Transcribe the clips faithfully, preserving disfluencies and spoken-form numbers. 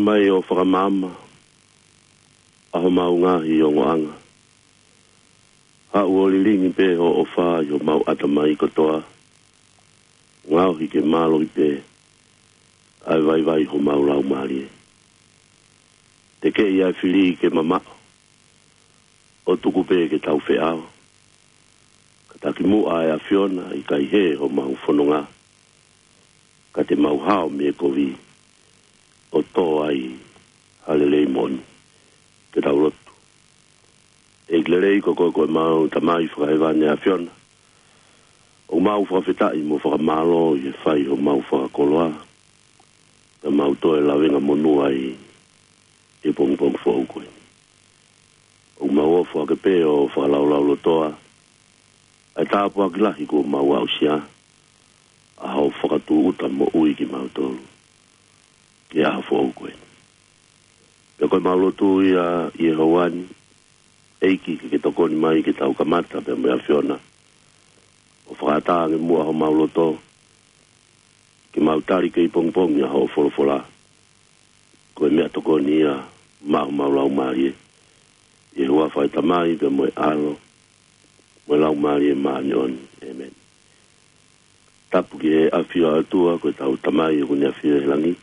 Mai ʻo fakamaama ʻa homau ngaahi ongoʻanga. Haʻu ʻo lilingi pē hoʻo ʻofa ʻi homau ʻatamai kotoa. Ngaohi ke mālohi pē ʻa e vaivai homau laumālie. Tekeʻi ʻa e fili ke mamaʻo, ʻo tuku pē ke tau feʻao. Ka taki muʻa ʻa e ʻAfiona, ʻikai hē homau fononga, ka te mau hao mei he kovi, ʻo tō ai ha lelei moʻoni. Ke tau lotu. ʻEiki lelei, ko koe ko ʻemau Tamai fakahēvani ʻAfiona, ʻoku mau fakafetaʻi mo fakamālō ʻi he fai homau fakakoloa, ka mau toe lavengamonū ai ʻi he pongipongi foʻou ko eni. ʻOku mau ofo hake pē ʻo fakalaulaulotoa ʻa e tāpuaki lahi kuo mau aʻusia, ʻa hoʻo fakatūʻuta moʻui kimautolu ki he ʻaho foʻou ko eni. Pea ko ʻemau lotu ia ʻi he houa ni, ʻEiki, ke ke tokoni mai ke tau kamata pea mo e ʻAfiona, ʻo fakaʻatā ange muʻa homau loto, ke mau tali kei pongipongi ʻa hoʻo folofola. Ko e meʻatokoni ia maʻa homau laumālie. ʻI he huafa ʻo e Tamai pea mo e ʻAlo, mo e Laumālie Māʻoniʻoni. ʻĒmeni. Tapu ki he ʻafio ʻa e ʻOtua, ko ʻetau Tamai ʻoku ne ʻafio ʻi he langi.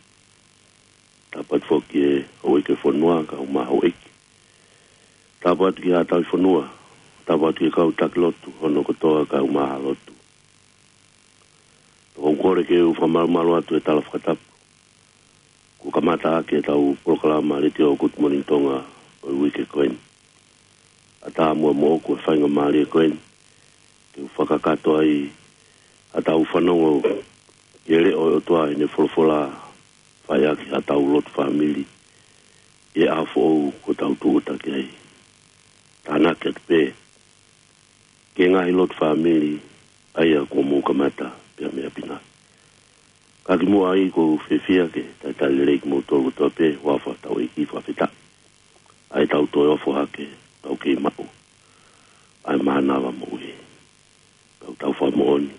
Tapu atu foki ki he houʻeiki ʻo e fonua, kaeʻumaʻā houʻeiki. Tapu atu ki he haʻa tauhi fonua. Tapu atu ki he kau taki lotu hono kotoa, kaeʻumaʻā haʻa lotu. Tokoni, kole ke u fakamalumalu atu he tala fakatapu kuo kamata ʻaki ʻetau polokalama letiō Good Morning Tonga ʻo e uike ko eni. ʻAtā muʻa moʻoku e faingamālie ko eni ke u fakakakato ai haʻatau fanongo ki he leʻo ʻo e ʻOtua ʻi heʻene folofola, fai ʻaki haʻatau lotu fāmili ʻi he ʻaho foʻou kuo tau tūʻuta ki ai. Tānaki atu pē ki he ngaahi lotu fāmili ʻa ia kuo mou kamata pea mei ʻapi na. Ka kimuʻa ai, ʻoku ou fiefia ke talitali lelei kimoutolu kotoa pē, huafa hotau ʻEiki, fakafetaʻi ʻa ʻetau toe ofo hake, tau kei maʻu ʻa e mānava moʻui. Tau tau fakamoʻoni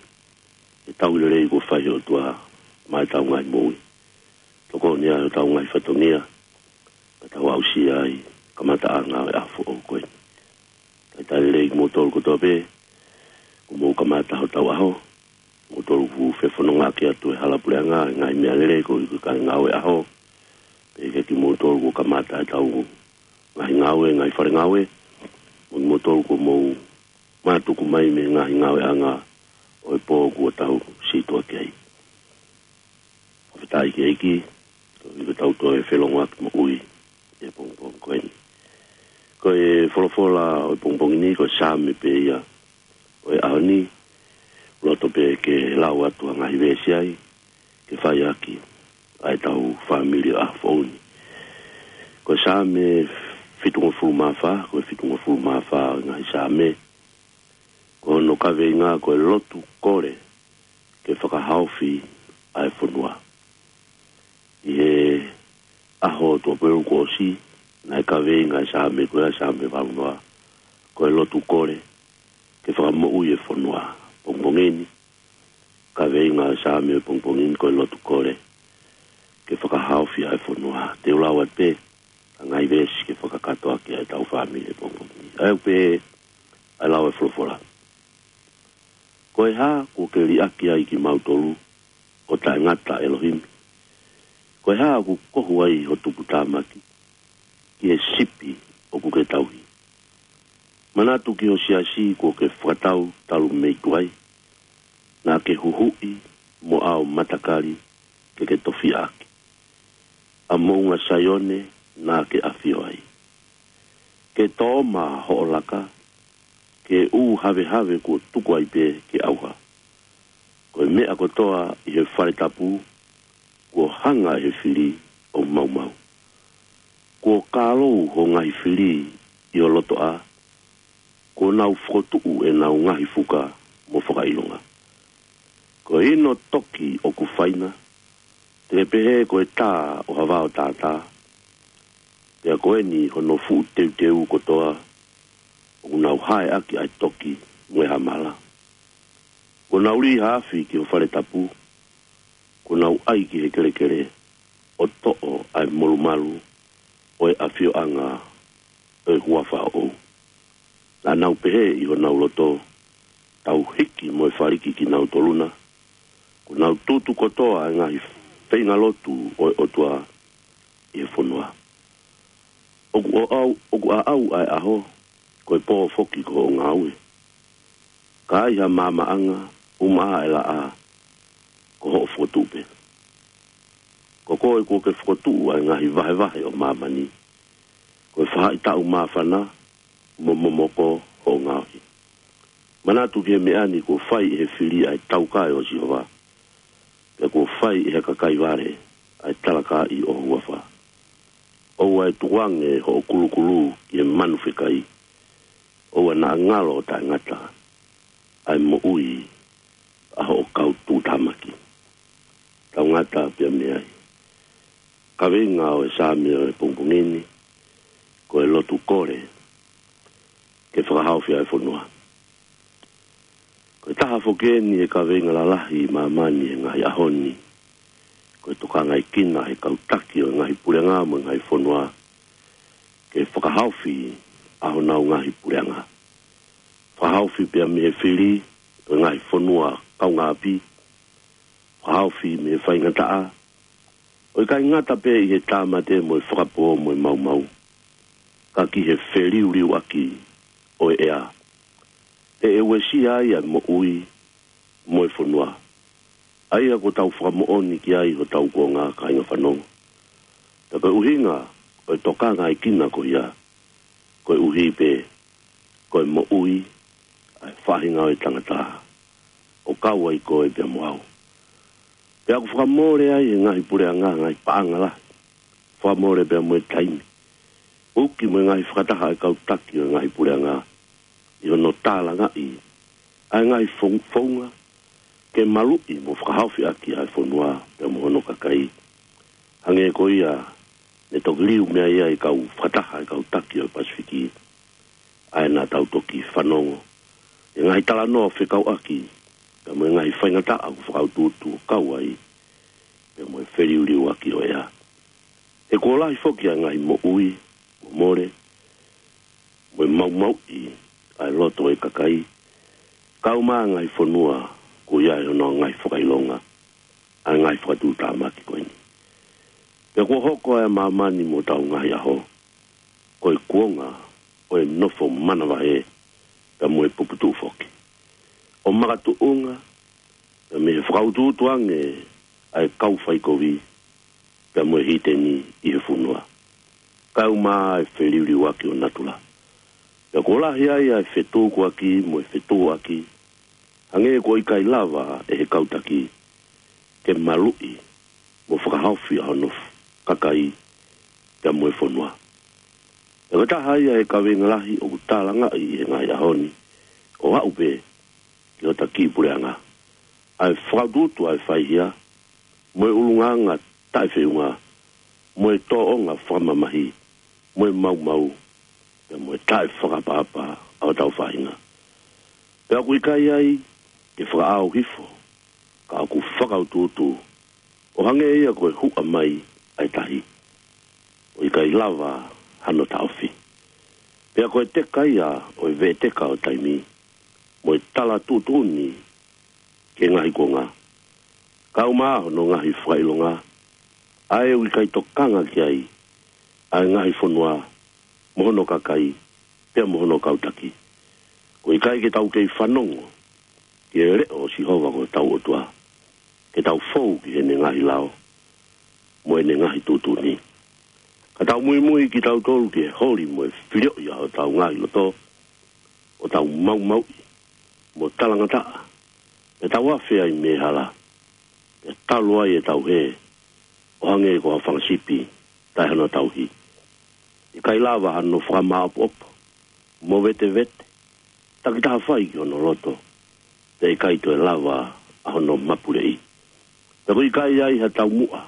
ʻe tau lelei kuo fai ʻe he ʻOtua maʻa ʻetau ngaahi moʻui. Tokoni ʻa hotau ngaahi fatongia, ka tau aʻusia ai kamataʻanga ʻo e ʻaho foʻou ko eni. Talitali lelei kimoutolu kotoa pē kuo mou kamata hotau ʻaho. Moutolu kuo fefonongaʻaki atu he hala puleʻanga, he ngaahi meʻalele, koeʻuhi ko e kāinga ngāue ʻaho. Pea kimoutolu kuo kamata ʻetau ngaahi ngāue, ngaahi fale ngāue. Mo kimoutolu kuo mou mātuku mai mei he ngaahi ngāueʻanga ʻo e pō kuo tau situʻa ki ai. Fakafetaʻi ki he ʻEiki, koeʻuhi ko ʻetau toe felongoaki moʻui he pongipongi ko eni. Ko e folofola ʻo e pongipongi ni, ko e Saame pē ia ʻo e ʻaho ni, loto pē ke lau atu ha ngaahi veesi ai, ke fai ʻaki ʻa ʻetau fāmili ʻaho foʻou ni. Ko e Saame fitungofulu mā fā, ko e fitungofulu mā fā ʻo e ngaahi Saame, ko hono kaveinga ko e lotu kole ke fakahaofi ʻa e fonua. ʻI he ʻaho tuʻapē kuo ʻosi, naʻe kaveinga e Saame ko ia, Saame valu noa, ko e lotu kole ke fakamoʻui e fonua. Pongipongi ni, kaveinga e Saame pongipongi ni ko e lotu kole ke fakahaofi ʻa e fonua. Te u lau atu pē ha ngaahi veesi ke fakakakato ʻaki ʻa ʻetau fāmili pongipongi ni. ʻA ia ʻoku pehē ʻa e lau e folofola: Ko e hā kuo ke liʻaki ai kimautolu, ʻo taʻengata ʻElohimi? Ko e hā ʻoku kohu ai ho tuputāmaki ki he sipi ʻoku ke tauhi? Manatu ki ho siasi kuo ke fakatau talu mei tuai, naʻa ke huhuʻi mo ʻao matakali ke ke tofiʻaki. ʻA moʻunga Saione naʻa ke ʻafio ai. Ke tōma hoʻo laka, ke ʻū havehave kuo tuku ai pē ke ʻauha. Ko e meʻa kotoa ʻi he fale tapu, kuo hanga ʻe he fili ʻo maumau. Kuo kālou ho ngaahi fili ʻi ho lotoʻā, kuo nau fokotuʻu ʻenau ngaahi fuka mo fakaʻilonga. Ko e hino toki ʻoku fai na, te ke pehē ko e tā ʻo ha vao tātā, pea ko eni hono fuʻu teuteu kotoa, ʻoku nau haeʻaki ʻa e toki mo e hamala. Kuo nau lī ha afi ki ho fale tapu, kuo nau ʻai ki he kelekele, ʻo toʻo ʻa e molumalu ʻo e ʻafioʻanga ʻo e huafa ʻoʻou. Naʻa nau pehē ʻi honau loto, tau hiki mo e faliki kinautolu na, kuo nau tutu kotoa ʻa e ngaahi feinga lotu ʻo e ʻOtua ʻi he fonua. ʻOku ʻaʻau, ʻoku ʻaʻau ʻa e ʻaho, ko e pō foki ko hoʻo ngāue. Ka ai ha maamaʻanga, ʻumaʻā ʻa e laʻā, ko hoʻo fokotuʻu pē. Ko koe kuo ke fokotuʻu ʻa e ngaahi vahevahe ʻo māmani. Ko e faʻahitaʻu māfana, mo momoko hoʻo ngaohi. Manatu ki he meʻa ni kuo fai ʻe he fili ʻa e taukae ʻo Sihova. Pea kuo fai ʻe he kakai vale ʻa e talakaaʻi ʻo ho huafa. ʻOua ʻe tukuange hoʻo kulukulu ki he manu fekai. ʻOua naʻa ngalo ʻo taʻengata ʻa e moʻui ʻa hoʻo kau tuʻutāmaki. Tau ngata pea mei ai. Kaveinga ʻo e Saame ʻo e pongipongi ni, ko e lotu kole ke fakahaofi ʻa e fonua. Ko e taha foki eni ʻo e kaveinga lalahi ʻi māmani he ngaahi ʻaho ni, ko e tokangaʻekina ʻe he kau taki ʻo e ngaahi puleʻanga mo e ngaahi fonua ke fakahaofi ʻa honau ngaahi puleʻanga. Fakahaofi pea mei he fili ʻo e ngaahi fonua kaungāʻapi, fakahaofi mei he faingataʻa, ʻo ʻikai ngata pē ʻi he tāmate mo e fakapō mo e maumau, ka ki he feliuliuaki ʻo e ʻea. He ʻe uesia ai ʻa e moʻui mo e fonua. ʻA ia kuo tau fakamoʻoni ki ai hotau kuonga, kāinga fanongo. Ka ko e ʻuhinga ʻo e tokangaʻekina ko ia, koeʻuhi pē ko e moʻui ʻa e faʻahinga ʻo e tangata, ʻo kau ai koe pea mo au. Pea ʻoku fakamole ai ʻe he ngaahi puleʻanga ngaahi paʻanga lahi. Fakamole pea mo e taimi. ʻUki mo e ngaahi fakataha ʻa e kau taki ʻo e ngaahi puleʻanga ʻi hono tālangaʻi ʻa e ngaahi fou-, founga ke maluʻi mo fakahaofi ʻaki ʻa e fonua pea mo hono kakai. Hangē ko ia ne toki liu mei ai ʻa e kau fakataha ʻa e kau taki ʻo e Pasifiki, ʻa ia naʻa tau toki fanongo ʻi he ngaahi talanoa fekauʻaki pea mo e ngaahi faingataʻa ʻoku fakautuutu ʻo kau ai pea mo e feliuliuaki ʻo e ʻea. He kuo lahi foki ʻa e ngaahi moʻui momole mo e maumauʻi ʻa e loto ʻo e kakai, kau mo e ngaahi fonua kuo ʻi ai honau ngaahi fakaʻilonga ʻa e ngaahi fakatuʻutāmaki ko eni. Pea kuo hoko ʻa māmani mo hotau ngaahi ʻaho ko e kuonga ʻo e nofo manavahē pea mo e puputuʻu foki, ʻo makatuʻunga pea mei he fakautuutu ange ʻa e kau faikovi pea mo e hiteni ʻi he fonua, kau mo e feliuliuaki ʻo natula. Pea kuo lahi ai ʻa e fetukuaki mo e fetuʻuaki, hangē kuo ʻikai lava ʻe he kau taki ke maluʻi mo fakahaofi ʻa hono kakai pea mo e fonua. Pea ko e taha ia ʻo e kaveinga lahi ʻoku tālangaʻi ʻi he ngaahi ʻaho ni, ʻo aʻu pē ki hota kiʻi puleʻanga, ʻa e fakautuutu ʻa e faihia, mo e ʻulungaanga taʻefeʻunga, mo e tōʻonga fakamamahi, mo e maumau, pea mo e taʻefakaʻapaʻapa ʻa hotau faʻahinga. Pea ʻoku ʻikai ai ke fakaʻau hifo, ka ʻoku fakautuutu, ʻo hangē ia ko e huʻa mai ʻa e tahi, ʻo ʻikai lava hano taʻofi. Pea ko e teka ia ʻo e veʻeteka ʻo taimi, mo e tala tuʻutuʻuni ki he ngaahi kuonga, kau mo hono ngaahi fakaʻilonga, ʻa ē ʻoku ʻikai tokanga ki ai ʻa e ngaahi fonua, mo hono kakai, pea mo hono kau taki. ʻOku ʻikai ke tau kei fanongo ki he leʻo ʻo Sihova ko hotau ʻOtua, ke tau fou ki heʻene ngaahi lao mo ʻene ngaahi tuʻutuʻuni. Ka tau muimui kitautolu ki he holi mo e filioʻi ʻa hotau ngaahi loto, ʻo tau maumauʻi mo talangataʻa, pea tau afe ai mei he hala, pea talu ai ʻetau hē ʻo hangē ko ha fanga sipi taʻe hano tauhi. ʻIkai lava hano fakamāʻopoʻopo, mo vetevete, takitaha fai ki hono loto, pea ʻikai toe lava ʻa hono mapuleʻi. Pea ʻoku ʻikai ai ha taumuʻa,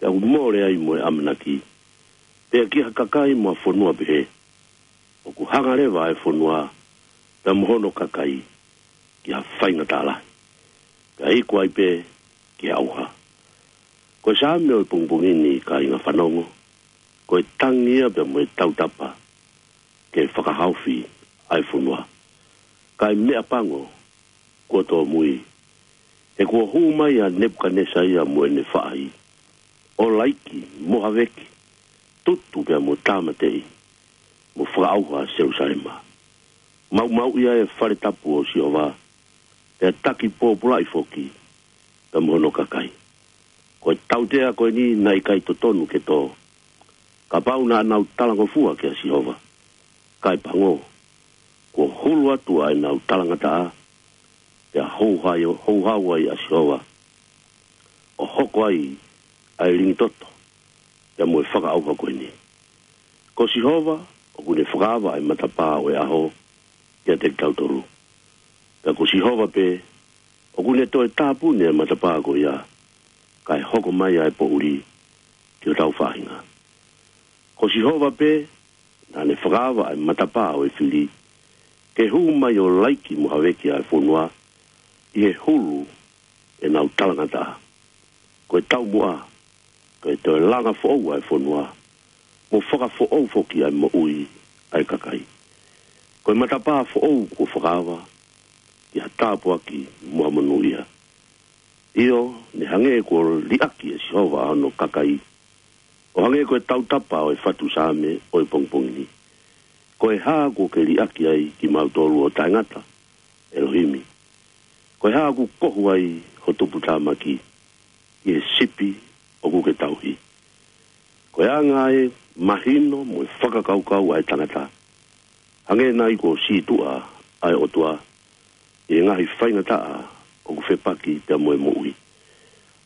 pea ʻoku mole ai mo e ʻamanaki, pea ki ha kakai mo ha fonua pehē, ʻoku hanga leva ʻa e fonua, pea mo hono kakai, ki ha faingataʻa lahi, pea iku ai pē ki he ʻauha. Ko e Saame ʻo e pongipongi ni, kāinga fanongo, ko e tangi ia pea mo e tautapa ke fakahaofi ʻa e fonua. Ka ʻi he meʻa pango kuo tōmui, he kuo hū mai ʻa Nepukanesa ia mo ʻene faʻahi, ʻo laiki mo haveki, tutu pea mo tāmateʻi, mo fakaʻauha ʻa Selusalema. Maumauʻi ʻa e fale tapu ʻo Sihova, pea taki pōpulaʻi foki pea mo hono kakai. Ko e tautea ko eni naʻe ʻikai totonu ke tō, kapau naʻa nau talangofua kia Sihova. Ka ʻi he pango, kuo hulu atu ʻa ʻenau talangataʻa, pea houhai-, houhau ai ʻa Sihova, ʻo hoko ai ʻa e lingi toto pea mo e fakaʻauha ko eni. Ko Sihova ʻoku ne fakaava ʻa e matapā ʻo e ʻaho kiate kitautolu. Pea ko Sihova pē ʻoku ne toe tāpuni ʻa e matapā ko ia, kae hoko mai ʻa e poʻuli ki hotau faʻahinga. Ko Sihova pē naʻa ne fakaava ʻa e matapā ʻo e fili, ke hū mai ʻo laiki mo haveki ʻa e fonua ʻi he hulu ʻenau talangataʻa. Ko e taumuʻa, ko e toe langa foʻou ʻa e fonua, mo fakafoʻou foki ʻa e moʻui ʻa e kakai. Ko e matapā foʻou kuo fakaava, ʻi ha tāpuaki mo ha monūʻia. ʻIo, ne hangē kuo liʻaki ʻe Sihova ʻa hono kakai, ʻo hangē ko e tautapa ʻo e fatu Saame ʻo e pongipongi ni. Ko e hā kuo ke liʻaki ai kimautolu ʻo taʻengata, ʻElohimi? Ko e hā ʻoku kohu ai ho tuputāmaki ʻi he sipi ʻoku ke tauhi? Ko e anga ʻa e mahino mo e fakakaukau ʻa e tangata, hangē nai kuo sītuʻa ʻa e ʻOtua ʻi he ngaahi faingataʻa ʻoku fepaki pea mo e moʻui?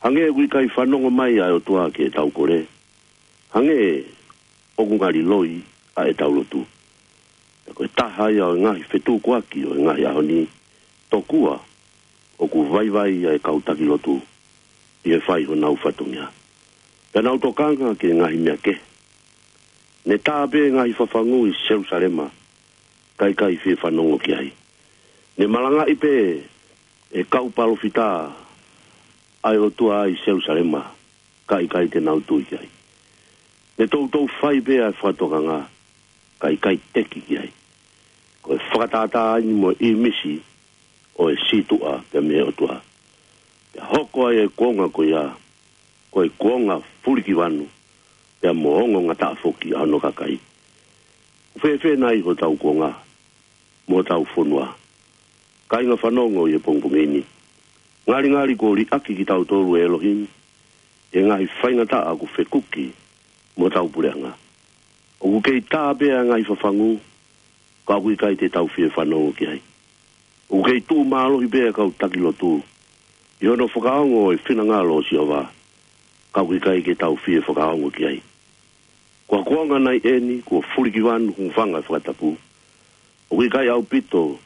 Hangē ʻoku ʻikai fanongo mai ʻa e ʻOtua ki heʻetau kole, hangē ʻoku ngali loi ʻa ʻetau lotu. Pea ko e taha ia ʻo e ngaahi fetukuaki ʻo e ngaahi ʻaho ni, tokua ʻoku vaivai ʻa e kau taki lotu ʻi he fai honau fatongia, pea nau tokanga ki he ngaahi meʻa kehe. Ne tā pē ngaahi fafangu ʻi Selusalema, ka ʻikai fie fanongo ki ai. Ne malangaʻi pē ʻe he kau palōfita ʻa e ʻOtua ʻi Selusalema, ka ʻikai te nau tui ki ai. Ne toutou fai pē ʻa e fakatokanga, ka ʻikai teki ki ai. Ko e fakatātā eni mo e ʻīmisi ʻo e sītuʻa pea mei he ʻOtua. Pea hoko ai e kuonga ko ia, ko e kuonga fulikivanu, pea mo ongongataʻa foki ʻa hono kakai. ʻOku fēfē nai hotau kuonga mo hotau fonua, kāinga fanongo ʻi he pongipongi ni? Ngalingali kuo liʻaki kitautolu ʻe ʻElohimi ʻi he ngaahi faingataʻa ʻoku fekuki mo hotau puleʻanga. ʻOku kei tā pē ʻa e ngaahi fafangu, ka ʻoku ʻikai te tau fie fanongo ki ai. ʻOku kei tuʻu mālohi pē ʻa e kau taki lotu ʻi hono fakaongo ʻo e finangalo ʻo Sihova, ka ʻoku ʻikai ke tau fie fakaongo ki ai. Ko e kuonga nai eni kuo fulikivanu, hūfanga he fakatapu. ʻOku ʻikai ʻaupito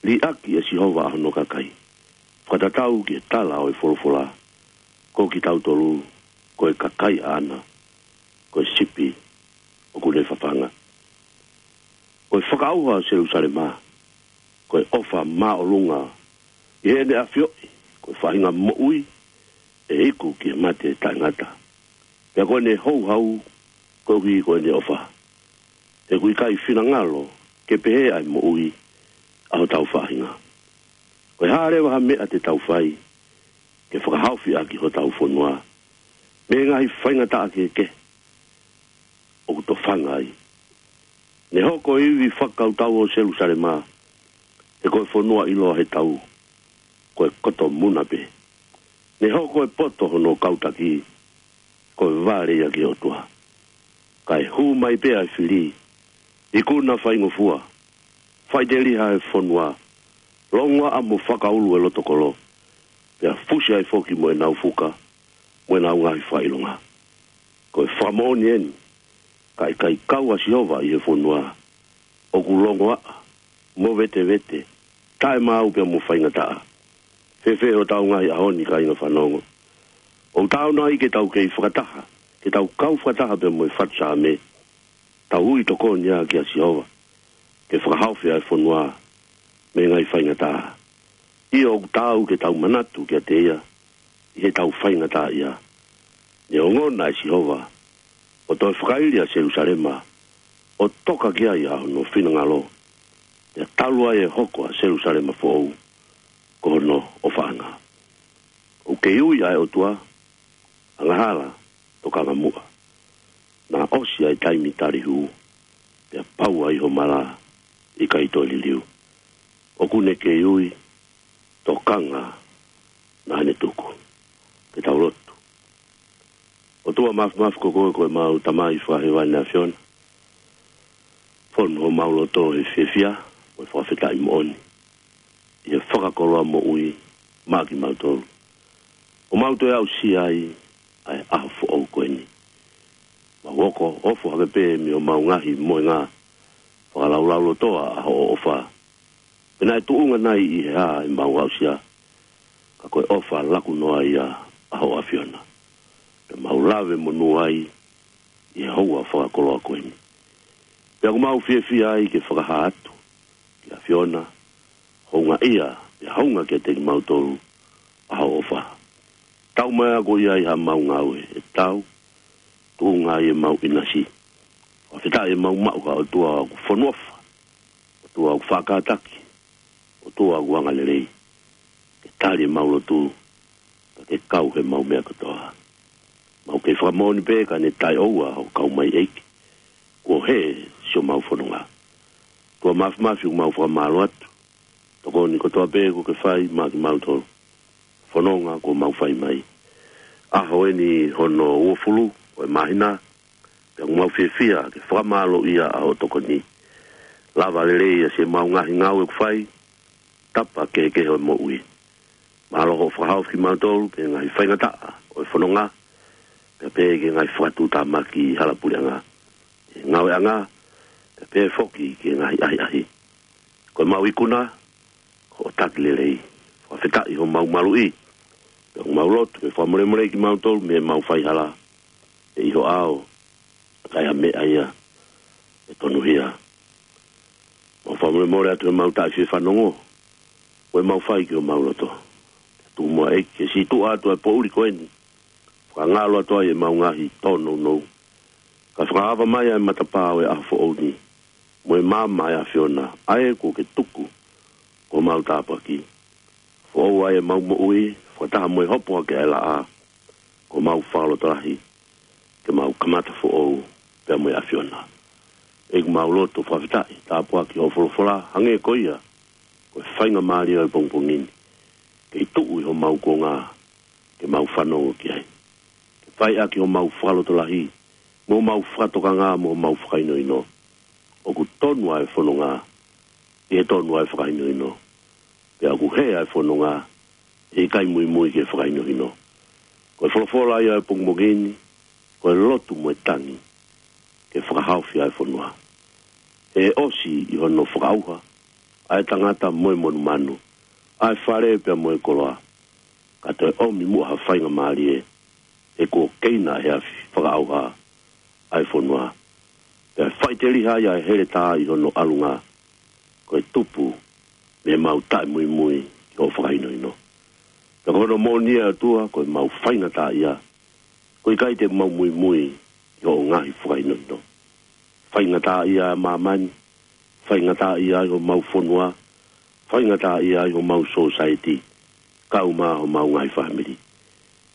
liʻaki ʻe Sihova ʻa hono kakai. Fakatatau ki he tala ʻo e folofola, ko kitautolu ko e kakai ʻaʻana, ko e sipi ʻoku ne fafanga. Ko e fakaʻauha ʻo Selusalema, ko e ʻofa māʻolunga ʻi heʻene ʻafioʻi ko e faʻahinga moʻui ʻe iku ki he mate taʻengata. Pea ko ʻene houhau koeʻuhi ko ʻene ʻofa. He ʻoku ʻikai finangalo ke pehē ʻa e moʻui ʻa hotau faʻahinga. Ko e hā leva ha meʻa te tau fai ke fakahaofi ʻaki hotau fonua mei he ngaahi faingataʻa kehekehe ʻoku tofanga ai? Ne hoko e ivi fakakautau ʻo Selusalema, he ko e fonua ʻiloa he tau, ko e koto muna pē. Ne hoko e poto hono kau taki, ko e vale ia ki he ʻOtua. Kae hū mai pē ʻa e fili, ikuna faingofua, faʻiteliha e fonua, longoaʻa mo fakaulu e loto kolo, pea fusi ai foki mo ʻenau fuka mo ʻenau ngaahi fakaʻilonga. Ko e fakamoʻoni eni, ka ʻikai kau ʻa Sihova ʻi he fonua ʻoku longoaʻa, movetevete, taʻemaau pea mo faingataʻa, fēfē hotau ngaahi ʻaho ni, kāinga fanongo? ʻOku taau nai ke tau kei fakataha, ke tau kau fakataha pea mo e fatu Saame, tau ui tokoni ā kia Sihova ke fakahaofi ʻa e fonua mei he ngaahi faingataʻa? ʻIo, ʻoku taau ke tau manatu kiate ia ʻi heʻetau faingataʻaʻia. Ne ongona ʻe Sihova ʻo toe fakaili ʻa Selusalema, ʻo toka ki ai ʻa hono finangalo, pea talu ai ʻe hoko ʻa Selusalema foʻou ko hono ʻofaʻanga. ʻOku kei ui ʻa e ʻOtua, angahala, tokanga muʻa. Naʻe ʻosi ʻa e taimi tali hū, pea pau ai ho mala, ʻikai toe liliu. ʻOku ne kei ui, tokanga naʻa ne tuku. Ke tau lotu. ʻOtua Māfimafi, ko koe ko ʻemau Tamai fakahēvani ʻAfiona. Fonu homau loto he fiefia mo e fakafetaʻi moʻoni ʻi he fakakoloa moʻui maʻa kimautolu, ʻo mau toe aʻusia ai ʻa e ʻaho foʻou ko eni. Mau hoko ʻo ofo hake pē mei homau ngaahi mohenga, fakalaulaulotoa ʻa hoʻo ʻofa. Pe naʻe tuʻunga nai ʻi he hā ʻemau aʻusia, ka ko e ʻofa laku noa ia ʻa hoʻo ʻAfiona. Pea mau lave monū ai ʻi he houa fakakoloa ko eni. Pea ʻoku mau fiefia ai ke fakahā atu ki he ʻAfiona, houngaʻia, pea hounga kiate kimautolu ʻa hoʻo ʻofa. Tau mai ʻa koe ia ʻi haʻamau ngāue ʻe tau, tuʻunga ai ʻemau ʻinasi. Fakafetaʻi ʻemau maʻu ha ʻOtua ʻoku fonu ʻofa, ʻOtua ʻoku faʻa kātaki, ʻOtua ʻoku angalelei. Ke tali ʻemau lotu, ka ke kau heʻemau meʻa kotoa. Mau kei fakamoʻoni pē ka ne taʻeʻoua hoʻo kau mai ʻEiki, kuo hē siʻomau fononga. ʻOtua Māfimafi, ʻoku mau fakamālō atu. Tokoni kotoa pē kuo ke fai maʻa kimautolu. Fononga kuo mau fai mai. ʻAho eni hono uofulu ʻo e māhina, pea ʻoku mau fiefia ke fakamālōʻia ʻa hoʻo tokoni. Lava lelei ʻa siʻemau ngaahi ngāue ʻoku fai, tapa kehekehe ʻo e moʻui. Mālō hoʻo fakahaofi kimautolu ki he ngaahi faingataʻa ʻo e fononga, pea pehē ki he ngaahi fakatuʻutāmaki ʻi hala puleʻanga, ʻi he ngāueʻanga, pea pehē foki ki he ngaahi ʻahiʻahi. Ko ʻemau ikuna, ko hoʻo taki lelei. Fakafetaʻi homau maluʻi. Pea ʻoku mau lotu ke fakamolemole kimautolu mei heʻemau faihala, ʻe ʻi ho ʻao, ka ʻi ai ha meʻa ia ʻe tonuhia. Mau fakamolemole atu heʻemau taʻefiefanongo, ko ʻemau fai ki homau loto. Tuku muʻa ʻEiki ke situʻa atu ʻa e poʻuli ko eni, fakangalo atu ai ʻemau ngaahi tōnounou, ka fakaava mai ʻa e matapā ʻo e ʻaho foʻou ni, mo e maama ʻa e ʻAfiona, ʻa ē kuo ke tuku ko homau tāpuaki. Foʻou ai ʻemau moʻui, fakataha mo e hopo hake ʻa e laʻā, ko homau fakalotolahi, ke mau kamata foʻou pea mo e ʻAfiona. ʻEiki, ʻoku mau lotu fakafetaʻi, tāpuaki hoʻo folofola, hangē ko ia ko e faingamālie ʻo e pongipongi ni, ke tuʻu ʻi homau kuonga, ke mau fanongo ki ai. Ke fai ʻaki homau fakalotolahi, mo homau fakatokanga, mo homau fakahinohino. ʻOku tonu ʻa e fononga ʻi he tonu ʻa e fakahinohino, pea ʻoku hē ʻa e fononga ʻi he ʻikai muimui ki he fakahinohino. Ko e folofola ia ʻo e pongipongi ni, ko e lotu mo e tangi, ke fakahaofi ʻa e fonua. He ʻosi ʻi hono fakaʻauha ʻa e tangata mo e monumanu, ʻa e fale pea mo e koloa, ka toe ʻomi muʻa ha faingamālie, he kuo keina ʻe he afi fakaʻauha ʻa e fonua. Pea faʻiteliha ia ʻa e heletā ʻi hono ʻalunga, ko e tupu mei heʻemau taʻemuimui ki hoʻo fakahinohino. Pea ko hono moʻoni ʻe ʻOtua, ko ʻemau faingataʻaʻia, ko e ʻikai te mau muimui ki hoʻo ngaahi fakahinohino. Faingataʻaʻia ʻa māmani, faingataʻaʻia ʻa homau fonua, faingataʻaʻia ʻa homau sōsaieti, kau mo homau ngaahi fāmili.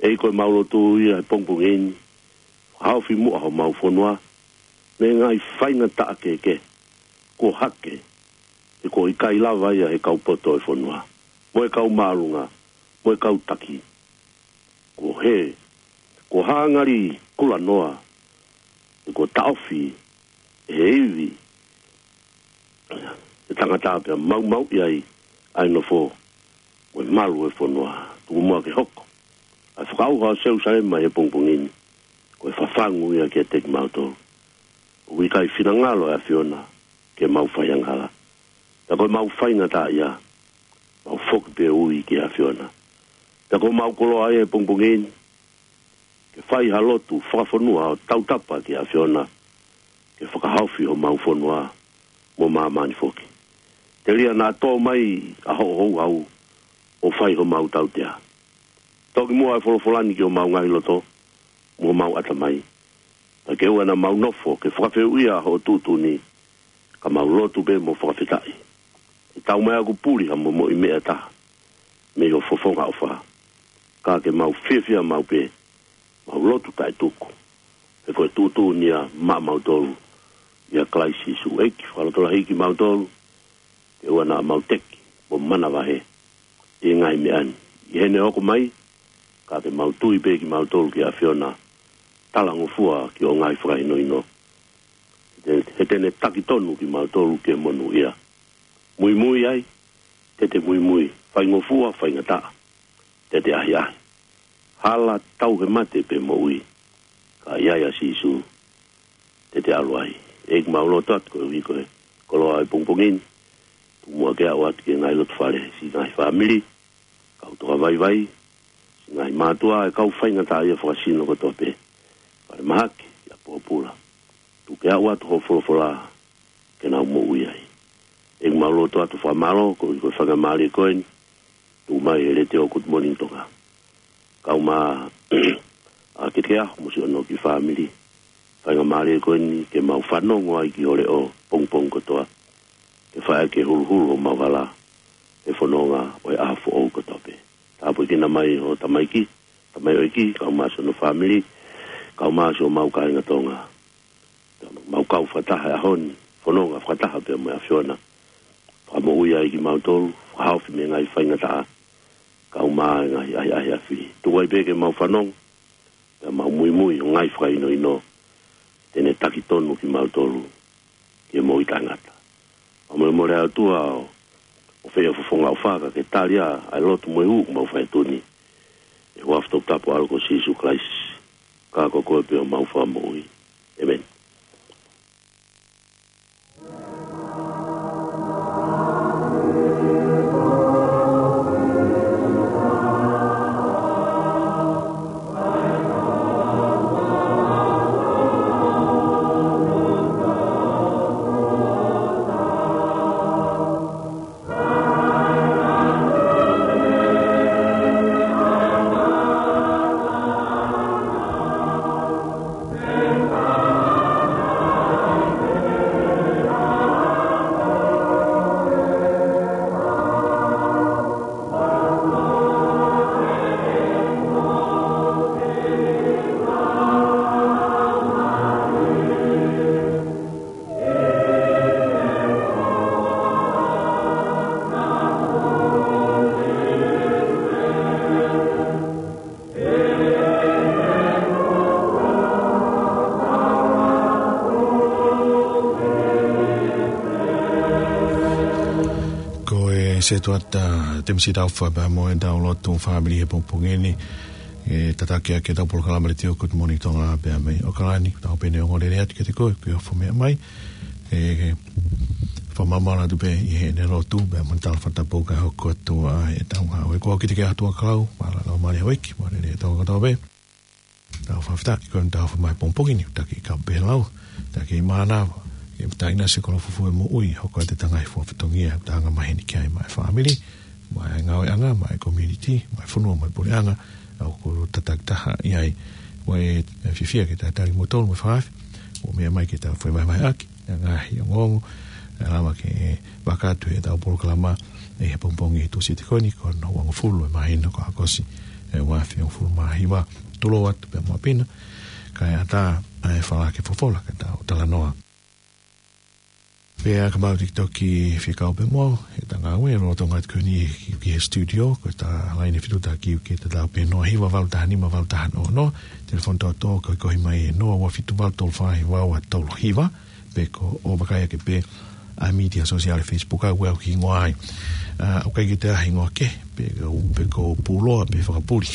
ʻEiki, ko ʻemau lotu ia he pongipongi ni, haofi muʻa homau fonua mei he ngaahi faingataʻa kehekehe kuo hake, he kuo ʻikai lava ia ʻe he kau poto ʻo e fonua, mo e kau māʻolunga, mo e kau taki. Kuo hē, kuo hā ngali kulanoa, he kuo taʻofi ʻe he ivi ʻa e tangata, pea maumauʻi ai ʻa e nofo mo e malu ʻo e fonua. Tuku muʻa ke hoko ʻa e fakaʻauha ʻo Selusalema he pongipongi ni, ko e fafangu ia kiate kimautolu. ʻOku ʻikai finangalo ʻa e ʻAfiona ke mau fai angahala. Pea ko ʻemau faingataʻaʻia, mau foki pē ui ki he ʻAfiona. Pea ko ʻemau koloa ia he pongipongi ni, ke fai ha lotu fakafonua ʻo tautapa ki he ʻAfiona, ke fakahaofi homau fonua mo māmani foki. Telia naʻa tō mai ʻa hoʻo houhau ʻo fai homau tautea. Toki muʻa ʻa e folofola ni ki homau ngaahi loto, mo homau ʻatamai. Pea ke ʻoua naʻa mau nofo ke fakafehuʻia hoʻo tuʻutuʻuni, ka mau lotu pē mo fakafetaʻi. ʻE tau mai ʻaku puli ha momoʻi meʻa ʻe taha mei ho fofonga ʻofa. Ka ke mau fiefia maʻu pē, mau lotu taʻetuku, he ko e tuʻutuʻuni ia maʻamautolu ʻia Kalaisi Sīsū. ʻEiki, fakalotolahiʻi kimautolu, ke ʻoua naʻa mau teki mo manavahē ʻi he ngaahi meʻa ni. ʻI heʻene hoko mai, ka ke mau tui pē kimautolu ki he ʻAfiona, talangofua ki hoʻo ngaahi fakahinohino. He te, he te ne taki tonu kimautolu ki he monūʻia. Muimui ai, te te muimui. Faingofua, faingataʻa, te te ʻahiʻahi. Hala, tauhi, mate pe moʻui, ka ʻi ai ʻa Sīsū, te te ʻalu ai. ʻEiki, mau lotu atu koeʻuhi ko e koloa ʻo e pongipongi ni. Tuku muʻa ke aʻu atu ki he ngaahi lotofale, siʻi ngaahi fāmili, kau tokavaivai, siʻi ngaahi mātuʻa, ʻa e kau faingataʻaʻia fakasino kotoa pē. Falemahaki, ʻa e pōpula. Tuku ke aʻu atu hoʻo folofola ke nau moʻui ai. ʻEiki, mau lotu atu fakamālō koeʻuhi ko e faingamālie ko eni, tuʻu mai he letiō Good Morning Tonga. Kau mai ʻa Kekeaho mo siʻono kiʻi fāmili. Faingamālie ko eni ke mau fanongo ai ki ho leʻo pongipongi kotoa, ke fai ke huluhulu homau hala he fononga ʻo e ʻaho foʻou kotoa pē. Tāpuekina mai ho tamaiki, tamaioʻeiki, kau mai siʻono fāmili, kau mai siʻomau kāinga Tonga. Mau kau fakataha he ʻaho ni, fononga fakataha pea mo e ʻAfiona. Fakamoʻui ai kimautolu, fakahaofi mei he ngaahi faingataʻa, kau mai he ngaahi ʻahiʻahi ʻa e fili. Tuku ai pē ke mau fanongo, pea mau muimui hoʻo ngaahi fakahinohino, te ne taki tonu kimautolu ki he moʻui taʻengata. Mau molemole ʻOtua ʻo, ʻo fai ho fofonga ʻofa, ka ke tali ʻa e lotu mo e hū ʻoku mau fai atu ni, ʻi he huafa toputapu ʻo ho ʻAlo ko Sīsū Kalaisi, ka ko koe pē homau Fakamoʻui. ʻĒmeni. Ko e setuata Temisi Taufa pea mo ʻetau lotu fāmili he pongipongi ni. ʻE tataki ʻaki ʻetau polokalama letiō Good Morning Tonga pea mei ʻAokalani, tau pehē ʻoku ongo lelei atu kiate koe, ke ofo meʻa mai. ʻE fakamāmālō atu pē ʻi heʻene lotu, pea mo e tala fakatapu ka hoko atu ai ʻetau ngāue. Ko au Kite Keaho Tuʻakau, mālō e laumālie ʻa e ʻEiki, mālō e lelei ʻetau kotoa pē. Tau fakafetaʻi ko eni tau fai mai pongipongi ni, taki ka pelau, taki mānava, ʻe taina se kolo fufu e moʻui, hoko atu ʻetau ngaahi fua fatongia, ʻetau angamaheni ki ai mo e fāmili, mo e ngāueʻanga, mo e community, mo e fonua, mo e puleʻanga, ʻoku tataki taha ʻi ai. ʻOku ou fiefia ke talitali kimoutolu mo e fakaafeʻi, ʻo meʻa mai ke tau fai mai mai ʻaki ʻa e ngaahi ongoongo, ʻe lava ke fakakakato ʻetau polokalama ʻi he pongipongi Tūsite ko eni, ko hono uangofulu ʻo e māhina ko ʻAokosi, ʻe ua afe uangofulu mā hiva, tulou atu pea mo ʻapi na, kae ʻatā ʻa e falala ke folofola, ka tau talanoa. Pea ka mau tiki toki fekau pē mo ʻetau ngāue, lolotonga atu ko eni ki, ki he studio, ko ʻetau laine fetutaki ʻoku tatau pē noa hiva valu taha nima valu taha noa noa, telefoni tōtō ko e kohi mai ʻe noa ua fitu valu tolu fā hiva ua tolu hiva, pe ko e vakai ake pē ʻa e mītia sōsiale Facebook ʻoku ʻi ai hoku hingoa ai. ʻA, ʻoku ʻikai ke toe ʻi ai ha hingoa kehe, pe ko, pe ko Puloa, pe Fakapuli.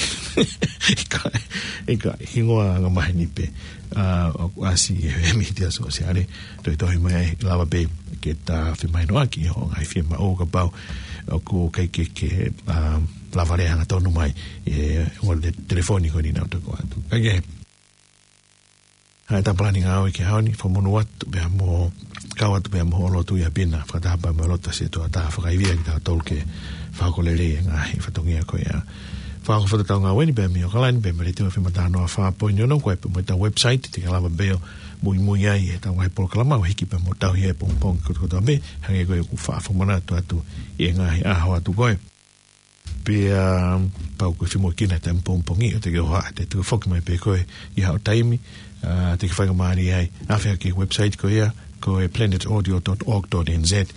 ʻIkai, ʻikai, hingoa angamaheni pē. ʻA, ʻoku ʻasi he mītia sōsiale, tohi tohi mai ai, lava pē ke ta femahinoʻaki hoʻo ngaahi fiemaʻu kapau ʻoku ʻikai ke, ke, ʻa, lava lea hangatonu mai, ʻi he ongo te-, telefoni ko eni naʻa ku toki ʻoatu. Kae kehe, ʻa e ʻetau palani ngāue ki he ʻaho ni, fakamonū atu pea mo, kau atu pea mo hoʻo lotu ʻi ʻapi na, fakataha pea mo e lotu ʻa e setuata, fakaivia kitautolu ke fakakoloa lelei e ngaahi fatongia ko ia. Fakahoko ʻetau ngāue ni pē mei ʻOkalani, pē mei he Letiō F M ʻa taha noa fā poini ono, ko e pē mo ʻetau website, te ke lava pē ʻo muimui ai ʻi heʻetau ngaahi polokalama ʻo hiki pē mo tauhi ʻi he pongipongi kotoa pē, hangē ko ia ʻoku faʻa fakamanatu atu ʻi he ngaahi ʻaho atu ko ē. Pea, um, pau ko e fiemaʻu ke na taimi pongipongi, ʻo te ke ʻohake, te u foki mai pē ko ē ʻi haʻo taimi, uh, te ke faingamālie ai ʻo afe ki he website ko ia, ko e planet audio dot org dot N Z,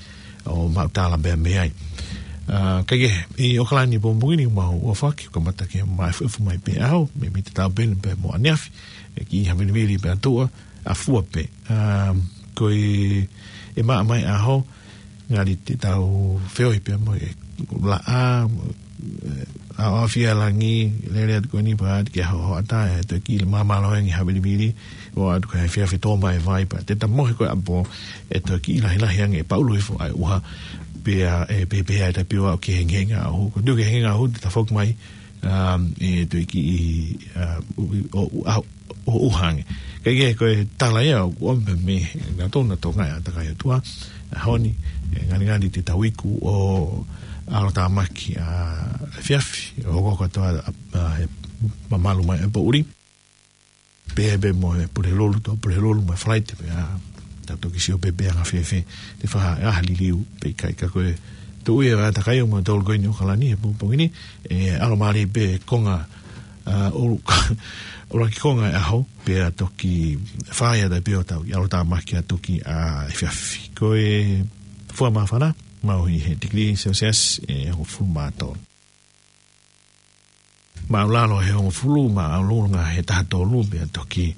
ʻo maʻu tala pē mei ai. Uh, kae kehe, ʻi ʻOkalani pongipongi ni mau ʻofa ʻaki, kamata ke maʻu ʻefu mai pē ʻaho, mei, mei he taʻu pē ni pē mo ʻaneafi, ʻe kiʻi havilivili pē ʻa tuʻa, ʻa fua pē. Um, ko e, ʻe maʻa mai ʻaho, ngali te tau feohi pē mo e laʻā, mo, eh, ʻa, ʻa fia langi, lele atu ko eni pea ʻoatu ke hohoʻa atu, ʻe toe kiʻi māmālohi ange havilivili, ʻo ʻoatu ko e efiafi tō mai e vai pea te ta mohe ko ē ʻapō, ʻe toe kiʻi lahilahi ange, ʻe paʻulu hifo ʻa e ʻuha, pea, ʻe pehē pē ʻa e taipio ʻo ke hengihengi ʻaho, ko e toe ke hengihengi ʻaho, te ta foki mai, um, ʻe toe kiʻi, uh, ʻo, ʻo, ʻo, ʻo, ʻo ʻuha ange. Kae kehe ko e tala ia ʻoku ʻomi mei he ngaahi tōna tō ngaahi ʻātakai ʻOtua, ʻaho ni, ʻe ngalingali te tau iku ʻo ʻalotāmaki ʻa e efiafi, ʻo hoko kotoa ʻa, ʻa, ʻe mamalu mai e poʻuli. Pea pē mo e Pulelulu, tō Pulelulu mo e Falaite, pea tau toki sio pē pe ʻe anga fēfē, te faʻa ʻaha liliu pe ʻikai ka ko e tuʻu ia ʻa e ʻātakai ʻo mautolu ko eni ʻi ʻOkalani he pongipongi ni, ʻe ʻalomālie pē konga, ʻa, ʻulu-, ʻuluaki konga e ʻaho, pea toki fai ʻa e taipio ʻo tau ʻi ʻalotāmaki atu ki he efiafi. Ko e fua māfana, maʻu ʻi he tikilī Celsius ʻe hongofulu mā tolu. Māʻulalo he hongofulu, māʻolunga he taha tolu, pea toki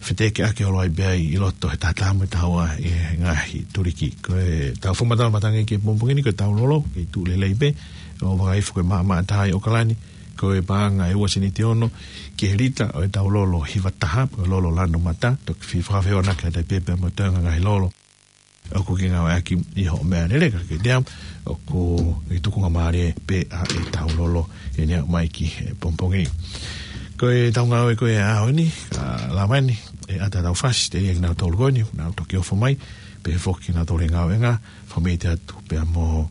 feteke ake holo ai pē ʻi loto he taha taha mo e taha ua ʻi he ngaahi tuliki. Ko ʻetau fakamatala matangi ki he pongipongi ni, ko e taulolo, kei tuʻu lelei pē, ʻo vaka ifo ko e maʻamaʻa taha ʻi ʻOkalani, ko e paʻanga ʻe ua sēniti ono ki he lita ʻo e taulolo hiva taha, ko e lolo lanu mata, toki fie fakafehoanaki atu pē pea mo e toenga ngaahi lolo ʻoku ke ngāueʻaki ʻi hoʻo meʻalele ka ke teau, ʻoku ke tukunga mālie pē ʻa e taulolo ʻi he ʻaho mai ki he pongipongi. Ko ʻetau ngāue ko ē ʻaho ni, ʻa, lava ni, ʻe ʻatā ʻetau fasi, telia kinautolu ko eni, nau toki ʻofa mai, pehē foki kinautolu he ngāueʻanga, fakamolemole atu pea mo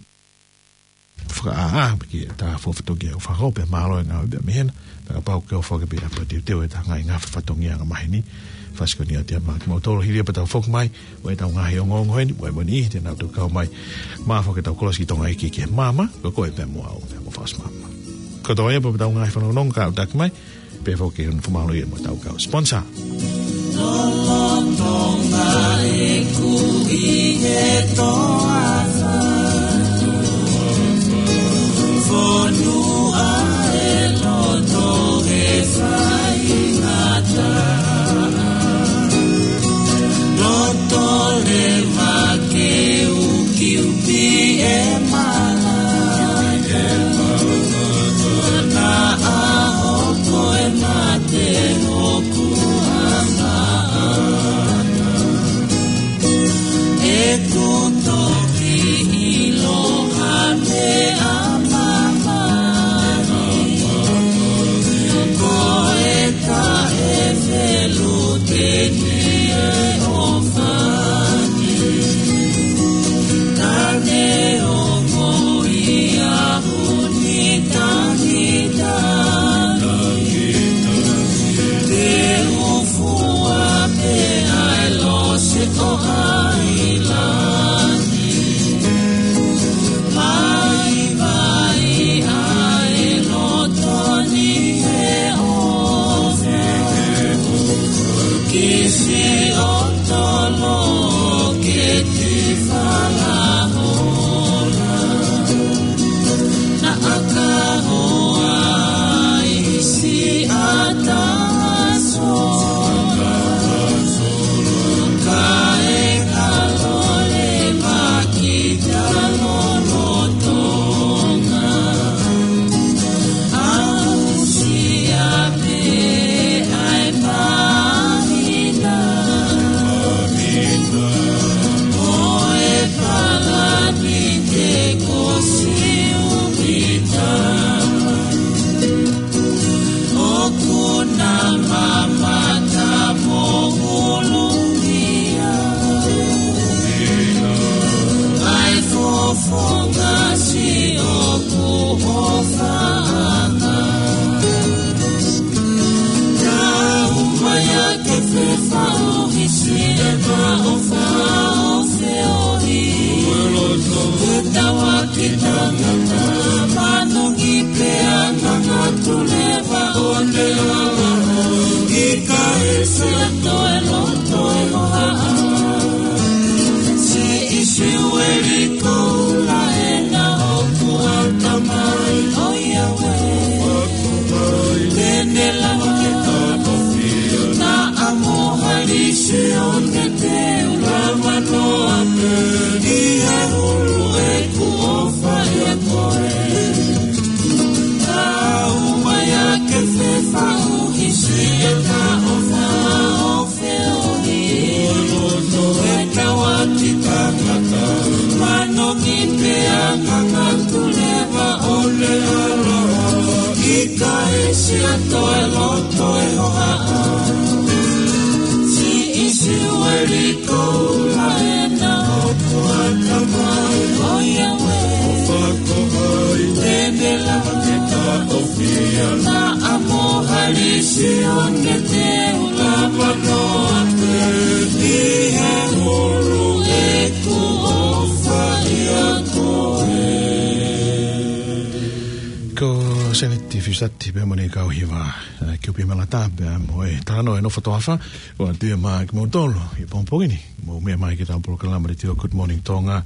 fakaʻā, pea ke ta fofo toki ʻo fakahoko pē mālō e ngāue pē mei hena, pea kapau ʻoku ke ʻofa ke pē ʻa pea teuteu ʻetau ngaahi ngaahi fatongia ʻa e maheni, fasi ko eni ʻa e tiamaki mautolu hili ia pea tau foki mai, ʻo ʻetau ngaahi ongoongo heni, ʻo e moni ʻi he te nau toki kau mai, mā foki ʻetau kolosi ki Tonga ʻEiki ki he maama, ko koe pē mo au, pea mo Faʻasi Maama. Ko e toe ia pē ʻetau ngaahi fanongonongo ka ʻoku taki mai, pea foki ʻe ʻunu fakamālō ia mo ʻetau kau sponsor. Lolotonga ʻeku ʻi he toafa. Fonua ʻe loto he faingataʻa. Loto leva ke ukiuki e mala. Naʻa hoko e mate hoku angaʻanga. ʻEku toki ʻiloa meʻa mamahi. Ko e taʻe feluteni e ʻofa ni. Tane o moʻi a Te u fua pē ʻa e lose ʻo ʻAilani. Vaivai ʻa e loto ni he ʻofa. Kisi ʻo tolo ke ti falahola. Naʻa ka hoa ʻi siʻa taso. Kae kalo leva kita lolotonga. Aʻusia pē ʻa e mahina. Mo e palani te ko siupita. ʻOku na mamata mo hulungia. ʻA e fofonga siʻoku ʻofaʻanga. Siʻa toe loto e hohaʻa. Siʻi Siueli Koula ʻena ʻoku ʻatamai. ʻOiauē. ʻOfa ko hai. Te ne lava ke taʻofia. Naʻa mo Halisi ʻo ne te u lava noa pē. ʻI he ʻulu ʻeku ʻofa ʻia koe. Ko Seneti Fiusati pea mo ʻene kau hiva, ē, Kiupi Malata pea mo e talanoa ʻo e nofo toafa, ʻoatu ia maʻa kimoutolu ʻi he pongipongi ni, mou meʻa mai ki heʻetau polokalama letiō Good Morning Tonga,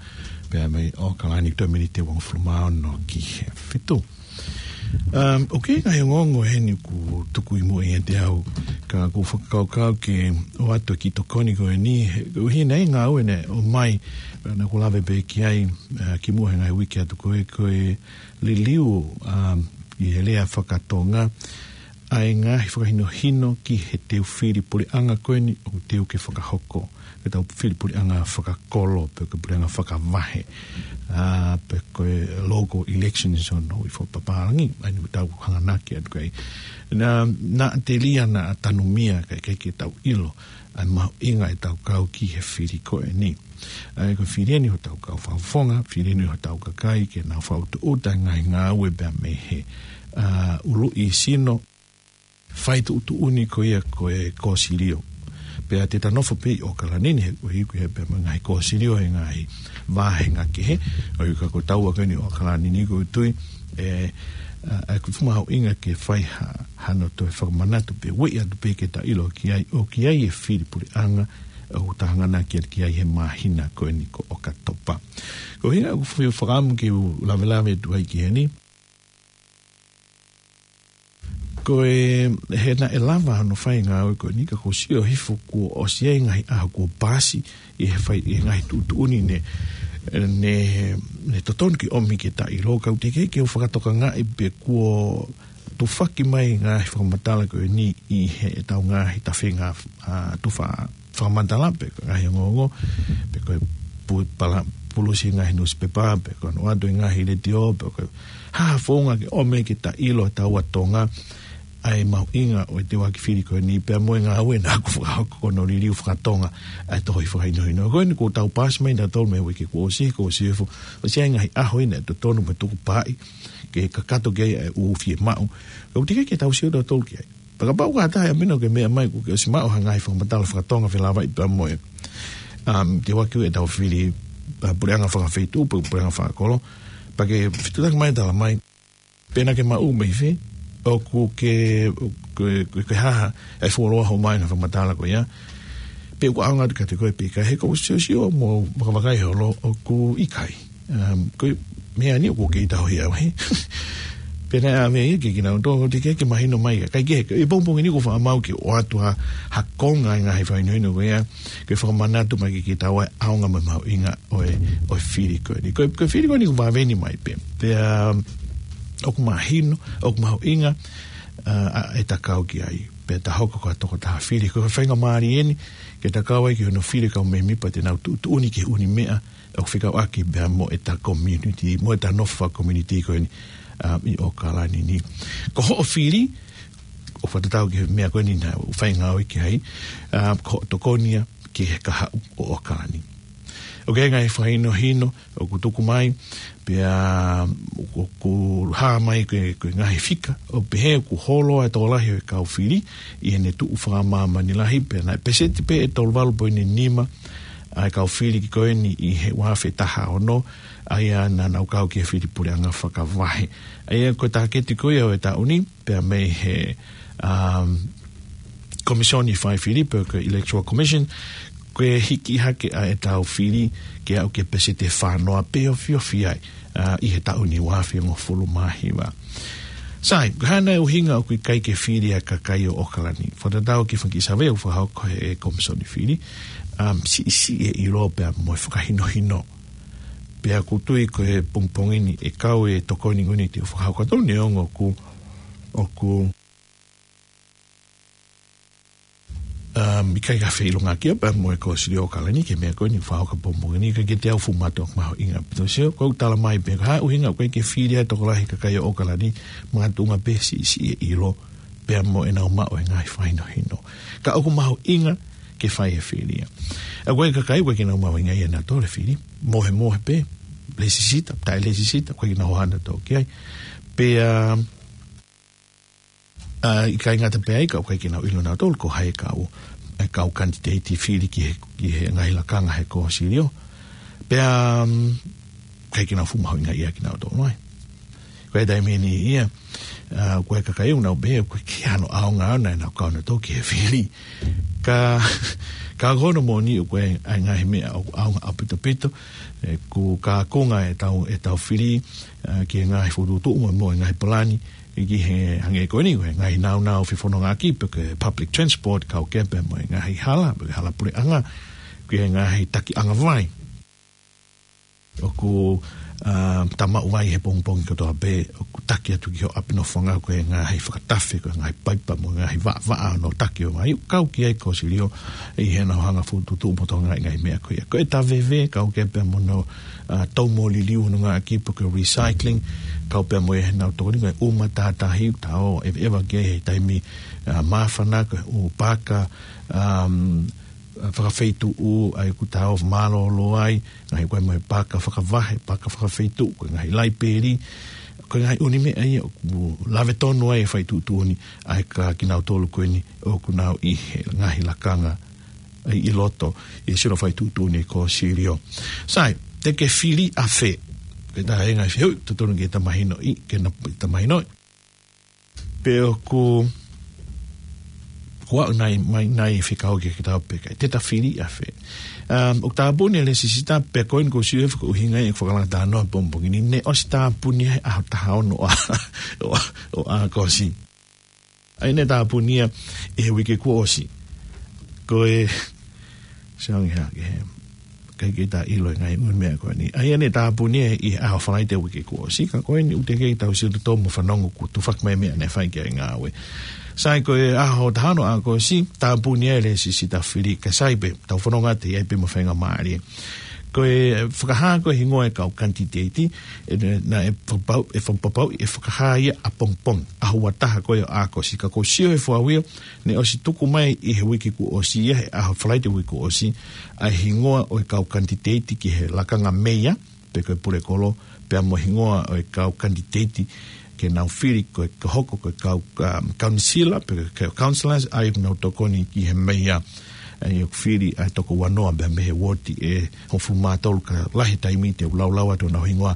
pea mei ʻAokalani, toe miniti ʻe uangofulu mā ono ki he fitu. Um, ʻoku ʻi ai e ngaahi ongoongo heni ʻoku tuku ʻi muʻa ʻiate au, ka ʻoku ou fakakaukau ke ʻoatu e kiʻi tokoni ko eni, he, ʻoku ʻi ai e ngāue naʻe ʻomai, naʻa ku lave pē ki ai, ē, kimuʻa he ngaahi uike atu ko ē, ko e liliu, um, ʻi he lea faka-Tonga, ʻa e ngaahi fakahinohino ki he teu fili puleʻanga ko eni ʻoku teu ke fakahoko, ke tau fili puleʻanga fakakolo, pe ko e puleʻanga fakavahe, ā, pe ko e local elections ʻo e ʻuhi fakapapālangi, ʻa eni ʻoku tau hanganaki atu ki ai. Naʻa, naʻa telia naʻa tanumia kae ʻikai ke tau ʻilo ʻa e mahuʻinga ʻetau kau ki he fili ko eni. ʻA ia ko e fili eni hotau kau fakafofonga, fili eni hotau kakai, ke nau fakautuuta e ngaahi ngāue pea mei he, ā, uluʻi sino, fai tuʻutuʻuni ko ia ko e kōsilio. Pea te ta nofo pē ʻi ʻAokalani ni he ʻoku ʻi ai pē mo e ngaahi kōsilio he ngaahi vāhenga kehe, ʻo ʻikai ko taua ko eni ʻi ʻAokalani ni ʻoku ou tui, ē, ā, ʻoku fuʻu mahuʻinga ke fai ha, hano toe fakamanatu pē, ueʻi atu pē ke ta ʻilo ki ai, ʻoku ʻi ai e fili puleʻanga, ʻoku ta hanganaki ki ai he māhina ko eni ko ʻOkatopa. Ko e ʻuhinga ʻoku ou fakaʻamu ke u lavelave atu ai ki heni, ko e, he naʻe lava hono fai e ngāue ko eni ka kuo sio hifo kuo ʻosi ʻi ai e ngaahi ʻaho kuo paasi ʻi he fai, ʻi he ngaahi tuʻutuʻuni ne, ne, ne totonu ke ʻomi ke ta ʻilo, ka ʻoku teʻeki ke u fakatokangaʻi pe kuo tufaki mai e ngaahi fakamatala ko eni ʻi heʻetau ngaahi tafenga, ā, tufa fakamatala pe ko e ngaahi ongoongo, pe ko e pu-, pala-, pulusi e ngaahi nusipepa, pe ko hono ʻoatu e ngaahi letiō, pe ko e hā ha founga ke ʻomi ke ta ʻilo ʻe taua Tonga ʻa e mahuʻinga ʻo e teuaki fili ko eni pea mo e ngāue naʻa ku fakahoko ko hono liliu faka-Tonga ʻa e tohi fakahinohino. Ko eni kuo tau paasi mai nautolu mei he uike kuo ʻosi, kuo ʻosi hifo, ʻosi ʻi ai e ngaahi ʻaho ʻi heʻene totonu mo e tukupaaʻi ke kakato ki ai ʻa e ʻū fiemaʻu. Ka ʻoku teʻeki ke tau sio nautolu ki ai. Pea kapau ko ha taha ʻe ʻamanaki ke meʻa mai kuo ke ʻosi maʻu ha ngaahi fakamatala faka-Tonga felāveʻi pea mo e, um, teuaki ʻetau fili, ā, puleʻanga fakafeituʻu, pe puleʻanga fakakolo. Pea ke fetuʻutaki mai, tala mai pe naʻa ke maʻu mei fē, ʻoku ke, ke, ke, ke hā ha, ʻa e fuoloa hoʻo maʻu e ngaahi fakamatala ko ia. Pe ʻoku ʻaonga atu kiate koe pe ʻikai, he ʻoku ou siosio mo vakavakai holo ʻoku ʻikai. Um, ko e meʻa ni ʻoku kei tauhi au, he. Pea naʻe ʻave ia ke kinautolu, teʻeki ke mahino mai ia. Kae kehe, ʻi he pongipongi ni ʻoku ou faʻa maʻu ke ʻoatu ha, ha konga e ngaahi fakahinohino ko ia, ke fakamanatu mai ke, ke tau ʻai ʻaonga mo e mahuʻinga ʻo e, ʻo e fili ko eni. Ko e, ko e fili ko eni ʻoku vave ni mai pē. Pea, um, ʻoku mahino, ʻoku mahuʻinga, ā, ʻa, ʻeta kau ki ai. Pea ta hoko ko ha tokotaha fili. Ko e faingamālie eni, ke ta kau ai ki hono fili e kau mēmipa te nau tuʻutuʻuni ki he ʻū meʻa ʻoku fekauʻaki pea mo ʻeta community, mo ʻeta nofo faka-community ko eni, ā, ʻi ʻAokalani ni. Ko hoʻo fili, ʻoku fakatatau ki he meʻa ko eni naʻa ku fai ngāue ki ai, ā, ko hoʻo tokoni ia ki he kahaʻu ʻo ʻAokalani. ʻOku ʻi ai e ngaahi fakahinohino ʻoku tuku mai, pea ʻoku hā mai ko e, ko e ngaahi fika, ʻo pehē ʻoku holo ʻa e tokolahi ʻo e kau fili ʻi heʻene tuʻu fakamāmani lahi, pea naʻe peseti pē ʻe tolu valu poini nima ʻa e kau fili ko eni ʻi he ua afe taha ono, ʻa ia naʻa nau kau ki he fili puleʻanga fakavahe. ʻA ia ko e tāketi ko ia ʻo e taʻu ni, pea mei he, um, Komisioni Fai Fili pe ko e Electoral Commission, ko e hiki hake ʻa ʻetau fili ke aʻu ki he peseti ʻe fā noa pe ofiofi ai, ā, ʻi he taʻu ni ua afe hongofulu mā hiva. Sai, ko e hā nai e ʻuhinga ʻoku ʻikai ke fili ʻa e kakai ʻo ʻAokalani? Fakatatau ki he fanga kiʻi savea ʻoku fakahoko ʻe he Komisioni Fili, um, siʻisiʻi e ʻilo pea mo e fakahinohino. Pea ʻoku ou tui ko e pongipongi ni ʻe kau e tokoni ko eni te u fakahoko atu, neongo ʻoku, ʻoku, um, ʻikai ke feʻilongaki ia pea mo e Kōsilio ʻo ʻAokalani ki he meʻa ko eni ʻoku fakahoko he pongipongi ni, ka kiate au fuʻu mātuʻaki mahuʻinga. Pea sio, ʻoku ou tala mai pē, ko e hā e ʻuhinga ʻoku ʻikai ke fili ʻa e tokolahi kakai ʻo ʻAokalani, makatuʻunga pē siʻisiʻi e ʻilo pea mo ʻenau maʻu e ngaahi fakahinohino. Ka ʻoku mahuʻinga ke fai e fili ia. ʻA ko e kakai ʻoku ʻikai ke nau mahuʻingaʻia ʻe nautolu e fili. Mohemohe pē, lēsisita, taʻe lēsisita, ʻoku ʻikai ke nau hohaʻa nautolu ki ai. Pea, ʻa, ʻikai ngata pē ai ka ʻoku ʻikai ke nau ʻilo nautolu ko hai e kau, e kau kanititeiti fili ki he, ki he ngaahi lakanga he kōsilio. Pea, um, ʻikai ke nau fuʻu mahuʻingaʻia kinautolu ai. Ko e taimi ni ia, ʻa, ko e kakai ʻoku nau pehē, ʻoku ʻikai ke ʻi ai hano ʻaonga ʻaʻana ʻenau kau nautolu ki he fili. Ka, ka ko hono moʻoni ʻoku ʻi ai e ngaahi meʻa ʻoku ʻaonga ʻaupito pito, ʻoku kākunga e tau, e tau fili, ʻa, ki he ngaahi fokotuʻutuʻu mo, mo e ngaahi palani, ʻi ki he hangē ko eni, ko e ngaahi nāunau fefonongaʻaki, pe ko e public transport, kau kehe pea mo e ngaahi hala, pe ko e hala puleʻanga, ki he ngaahi takiʻanga vai. ʻOku, ʻa, ta maʻu ai he pongipongi kotoa pē, ʻoku taki atu ki ho ʻapi nofoʻanga ko e ngaahi fakatafe, ko e ngaahi paipa mo e ngaahi vaʻavaʻa ʻo e taki ʻo e vai, ʻoku kau ki ai e kōsilio ʻi heʻenau hanga ʻo fokotuʻutuʻu mo tokangaʻi e ngaahi meʻa ko ia. Ko e taveve, kau kehe pea mo hono, ʻa, tau mo liliu honongaʻaki pe ko e recycling, kau pea mo ia heʻenau tokoni ko e ʻuma tātahi, ta ō ʻeveʻeva ki ai he taimi, ʻa, māfana, ko e ʻū paka, um, fakafeituʻu, ʻa ia ʻoku ta ō ʻo mālōlō ai, ngaahi ko e mo e paka fakavahe, paka fakafeituʻu, ko e ngaahi laipeli, ko e ngaahi ʻū meʻa ia ʻoku lave tonu ai e fai tuʻutuʻuni ʻa e kakai kinautolu ko eni ʻoku nau ʻi he ngaahi lakanga ʻi, ʻi loto ʻi he sino fai tuʻutuʻuni e kōsilio. Sai, te ke fili ʻafē? Ko e taha e ngaahi fehuʻi totonu ke ta mahinoʻi, ke na, ta mahinoʻi. Pe ʻoku, ko au nai, mai nai fekau ke ke tau peka. Te ta fili ʻafē? Um, ʻoku tāpuni e lēsisita pea ko eni ʻoku ou sio he fakaʻuhinga ʻeku fakalanga talanoa he pongipongi ni, ne ʻosi tāpuni he ʻaho taha ono ʻo, ʻo, ʻo ʻAokosi. ʻA ia ne tāpuni ia ʻi he uike kuo ʻosi. Ko e, Siaongi hake he. ʻIkai ke ta ʻilo e ngaahi ʻū meʻa ko eni. ʻA ia ne tāpuni ia ʻi he ʻaho Falaite uike kuo ʻosi. Ka ko eni ʻoku teʻeki ke tau sio tautolu mo fanongo kuo tufaki mai e meʻa naʻe fai ki ai e ngāue. Sai ko e ʻaho taha ono ʻo ʻAokosi, tāpuni ai e lēsisita fili ka sai pē, tau fanongo atu ʻi ai pē mo e faingamālie. Ko e fakahā ko e hingoa e kau kanititeiti, ʻe, naʻe fakapapau, ʻe fakapapau, ʻe fakahā ia ʻapongipongi, ʻaho ua taha ko ē ʻo ʻAokosi. Ka ʻoku ou sio he fua uio, ne ʻosi tuku mai ʻi he uike kuo ʻosi ia, he ʻaho Falaite uike kuo ʻosi, ʻa e hingoa ʻo e kau kanititeiti ki he lakanga meia, pe ko e pulekolo, pea mo e hingoa ʻo e kau kanititeiti ke nau fili ko e, ke hoko ko e kau, um, kaunisila, pe ko e councillors, ʻa ia ʻoku nau tokoni ki he meia, ʻa ia ʻoku fili ʻa e toko uanoa pea mei he uooti ʻe hongofulu mā tolu ka lahi e taimi te u laulau atu honau hingoa.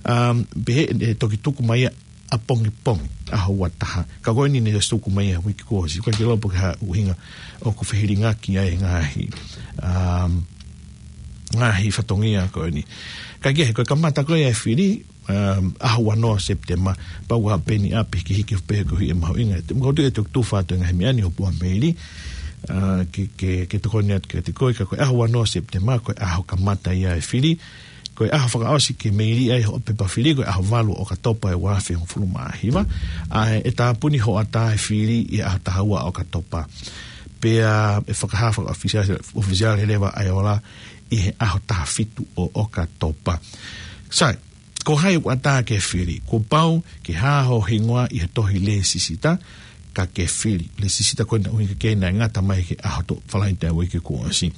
Um, pehē ʻe toki tuku mai ia ʻapongipongi, ʻaho ua taha. Ka ko eni ne ʻosi tuku mai ia he uike kuo ʻosi. ʻOku ʻikai ke ʻilo pe ko e hā e ʻuhinga ʻoku fehilingaki ai e ngaahi, um, ngaahi fatongia ko eni. Ka ko e, ko e kamata ko ē e fili, um, ʻaho ua noa Sepitema, pau ʻa peni ʻapi ki hiki pē ko hi e mahuʻinga. Te mou tuʻu e tufa atu e ngaahi meʻa ni ʻo pua meili, uh, ke, ke, ke tokoni atu kiate koe, ka ko e ʻaho ua noa Sepitema, ko e ʻaho kamata ia e fili, ko e ʻaho fakaʻosi ke meili ai hoʻo pepa fili, ko e ʻaho valu ʻo ʻOkatopa ʻe ua afe hongofulu mā hiva. ʻA ē, ʻe tāpuni hoʻatā e fili ʻi he ʻaho taha ua ʻo ʻOkatopa. Pea ʻe fakahā fakaʻofisiale, ʻofisiale leva ʻa e ola ʻi he ʻaho taha fitu ʻo ʻOkatopa. Sai, ko hai ʻoku ʻatā ke fili? Kuo pau ke hā ho hingoa ʻi he tohi lēsisita, ka ke fili. Lēsisita ko ē naʻe ʻuhinga ki ai naʻe ngata mai ki he ʻaho Falaite ʻo e uike kuo ʻosi.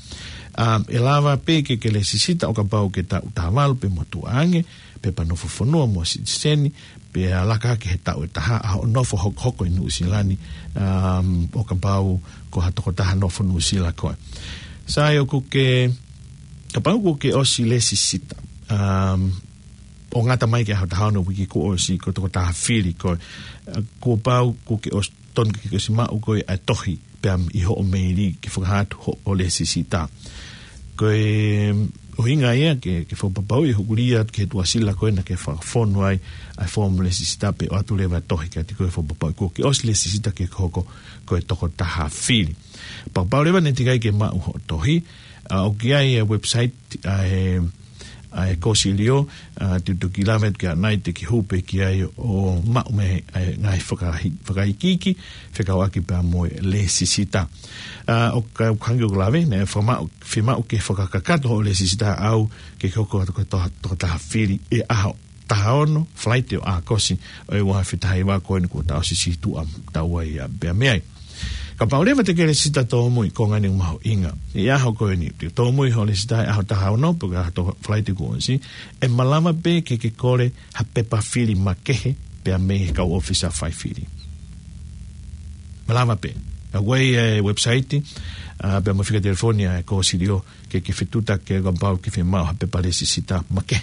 Um, ʻe lava pē ke ke lēsisita ʻo kapau ke taʻu taha valu pe motuʻa ange, pepa nofo fonua mo sitiseni, pea laka hake he taʻu ʻe taha ʻa hoʻo nofo hokohoko ʻi Nuʻusila ni, um, ʻo kapau ko ha tokotaha nofo Nuʻusila koe. Sai, ʻoku ke, kapau ʻoku ke ʻosi lēsisita, um, ʻo ngata mai ki he ʻaho taha ono uike kuo ʻosi, ko e tokotaha fili koe, uh, kuo pau ʻoku ke ʻosi, tonu ke ke ʻosi maʻu koe ʻa e tohi pea ʻi hoʻo meili ke fakahā atu hoʻo lēsisita. Ko e ʻuhinga ia ke, ke fakapapauʻi ʻe hokulia atu ki he tuʻasila ko ē naʻa ke fakafonu ai ʻa e foomu lēsisita pea ʻoatu leva e tohi kiate koe ʻo fakapapauʻi kuo ke ʻosi lēsisita ke ke hoko ko e tokotaha fili. Fakapapau leva naʻe teʻeki ai ke maʻu hoʻo tohi, ʻa, ʻoku ʻi ai e website ʻa e, ʻa e kōsilio, ʻa, te u toki lave atu ki ai ʻanai te ke hū pē ki ai ʻo maʻu mei ai e ngaahi fakahi-, fakaikiiki, fekauʻaki pea mo e lēsisita. ʻA, ʻoku, ʻoku hangē ko ʻeku lave, naʻe fakamaʻu, fiemaʻu ke fakakakato hoʻo lēsisita ʻau ke ke hoko ko e to-, tokotaha fili ʻi he ʻaho taha ono, Falaite ʻo ʻAokosi, ʻo e ua afe taha hiva ko eni kuo ta ʻosi situʻa taua ia pea mei ai. Kapau leva te ke lēsisita tōmui, ko e ngaahi mahuʻinga. ʻI he ʻaho ko eni, te ke tōmui hoʻo lēsisita he ʻaho taha ono, pe ko e ʻaho Falaite kuo ʻosi, ʻe malava pē ke ke kole ha pepa fili makehe, pea mei he kau ʻōfisa faifili. Malava pē. ʻA ko e, e website, ā, pea mo e fika telefoni ʻa e Kōsilio, ke ke fetuʻutaki kapau ʻoku ke fiemaʻu ha pepa lēsisita makehe.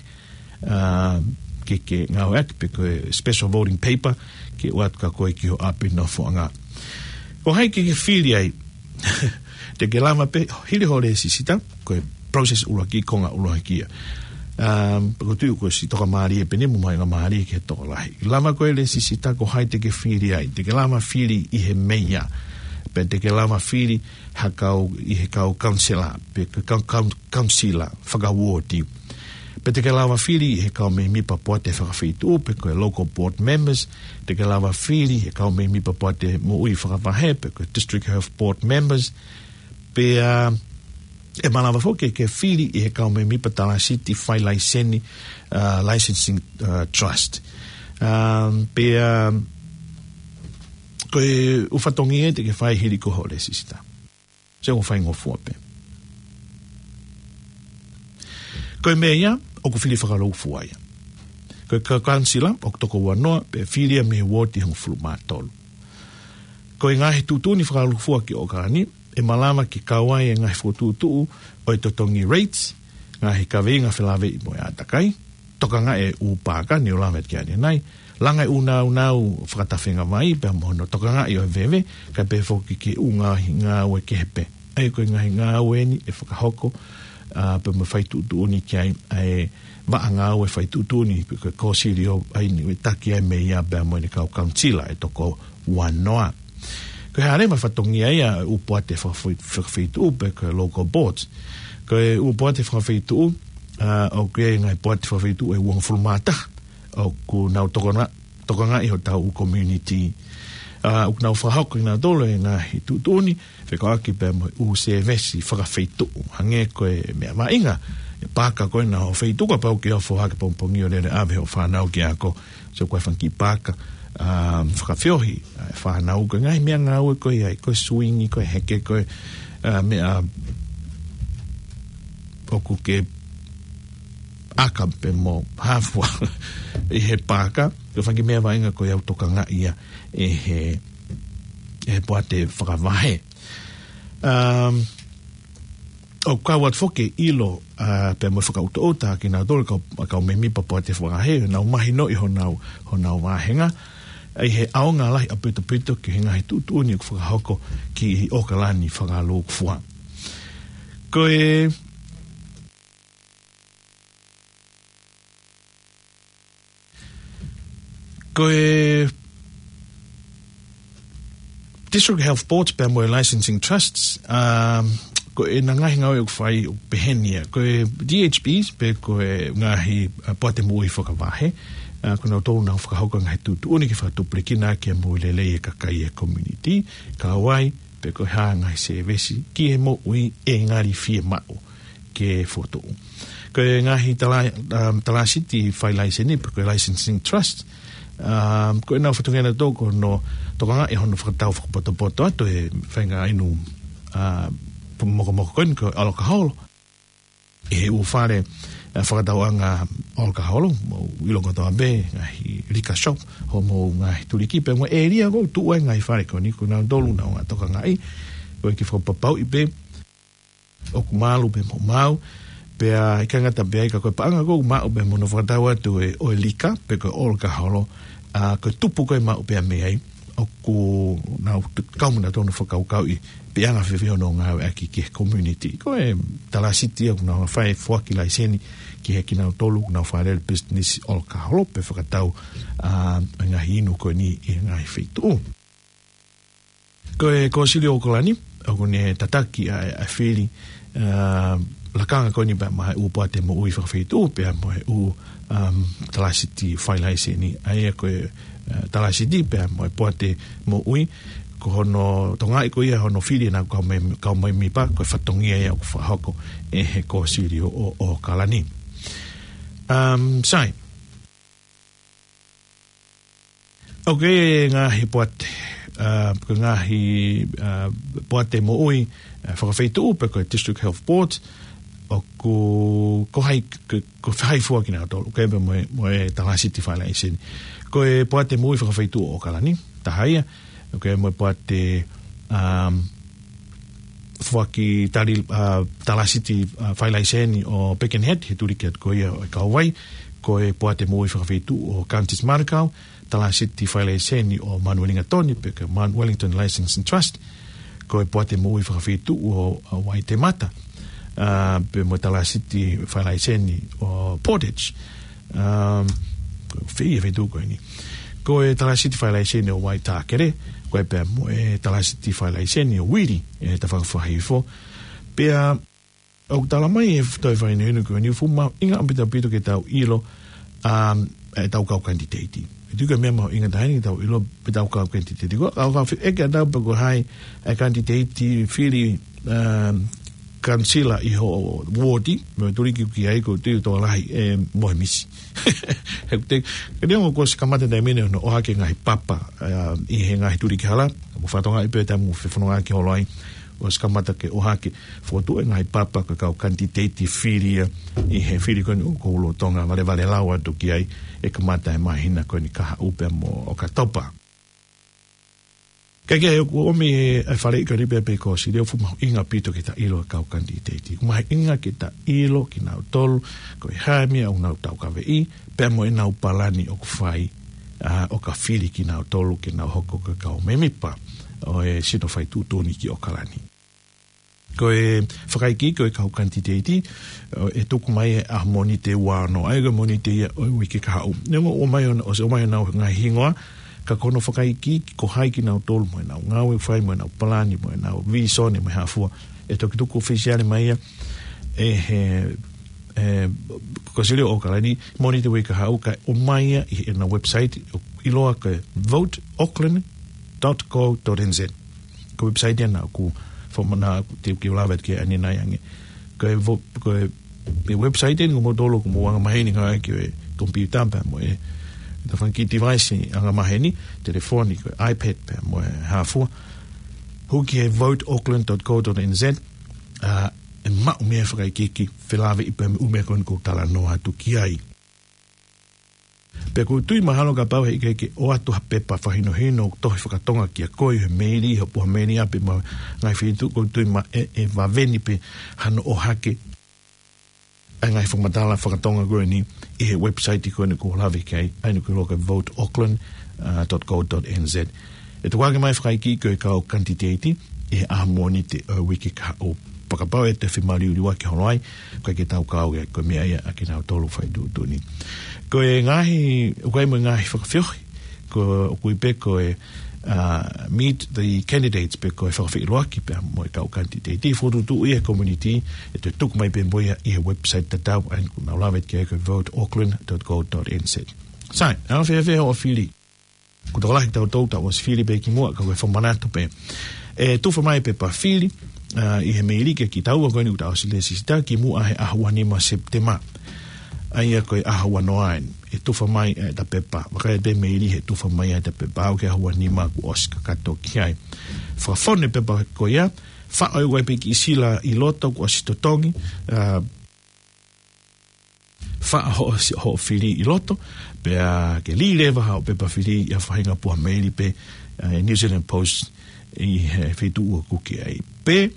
Ā, ke ke ngāueʻaki pe ko e special voting paper, ke ʻoatu kia koe ki ho ʻapi nofoʻanga. Ko hai ke ke fili ai, te ke lava pē, hili hoʻo lēsisita, ko e process ʻuluaki, konga ʻuluaki ia. Ā, pe ko e tuʻu ko e siʻi toka mālie pē eni mo e mahuʻinga mālie ki he tokolahi. Lava ko e lēsisita, ko hai te ke fili ai, te ke lava fili ʻi he meia. Pe te ke lava fili ha kau, ʻi he kau kaunisela, pe ko e kau, kau, kaunisela fakauooti. Pe te ke lava fili ʻi he kau mēmipa poate fakafeituʻu, pe ko e local board members, te ke lava fili ʻi he kau mēmipa poate moʻui fakavahe, pe ko e district health board members, pea, ā, ʻe malava foki ke fili ʻi he kau mēmipa talasiti failaiseni, ā, licensing, ā, trust. Ā, pea, ā, ko e ʻū fatongia ia te ke fai hili ko hoʻo lēsisita. Sio, ʻoku faingofua pē. Ko e meia, ʻoku fili fakalūkufua ia. Ko e kau kaunisela, ʻoku toko uanoa, pea fili ia mei he uooti hongofulu mā tolu. Ko e ngaahi tuʻutuʻuni fakalūkufua ki ʻAokalani, ʻe malava ke kau ai e ngaahi fokotuʻutuʻu ʻo e totongi rates, ngaahi kaveinga felāveʻi mo e ʻātakai, tokangaʻi e ʻū paaka, ne u lave ki ai ʻanenai, langa e ʻū nāunau fakatafengavai, pea mo hono tokangaʻi ʻo e veve, kae pehē foki ki he ʻū ngaahi ngāue kehe pē. ʻA ia ko e ngaahi ngāue eni ʻe fakahoko, ā, pea mo e fai tuʻutuʻuni ki ai, ʻa e vaʻa ngāue fai tuʻutuʻuni, pe ko e Kōsilio ʻa ia ʻoku taki ai e meia pea mo ʻene kau kaunisela ʻe toko uanoa. Ko e hā leva e fatongia ia ʻo e ʻū poate fakafoi-, fakafeituʻu pe ko e local boards. Ko e ʻū poate fakafeituʻu, ā, ʻoku ʻi ai e ngaahi poate fakafeituʻu ʻe uongofulu mā taha, ʻoku nau tokona-, tokangaʻi hotau ʻū community. Ā, ʻoku nau fakahoko ʻe nautolu e ngaahi tuʻutuʻuni, fekauʻaki pea mo e ʻū sēvesi fakafeituʻu. Hangē ko e meʻa mahuʻinga, e paaka ko ena ʻo e feituʻu, kapau ʻoku ke ofo hake pongipongi ʻo lele ʻave hoʻo fānau ki he ako, sio, ko e fanga kiʻi paaka, ā, fakafeohi, ā, e fānau, ko e ngaahi meʻangāue ko ia, ko e suingi, ko e heke, ko e, ā, meʻa ʻoku ke ʻaka pē mo hafua ʻi he paaka, ko e fanga kiʻi meʻa vaʻinga ko ia ʻoku tokangaʻi ia ʻe he, ʻe he poate fakavahe. Um, ʻoku kau atu foki e ʻilo, ā, pea mo e fakaʻutoʻuta kinautolu kau, kau mēmipa poate fakavahe, nau mahinoʻi honau, honau vāhenga, ʻi he ʻaonga lahi ʻaupito ki he ngaahi tuʻutuʻuni ʻoku fakahoko ki ʻAokalani fakalūkufua. Ko e, ko e District Health Boards pea mo e Licensing Trusts, um, ko ʻena ngaahi ngāue ʻoku fai ʻoku peheni ia. Ko e D H Bs pe ko e ngaahi, uh, poate moʻui fakavahe, uh, ko nautolu nau fakahoko e ngaahi tuʻutuʻuni ke fakatupulekina ʻaki e moʻui lelei e kakai e community, kau ai pe ko e hā e ngaahi sēvesi ki he moʻui ʻe ngali fiemaʻu ke fokotuʻu. Ko e ngaahi tala-, um, talasiti failaiseni, pe ko e licensing trust, um, ko ʻenau fatongia nautolu ko hono tokangaʻi hono fakatau fakapotopoto atu e faʻahinga inu, uh, mokomoko ko eni ko e ʻalakaholo ʻi he ʻū fale, uh, fakatauʻanga ʻalakaholo, mou ʻilo kotoa pē, ngaahi liquor shop, hoʻomou ngaahi tuliki pea mo e ʻēlia ʻoku tuʻu ai e ngaahi fale ko eni, ko nautolu nau tokangaʻi, ko e kiʻi fakapapauʻi pē ʻoku malu pē mo maʻu, pea ʻikai ngata pē ai ka ko e paʻanga ʻoku maʻu pē mo hono fakatau atu e, ʻo e liquor, pe ko e ʻalakaholo, ā, ko e tupu ko ē ʻoku maʻu pē mei ai, ʻoku nau t-, kau mo nautolu hono fakakaukauʻi, pe ʻe anga fēfē hono ngāueʻaki ki he community. Ko e talasiti ʻoku nau fai e foaki laiseni ki he kinautolu ʻoku nau fakalele business ʻalakaholo, pe fakatau, ā, e ngaahi inu ko eni ʻi he ngaahi feituʻu. Ko e Kōsilio ʻAokalani, ʻoku ne tataki ʻa e, ʻa e fili, ā, lakanga ko eni pea mo e ʻū poate moʻui fakafeituʻu, pea mo e ʻū, um, talasiti failaiseni, ʻa ia ko e, ā, talasiti pea mo e poate moʻui, ko hono tokangaʻi ko ia hono fili ʻenau kau mēm-, kau mēmipa, ko e fatongia ia ʻoku fakahoko ʻe he Kōsilio ʻo, ʻAokalani. Um, sai. ʻOku ʻi ai e ngaahi poate, ʻa, ko e ngaahi, ʻa, poate moʻui, ʻa, fakafeituʻu pe ko e District Health Board, ʻoku, ko hai, ko, ko hai fua kinautolu, ʻoku ʻi ai pē mo e, mo e talāsiti failaiseni. Ko e poate moʻui fakafeituʻu ʻo ʻAokalani, taha ia, ʻoku ʻi ai mo e poate, um, foaki tali, ʻa, talāsiti, ʻa, failaiseni ʻo Birkenhead, he tuliki atu ko ia ʻo e kauvai, ko e poate moʻui fakafeituʻu ʻo Counties Manukau, talāsiti failaiseni ʻo Mount Wellington, pe ko e Mount Wellington Licensing Trust, ko e poate moʻui fakafeituʻu ʻo, ʻo Waitemata, ʻa, pea mo e talāsiti failaiseni ʻo Portage, um, fē ia e feituʻu ko eni. Ko e talāsiti failaiseni ʻo Waitākere, ko e pea mo e talāsiti failaiseni ʻo Wili, ʻe Tafanga Fuahifo. Pea ʻoku tala mai ʻe he toe fakahinohino ko eni ʻoku fuʻu mahuʻinga ʻaupito ʻaupito ke tau ʻilo, um, ʻetau kau kanititeiti. ʻOku ʻikai ko e meʻa mahuʻinga taha eni ke tau ʻilo pe ʻetau kau kanititeiti. Ko e kau, kau fe-, ʻeke ʻe nautolu pe ko hai e kanititeiti fili, um, kanisela ʻi ho uooti, mo e tuliki ʻoku ʻi ai, ʻoku ou tui ʻoku tokolahi ʻe mohe misi. He ʻoku te, ka neongo kuo ʻosi kamata e taimi ni hono ʻohake e ngaahi papa, ʻa, ʻi he ngaahi tuliki hala, mo fakatokangaʻi pē ʻa e taimi ʻoku fefonongaʻaki holo ai, ʻosi kamata ke ʻohake, fokotuʻu e ngaahi papa ko e kau kanititeiti fili ia ʻi he fili ko eni ʻoku lolotonga valevalelau atu ki ai, ʻe kamata he māhina ko eni kahaʻu pea mo ʻOkatopa. Kae kehe, ʻoku ʻomi ʻe he faleʻi ko eni pē pe ko Sileo, fuʻu mahuʻinga ʻaupito ke ta ʻilo e kau kanititeiti. Fuʻu mahuʻinga ke ta ʻilo kinautolu ko e hā e meʻa ʻoku nau taukaveʻi, pea mo ʻenau palani ʻoku fai, ʻa, ʻo ka fili kinautolu ke nau hoko ko e kau mēmipa ʻo e sino fai tuʻutuʻuni ki ʻAokalani. Ko e fakaikiiki ʻo e kau kanititeiti, ʻe tuku mai he ʻaho Mōnite ua ono, ʻa ia ko e Mōnite ia ʻo e uike kahaʻu. Neongo ʻoku ʻomai hono, ʻosi ʻomai honau ngaahi hingoa, ka ko hono fakaikiiki ko hai kinautolu mo ʻenau ngāue ʻoku fai mo ʻenau palani mo ʻenau vīsone mo e hā fua, ʻe toki tuku ʻofisiale mai ia ʻe he, ʻe, ko Sileo ʻo ʻAokalani, Mōnite uike kahaʻu, kae ʻomai ia ʻi heʻenau website, ʻoku ʻiloa ko e vote Auckland dot co dot N Z. Ko e website ia naʻa ku fakamanatu atu ke u lave atu ki ai ʻanenai ange. Ko e vo-, ko e, e website eni ʻoku mou tolo, ʻoku mou angamaheni ngāueʻaki e komipiuta pea mo e, e tafaʻaki device angamaheni, telefoni, ko e iPad pea mo e hā fua. Hū ki he vote Auckland dot co dot N Z, ʻa, ʻe maʻu mei ai e fakaikiiki, felāveʻi pea mo e ʻū meʻa ko eni ʻoku ou talanoa atu ki ai. Pea ʻoku ou tui mahalo kapau he ʻikai ke ʻoatu ha pepa fakahinohino tohi fakatonga kia koe he meili, he puha meili ʻapi mo e ngaahi feituʻu, ʻoku ou tui mahalo ʻe, ʻe vave ni pē hano ʻohake ʻa e ngaahi fakamatala fakatonga ko eni ʻi he website ko eni ʻoku ou lave ki ai, ʻa ia ʻoku ʻiloa ko e vote Auckland, ʻa, dot co dot N Z. ʻE tuku hake mai e fakaikiiki ʻo e kau kanititeiti ʻi he ʻaho Mōnite ʻo e uike kahaʻu. Pea kapau ʻe toe femaliuliuaki holo ai, ʻoku ʻikai ke tau kau ia, ko e meʻa ia ʻa kinautolu fai tuʻutuʻuni. Ko e ngaahi, ʻoku ʻi ai mo e ngaahi fakafeohi, ko, ʻoku ui pē ko e, ʻa, meet the candidates pe ko e fakafeʻiloaki pea mo e kau kanititeiti, fokotuʻutuʻu ia he community, ʻe toe tuku mai pē mo ia ʻi he website tatau, ʻa ia ʻoku nau lave ki ai ko e vote Auckland dot co dot N Z. Sai, ʻa e fēfē hoʻo fili? Ko e tokolahi kitautolu tau ʻosi fili pē kimuʻa, ka ko e fakamanatu pē. ʻE tufa mai e pepa fili, ʻa, ʻi he meili kia kitaua ko eni ʻoku tau ʻosi lēsisita kimuʻa he ʻaho ua nima Sepitema. ʻA ia ko e ʻaho ua noa eni, ʻe tufa mai ʻeta pepa. Vakai atu pē meili he tufa mai ʻeta pepa, aʻu ki he ʻaho ua nima kuo ʻosi kakato ki ai. Fakafonu e pepa ko ia, faʻo ʻe koe pē kiʻi sila ʻi loto kuo ʻosi totongi, ʻa, faʻo hoʻo si-, hoʻo fili ʻi loto, pea ke lī leva haʻo pepa fili ʻi ha faʻahinga puha meili pē, ʻa, ʻi he New Zealand Post ʻi he feituʻu ʻoku ke ʻi ai. Pe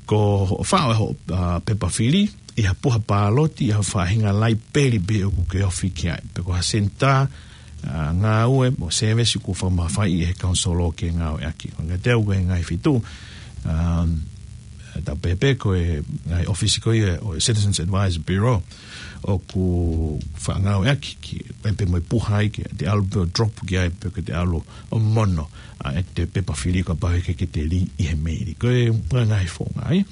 ko hoʻo faʻo hoʻo, ʻa, pepa fili ʻi ha puha pāloti ʻi ha faʻahinga laipeli pē ʻoku ke ofi ki ai. Pe ko ha senitā, ʻa, ngāue mo e sēvesi kuo fakamafaiʻi ʻe he kanisolo ke ngāueʻaki. Ko e ngaahi teu ko e ngaahi feituʻu, um, tau pehē pē ko e ngaahi ʻōfisi ko ia ʻo e Citizens Advisory Bureau ʻoku faʻa ngāueʻaki ki ai pē mo e puha ai ke te ʻalu pē ʻo drop ki ai pe ke te ʻalu ʻo mono, ʻa, ʻete pepa fili kapau he ʻikai ke te lī ʻi he meili. Ko e ngaahi founga ai.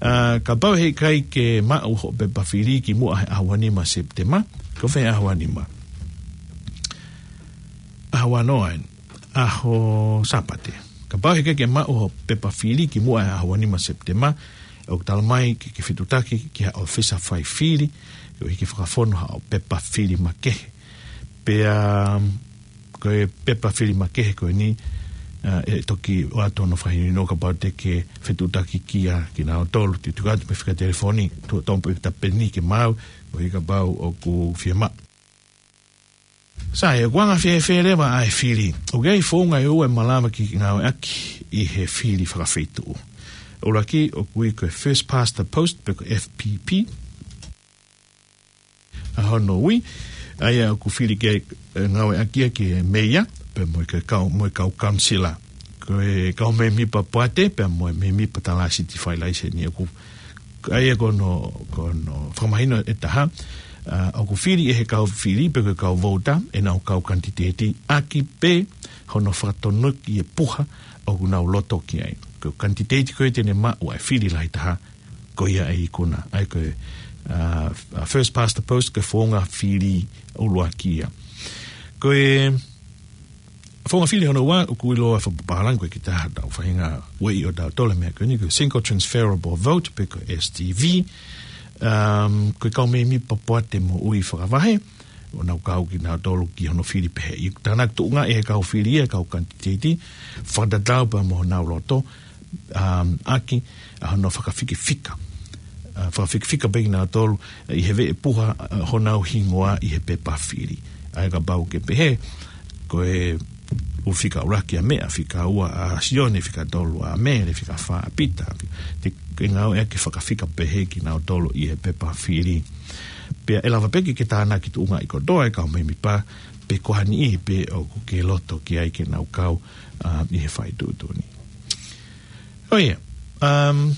ʻA, kapau he ʻikai ke maʻu hoʻo pepa fili kimuʻa he ʻaho ua nima Sepitema, ko fē ʻaho ua nima? ʻAho ua noa eni, ʻaho Sāpate. Kapau he ʻikai ke maʻu hoʻo pepa fili kimuʻa he ʻaho ua nima Sepitema, ʻoku tala mai ke, ke fetuʻutaki ki ha ʻōfisa fai fili, ʻo hiki fakafonu haʻo pepa fili makehe. Pea, um, Ko e pepa fili makehe ko eni, ʻa, ʻe toki ʻoatu hono fakahinohino kapau te ke fetuʻutaki kia kinautolu, te tuku atu pē fika telefoni, tuʻu atu pē tapeni ke maau, koeʻuhi kapau ʻoku fiemaʻu. Sai, ʻoku anga fēfē leva ʻa e fili? ʻOku ʻi ai founga ʻe ua ʻe malava ke ngāueʻaki ʻi he fili fakafeituʻu. ʻUluaki, ʻoku ui ko e First Past the Post, pe ko e F P P. ʻA hono ui, ʻa ia ʻoku fili ke, ʻe, ngāueʻaki ia ki he meia, pea mo e kau, mo e kau kaunisela. Ko e kau mēmipa poate, pea mo e mēmipa talāsiti fai laiseni ʻoku, ʻa ia ko hono, ko hono fakamahino ʻe taha, ʻa, ʻoku fili ʻe he kau fili, pe ko e kau vouti, ʻenau kau kanititeiti, ʻaki pē hono fakatonuki e puha ʻoku nau loto ki ai. Ko e kanititeiti ko ē te ne maʻu ʻa e fili lahi taha, ko ia ʻe ikuna. ʻA ia ko e, ʻa, ʻa, first past the post, ko e founga fili ʻuluaki ia. Ko e founga fili hono ua, ʻoku ʻiloa fakapapālangi ko e kiʻi taha ʻetau faʻahinga ueʻi ʻo tautolu he meʻa ko eni, ko e single transferable vote, pe ko e S T V. Um, ko e kau mēmipa poate moʻui fakavahe, ʻoku nau kau kinautolu ki hono fili pehē. ʻOku tānaki tuʻunga ʻe he kau fili ia, kau kanititeiti, fakatatau pea mo honau loto, um, ʻaki ʻa hono fakafikifika. ʻA, fakafikifika pē kinautolu, ʻi he veʻe puha, ʻa, honau hingoa ʻi he pepa fili. ʻA ia kapau ke pehē, ko e ʻū fika ʻuluaki ʻa Meʻa, fika ua ʻa Sione, fika tolu ʻa Mele, fika fā ʻa Pita, te ke ngāueʻaki e fakafika pehē kinautolu ʻi he pepa fili. Pea ʻe lava pē ke ke tānaki tuʻungaʻi kotoa e kau mēmipa, pe ko ha niʻihi pē ʻoku ke loto ki ai ke nau kau, ʻa, ʻi he faituʻutuʻuni. ʻOia, um,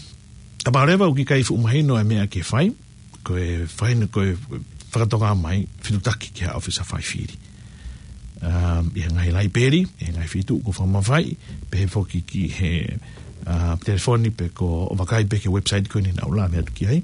kapau leva ʻoku ʻikai fuʻu mahino e meʻa ke fai, ko e fai ni ko e fakatoka mai, fetuʻutaki ki ha ʻōfisa fai fili. Um, ʻi he ngaahi laipeli, ʻi he ngaahi feituʻu ʻoku fakamafaiʻi, pehē foki ki he, uh, telefoni pe ko hoʻo vakai pē ki he website ko eni naʻa ku lave atu ki ai.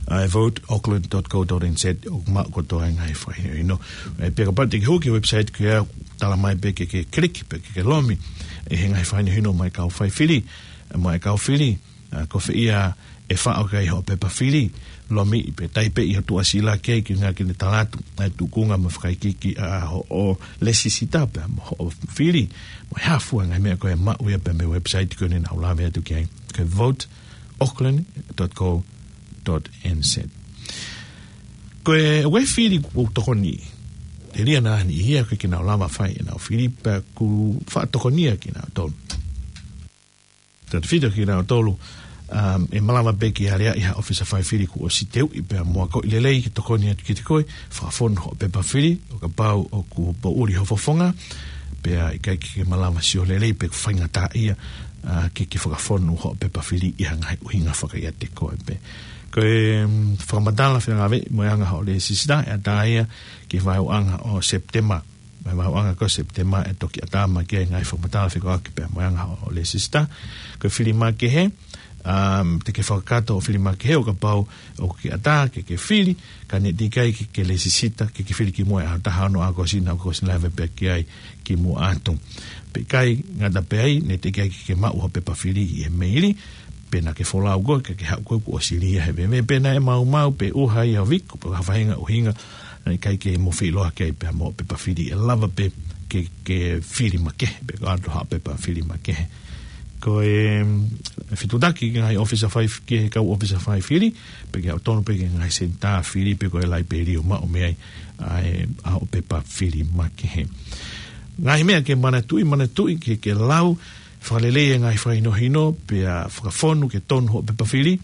ʻA e vote auckland dot co dot N Z, ʻoku maʻu kotoa e ngaahi fakahinohino. ʻE, pea kapau te ke hū ki he website ko ia, tala mai pē ke, ke click, pe ke, ke lomi, ʻe, he ngaahi fakahinohino mai kau fai fili, ʻe, mai kau fili, ʻa, ko fē ia ʻe faʻo ki ai hoʻo pepa fili, lomi pē, taipeʻi hoʻo tuʻasila ki ai ke ngāueʻaki ke ne tala atu ʻa e tūkunga mo e fakaikiiki ʻa hoʻo lēsisita pea mo hoʻo fili, mo e hā fua e ngaahi meʻa ko ē ʻe maʻu ia pē mei he website ko eni naʻa ku lave atu ki ai. Ko e vote auckland dot co dot N Z. Ko e, ko e fili kuo tokoni, telia naʻa niʻihi ia ʻoku ʻikai ke nau lava fai ʻenau fili, pea ʻoku faʻa tokoni ia kinautolu. Tautefito kinautolu, um, ʻe malava pē ke aleaʻi ha ʻōfisa fai fili kuo ʻosi teuʻi pea mo akoʻi lelei ke tokoni atu kiate koe, fakafonu hoʻo pepa fili, ʻo kapau ʻoku poʻuli ho fofonga, pea ʻikai ke ke malava sio lelei pe faingataʻaʻia, ʻa, ke ke fakafonu hoʻo pepa fili ʻi ha ngaahi ʻuhinga fakaʻiate koe pē. Ko e, um, fakamatala fengāueʻi mo e anga hoʻo lēsisita, ʻe ʻatā ia ki he vaeuaʻanga ʻo Sepitema. Mo e vaeuaʻanga ko Sepitema ʻe toki ʻatā mai ki ai e ngaahi fakamatala fekauʻaki pea mo e anga hoʻo lēsisita. Ko e fili makehe, um, te ke fakakakato hoʻo fili makehe ʻo kapau ʻoku ke ʻatā ke ke fili, ka ne teʻeki ai ke ke lēsisita, ke ke fili kimuʻa he ʻaho taha ono ʻo ʻAokosi, naʻa ʻosi lave pē ki ai kimuʻa atu. Pea ʻikai ngata pē ai, ne teʻeki ai ke ke maʻu hoʻo pepa fili ʻi he meili, pe naʻa ke folau koe, ka ke haʻu koe kuo ʻosi lī ia he veve, pe naʻe maumau, pe ʻuha ia ʻo viko, pe ha faʻahinga ʻuhinga, naʻe ʻikai ke mo feʻiloaki ai pea mo hoʻo pepa fili, ʻe lava pē ke, ke fili makehe, pe ko e ʻoatu ha pepa fili makehe. Ko e, mm, fetuʻutaki ki he ngaahi ʻōfisa fai, ki he kau ʻōfisa fai fili, pe ke ʻalu tonu pē ki he ngaahi senitā fili, pe ko e laipeli ʻo maʻu mei ai ʻa e, ʻa hoʻo pepa fili makehe. Ngaahi meʻa ke manatuʻi, manatuʻi ke, ke lau fakalelei e ngaahi fakahinohino, pea fakafonu ke tonu hoʻo pepa fili,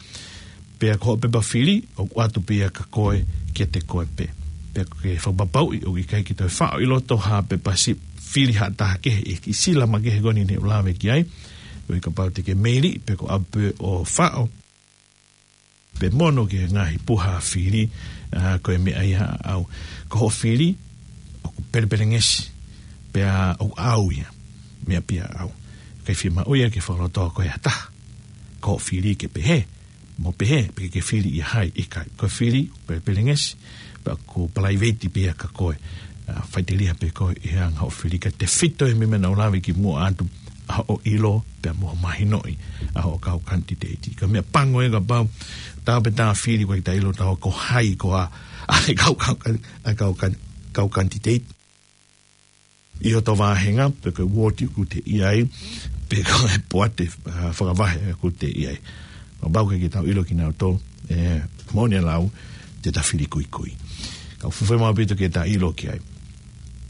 pea ko hoʻo pepa fili, ʻoku ʻoatu pē ia kia koe, kiate koe pē. Pea ke fakapapauʻi ʻoku ʻikai ke toe faʻo ʻi loto ha pepa si-, fili ha taha kehe ʻi he kiʻi sila makehe ko eni ne u lave ki ai, koeʻuhi kapau te ke meili, pe ko e ʻalu pē ʻo faʻo, pe mono ki he ngaahi puha fili, ʻa, ko e meʻa ia ʻaʻau. Ko hoʻo fili, ʻoku pelepelengesi, pea ʻoku ʻaʻau ia, meʻa pē ia ʻaʻau. ʻIkai fiemaʻu ia ke fakalotoa koe ʻe ha taha. Ko hoʻo fili ke pehē, mo pehē, pe ke fili ʻia hai, ʻikai. Ko e fili, pelepelengesi, pea ʻoku palaiveti pē ia kia koe. ʻA, faʻiteliha pē koe ʻi he anga hoʻo fili, ka tefito he meʻa naʻa ku lave kimuʻa atu, ʻa hoʻo ʻilo, pea mo hoʻo mahinoʻi ʻa hoʻo kau kanititeiti. Ko e meʻa pango ia kapau, tā pē tā fili ʻoku ʻikai ke ta ʻilo ʻe taua ko hai koā ʻa e kau, kau, ʻa e kau kan-, kau kanititeiti ʻi hoto vāhenga, pe ko e uooti ʻoku te ʻi ai, pe ko e poate, ā, fakavahe ʻoku te ʻi ai. Kapau ʻoku ʻikai ke tau ʻilo kinautolu, ē, moʻoni e lau, te ta fili kuikui. Ka ʻoku fuʻu fiemaʻu ʻaupito ke ta ʻilo ki ai.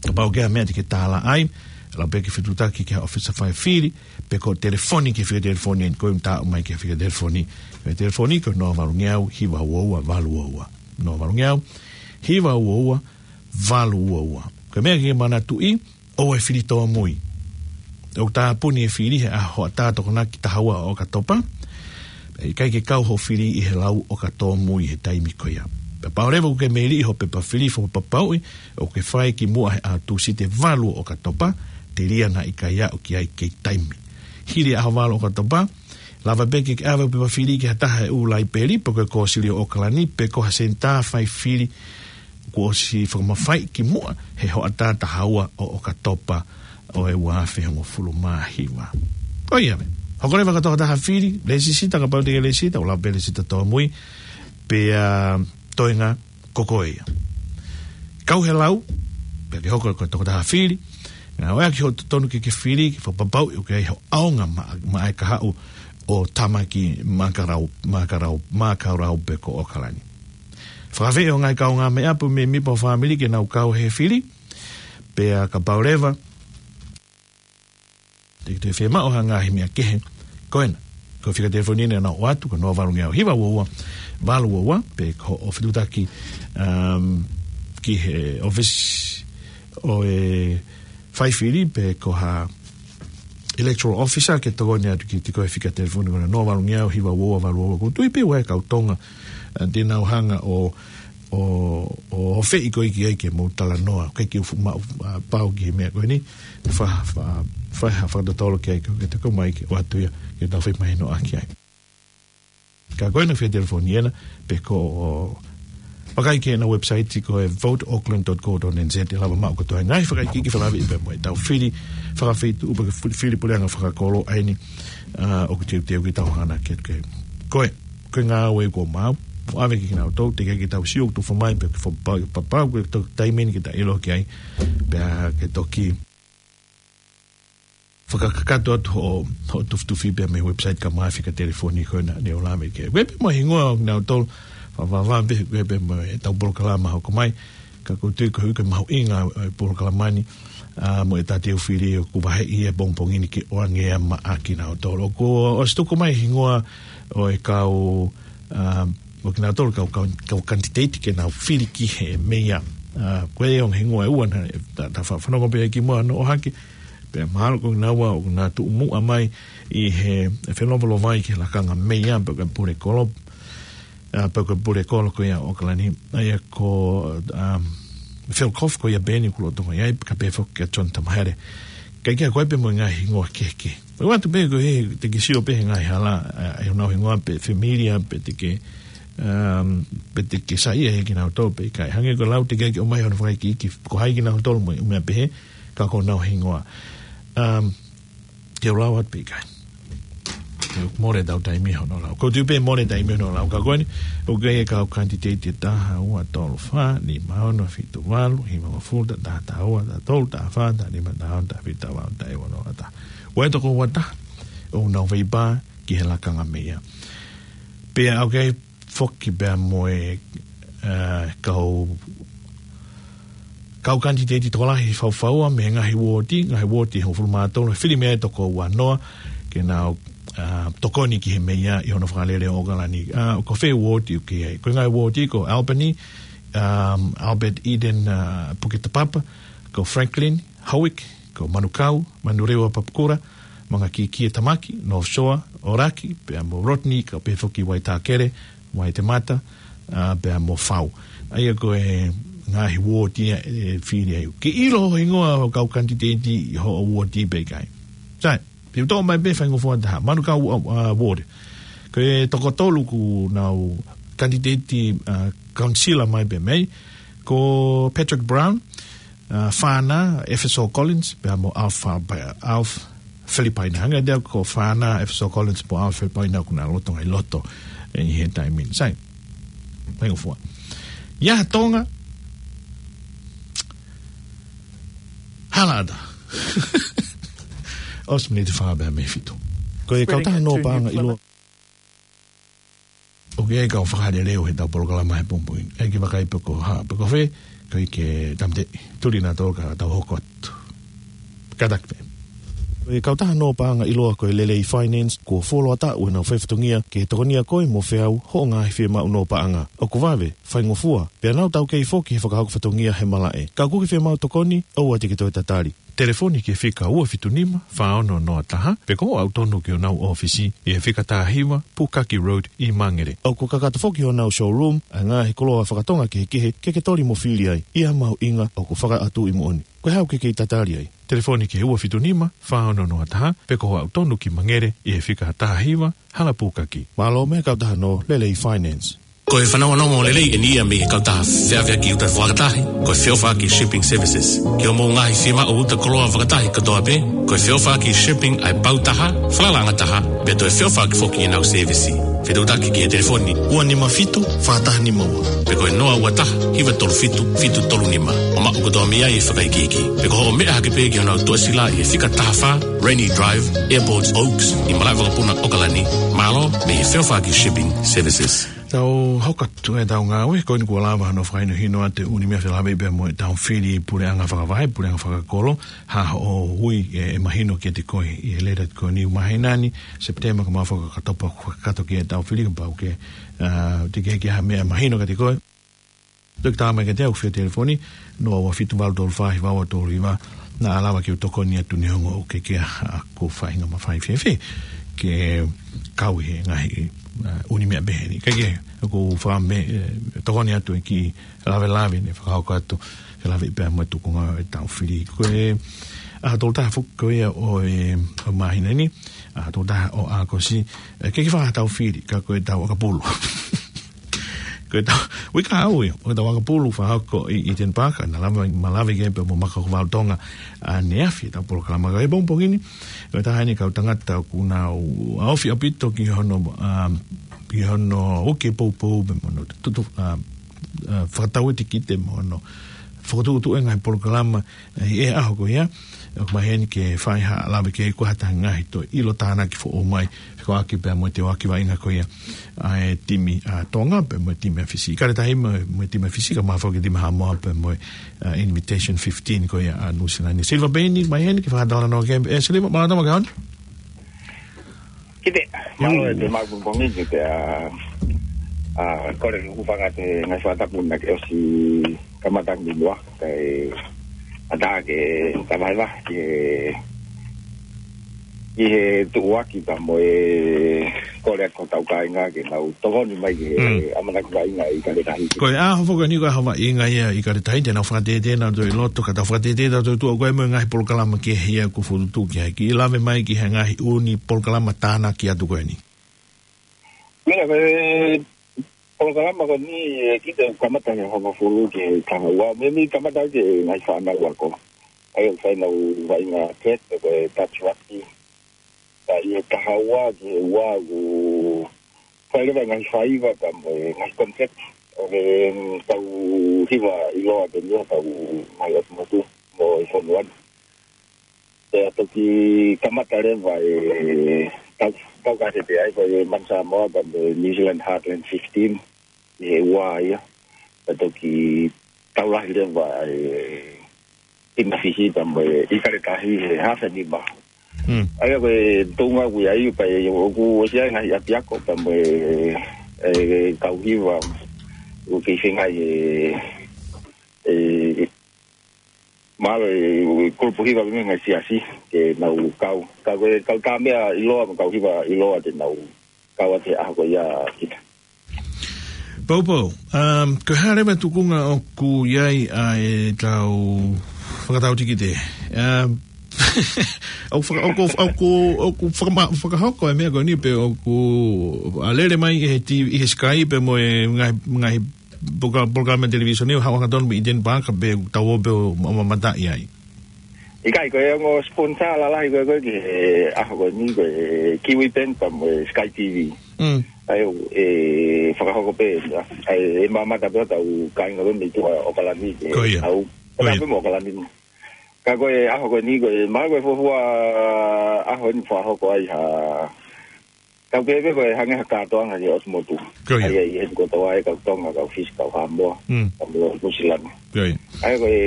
Kapau ʻoku ʻi ai ha meʻa te ke tālaʻa ai, lau pē ke fetuʻutaki ki he ʻōfisa faifili, pe ko e telefoni ki he fika telefoni eni, ko e ʻumaʻā mai ki he fika telefoni. Fika telefoni ko e noa valu ngeau hiva ua ua valu ua ua. Noa valu ngeau hiva ua ua valu ua ua. Ko e meʻa ke manatuʻi, ʻoua ʻe fili tōmui. ʻOku tāpuni e fili he ʻaho hoʻatā Tokonaki taha ua ʻo ʻOkatopa. ʻIkai ke kau hoʻo fili ʻi he lau ʻoka tōmui he taimi ko ia. Pea kapau leva ʻoku ke meiliʻi hoʻo pepa fili fakapapauʻi ʻoku ke fai kimuʻa he ʻaho Tūsite valu ʻo ʻOkatopa, telia naʻa ʻikai aʻu ki ai kei taimi. Hili ʻaho valu ʻo ʻOkatopa, lava pē ke ke ʻave hoʻo pepa fili ki ha taha ʻo e ʻū laipeli, pe ko e Kōsilio ʻAokalani, pe ko ha senitā faifili kuo ʻosi fakamafaiʻi kimuʻa he hoʻatā taha ua ʻo ʻOkatopa ʻo e ua afe hongofulu mā hiva. Ko ia pē. Hoko leva ki he tokotaha fili, lēsisita kapau te ke lēsisita, ʻo lau pē lēsisita tōmui, pea toenga ko koe ia. Kau he lau, pea ke hoko ko e tokotaha fili, ngāueʻaki hoʻo totonu ke ke fili, ke fakapapauʻi ʻoku ʻi ai hoʻo ʻaonga maʻa, maʻa e kahaʻu ʻo Tāmaki Makarau, Makarau, Makarau pe ko ʻAokalani. Fakafeʻao e ngaahi kaungāmeʻa pe mei, mei ho fāmili ke nau kau he fili, pea kapau leva te ke toe fiemaʻu ha ngaahi meʻa kehe, ko ena. Ko e fika telefoni ena ʻoku ʻoatu, ko e noa valu ngeau hiva ua ua valu ua ua, pe ko hoʻo fetuʻutaki, um, ki he ʻōfisi ʻo e faifili, pe ko ha electoral officer ke tokoni atu kiate koe, fika telefoni ko ena noa valu ngeau hiva ua ua valu ua ua. ʻOku ou tui pē ʻoku ʻi ai e kau Tonga, ā, te nau hanga ʻo, ʻo, ʻo, ʻo feʻi koe ki ai ke mou talanoa, ke ke fuʻu maʻu, ā, pau ki he meʻa ko eni, fa-, fa-, fa-, ha fakatotolo ki ai, ke te kau mai ke ʻoatu ia, ke tau feʻimahinoʻaki ai. Ka ko ena fika telefoni ena, pe ko e vakai ki heʻena website ko e vote auckland dot co dot N Z, ʻe lava maʻu kotoa e ngaahi fakaikiiki fakalavi pea mo ʻetau fili fakafeituʻu pe ko e fili, fili puleʻanga fakakolo ʻa eni, ā, ʻoku teuteu ke tau hanga ki ai. Ko e, ko e ngāue kuo maau, ʻo ʻave kiate kinautolu, teʻeki ke tau sio ʻoku tufa mai, pe ke fakapapau, papau, ko e toki taimi eni ke ta ʻilo ki ai, pea ke toki fakakakato atu hoʻo, hoʻo tufitufi pea mei he website kae ʻumaʻā e fika telefoni ko ena ne u lave ki ai. Ko e pē mo e hingoa ʻo kinautolu, fa-, fa-, fa-, pē, ko e pē mo ʻetau polokalama hoko mai, ka ʻoku ou tui ko e ʻuhinga mahuʻinga ʻo e polokalama ni, ā, mo ʻeta teu fili ʻoku vaheʻi he pongipongi ni ke ʻoange ia maʻa kinautolu. Kuo ʻosi tuku mai e hingoa ʻo e kau, ā, ʻo kinautolu kau, kau, kau kanititeiti ke nau fili ki he meia. Ā, ko e ongo hingoa ʻe ua naʻa ta, ta fa-, fanongo pē ki muʻa hono ʻohake, pea mahalo ko kinaua ʻoku na tuʻu muʻa mai ʻi he, he felovalovai ki he lakanga meia pe ko e pule kolo, ā, pe ko e pule kolo ko ia ʻo ʻAokalani, ʻa ia ko, um, Phil Goff ko ia pē eni ʻoku lolotonga ʻi ai, kae pehē foki kia John Tamahere. Ka ʻikai ko e pē mo e ngaahi hingoa kehekehe. ʻOatu pē ko e hā, te ke sio pē he ngaahi hala, ā, ʻi honau hingoa pe familiar, pe te ke, um, pe te ke saiʻia kinautolu pe ʻikai. Hangē ko e lau teʻeki ke ʻomai hono fakaikiiki ko hai kinautolu mo e ʻū meʻa pehē, ka ko honau hingoa. Um, te u lau atu pe ʻikai. Te u mole ʻetau taimi hono lau. ʻOku ou tui pē mole taimi hono lau. Ka ko eni, ʻoku ʻi ai e kau kanititeiti ʻe taha, ua, tolu, fā, nima, ono, fitu, valu, hivangofulu, taha taha ua, taha tolu, taha fā, taha nima, taha ono, taha fitu, taha valu, taha hiva, noa taha. Ua e toko ua taha ʻoku nau faipa ki he lakanga meia. Pea ʻoku ʻi ai foki pea mo e, ā, kau, kau kanititeiti tokolahi faufaua mei he ngaahi uooti, ngaahi uooti ʻe hongofulu mā tolu, fili mei ai e toko ua noa, ke nau, ā, tokoni ki he meia ʻi hono fakalele ʻo ʻAokalani. Ā, ko fē uooti ʻoku ʻi ai? Ko e ngaahi uooti ko Albany, um, Albert Eden, ā, Puke Tapapa, ko Franklin, Howick, ko Manukau, Manurewa Papakura, Mangakīkī ʻa Tamaki, North Shore, ʻAoraki, pea mo Rodney, kae pehē foki Waitākere, Waitemata, ā, pea mo Fau. ʻA ia ko e ngaahi uooti ia ʻe fili ai. Ke ʻilo hoʻo hingoa ʻo e kau kanititeiti ʻi hoʻo uooti pe ʻikai. Sai, te u toʻo mai pē faingofua ʻe taha. Manukau, ā, ā, ward. Ko e toko tolu ʻoku nau kanititeiti, ā, councillor mai pē mei ai. Ko Patrick Brown, ā, Fana, Efeso Collins, pea mo Alpha, pea Alpha Filipaina. Hangē ia ko Fana, Efeso Collins, mo Alpha Filipaina ʻoku na lolotonga ʻi loto ʻi he taimi ni. Sai, faingofua. Ia Tonga. Hala ʻatā. ʻOsi miniti fā pē mei he fitu. Ko e kautaha nō paʻanga ʻiloa. ʻOku ʻi ai e kau fakalelei ʻo ʻetau polokalama he pongipongi ni. ʻE ke vakai pe ko e hā, pe ko fē, ko e ke tamte, tuli nautolu ka tau hoko atu. Kātaki pē. Ko e kautaha nō paʻanga ʻiloa ko e Lelei Finance, kuo fuoloa taʻu ʻenau faifatongia ke tokonia koe mo feau hoʻo ngaahi fiemaʻu nō paʻanga. ʻOku vave, faingofua, pea nau taukei foki he fakahoko fatongia he malaʻe. Ka ʻoku ke fiemaʻu tokoni, ʻoua te ke toe tatali. Telefoni ki he fika ua fitu nima, fā ono noa taha, pe ko hoʻo aʻu tonu ki honau ʻōfisi ʻi he fika taha hiva, Pukaki Road ʻi Mangere. ʻOku kakato foki honau showroom ʻa e ngaahi koloa fakatonga kehekehe ke ke toli mo fili ai. ʻI ha mahuʻinga ʻoku fakaʻatu ʻi muʻoni. Ko e hā ʻoku ke kei tatali ai? Telefoni ki he ua fitu nima, fā ono noa taha, pe ko hoʻo aʻu tonu ki Mangere ʻi he fika taha hiva, Hala Pukaki. Mālō mei he kautaha nō Lelei Finance. Ko e fanongonongo lelei eni ia mei he kautaha feʻaveʻaki uta fakatahi, ko e Feʻofaʻaki Shipping Services. Ki hoʻomou ngaahi fiemaʻu uta koloa fakatahi kotoa pē, ko e Feʻofaʻaki Shipping ʻa e pau taha, falalaʻanga taha, pea toe feʻofaʻaki foki ʻenau sēvisi. Fetuʻutaki ki he telefoni ua nima fitu, fā taha nima ua. Pe ko e noa ua taha, hiva tolu fitu, fitu tolu nima. ʻO maʻu kotoa mei ai e fakaikiiki. Pe ko hoʻo meʻa hake pē ki honau tuʻasila ʻi he fika taha fā, Rainy Drive, Airport Oaks, ʻi Malaʻevakapuna, ʻAokalani. Mālō mei he Feʻofaʻaki Shipping Services. Tau hoko atu ʻetau ngāue, ko eni kuo lava hano fakahinohino atu e ʻū meʻa felāveʻi pea mo ʻetau fili puleʻanga fakavaʻe, puleʻanga fakakolo, ha hoʻo ui ʻe, ʻe mahino kiate koe ʻi he lēleti ko eni ʻo e māhina ni, Sepitema, ka mau fakakakato pē, fakakakato ki heʻetau fili kapau ʻoku, ʻa, teʻeki ke ʻi ai ha meʻa mahino kiate koe. Toki tā mai kiate au via telefoni, noa ua fitu valu tolu fā hiva ua tolu hiva, naʻa lava ke u tokoni atu neongo ʻoku ʻikai ke ʻi ai haʻaku faʻahinga mafai fēfē ke kau he ngaahi, ʻa, ʻū meʻa pehē ni. Kae kehe, ʻoku ou fakaʻamu, ʻe, tokoni atu e kiʻi lavelave ne fakahoko atu, felāveʻi pea mo e tuʻunga ʻetau fili. Ko e ʻaho tolu taha foki ko ia ʻo e, ʻo e māhina ni, ʻaho tolu taha ʻo ʻAokosi, ʻe, ʻikai ke fai haʻatau fili, ka ko ʻetau ʻakapulu. Ko ʻetau, uike ʻaho ia, ko ʻetau ʻakapulu fakahoko ʻi, ʻi Eden Park, naʻa lava, ma lava ke pea mo Maka Hoku Valu Tonga, ʻaneafi ʻetau polokalama. Ka ʻi he pongipongi ni, ko e taha eni e kau tangata ʻoku nau ʻaofi ʻaupito ki hono, ʻa, ki hono uke poupou pea mo hono tutu, ʻa, ʻa, fakatau e tikite mo hono fokotuʻutuʻu e ngaahi polokalama, ʻi he ʻaho ko ia, ʻoku maheni ke fai ha lave ki ai, ko e hā ha ngaahi toe ʻilo tānaki foʻou mai, fekauʻaki pea mo e teuaki vaʻinga ko ia ʻa e timi ʻa Tonga pea mo e timi ʻa Fisi. ʻIkale tahi mo, mo e timi ʻa Fisi, kae ʻumaʻā foki e timi ʻa Haʻamoa pea mo e, ʻa, Invitation fifteen ko ia ʻa Nuʻusila ni. Silva pē eni, maheni ke fakatalanoa ki ai. ʻE Silva, mālō e tama ke honi. Kite, mālō e te mau pongipongi ni pea, ʻa, kole ke u hūfanga he ngaahi fakatapu naʻe ʻosi kamata ni mua, kae ʻatā ke ta vahevahe ki he, ki he tuʻuaki pea mo e kole atu ki hotau kāinga ke nau tokoni mai ki he Mm. ʻamanaki vaʻinga ʻi ʻIkale Tahi. Ko e ʻaho foki eni ko e ʻaho vaʻinga ia ʻi ʻIkale Tahi, te nau fakatētē nautolu ʻi loto, ka tau fakatētē nautolu tuʻa ko e mo e ngaahi polokalama kehe ia kuo fokotuʻutuʻu ki ai. Kiʻi lave mai ki he ngaahi ʻū polokalama tānaki atu ko eni. Meʻa ko e polokalama ko eni, ʻe, kite kamata he hongofulu ki he taha ua. Meimei kamata ki he ngaahi fānau ako. ʻA ia ʻoku fai ʻenau vaʻinga kete ko e touch rugby. Ka ʻi he taha ua ki he ua ʻoku fai leva e ngaahi faiva pea mo e ngaahi contract ʻo e kau hiva ʻiloa pē mo e kau ngaahi ʻotu motu mo e fonua ni. Pea toki kamata leva e tau, tau ka te te ai ko e Manu Samoa pea mo e New Zealand Heartland fifteen ʻi he ua ia. Pea toki tau lahi leva e timi ʻa Fisi pea mo e ʻIkale Tahi he hafe nima. Mm. ʻA ia ko e tuʻunga ʻoku ʻi ai pea ʻoku ʻosi ʻi ai e ngaahi ʻapiako pea mo e, e kau hiva ʻoku kei feinga e, e, mahalo e, e kulupu hiva pea mo e ngaahi siasi ke nau kau. Ka ko e kau tā meʻa ʻiloa mo e kau hiva ʻiloa te nau kau atu he ʻaho ko ia kita. Poupou, um, ko e hā leva e tuʻunga ʻoku ʻi ai ʻa ʻetau fakatau tikite? Um, ʻoku faka-, ʻoku, ʻoku, ʻoku fakama-, fakahoko e meʻa ko eni pe ʻoku ʻa lele mai ʻi he T V, ʻi he Sky pea mo e ngaahi, ngaahi poloka-, polokalama televīsone ʻo haʻu hangatonu mei ʻIteni Pāka pe tau ō pē ʻo ma-, mamataʻi ai? ʻIkai, ko e ongo sponsor lalahi ko ē ko ē ki he ʻaho ko eni ko e Kiwi Bank pea mo e Sky T V. Mm. ʻA ia ʻe fakahoko pē, ʻa ia ʻe mamata pē ʻetau kāinga mei tuʻa ʻOkalani ke Ko ia. ʻAu. Ko ia. Pea pē mo ʻOkalani. Ka ko e ʻaho ko eni ko e, mahalo ko e fuofua ʻaho eni fakahoko ai ha, kau pehē pē ko e hangē ha kātoanga ki ʻOtu Motu. Ko ia. ʻA ia ʻi he kotoa e kau Tonga, kau Fisi, kau Haʻamoa. Mm. Kau Nuʻu Sila ni. Ko ia. ʻA ia ko e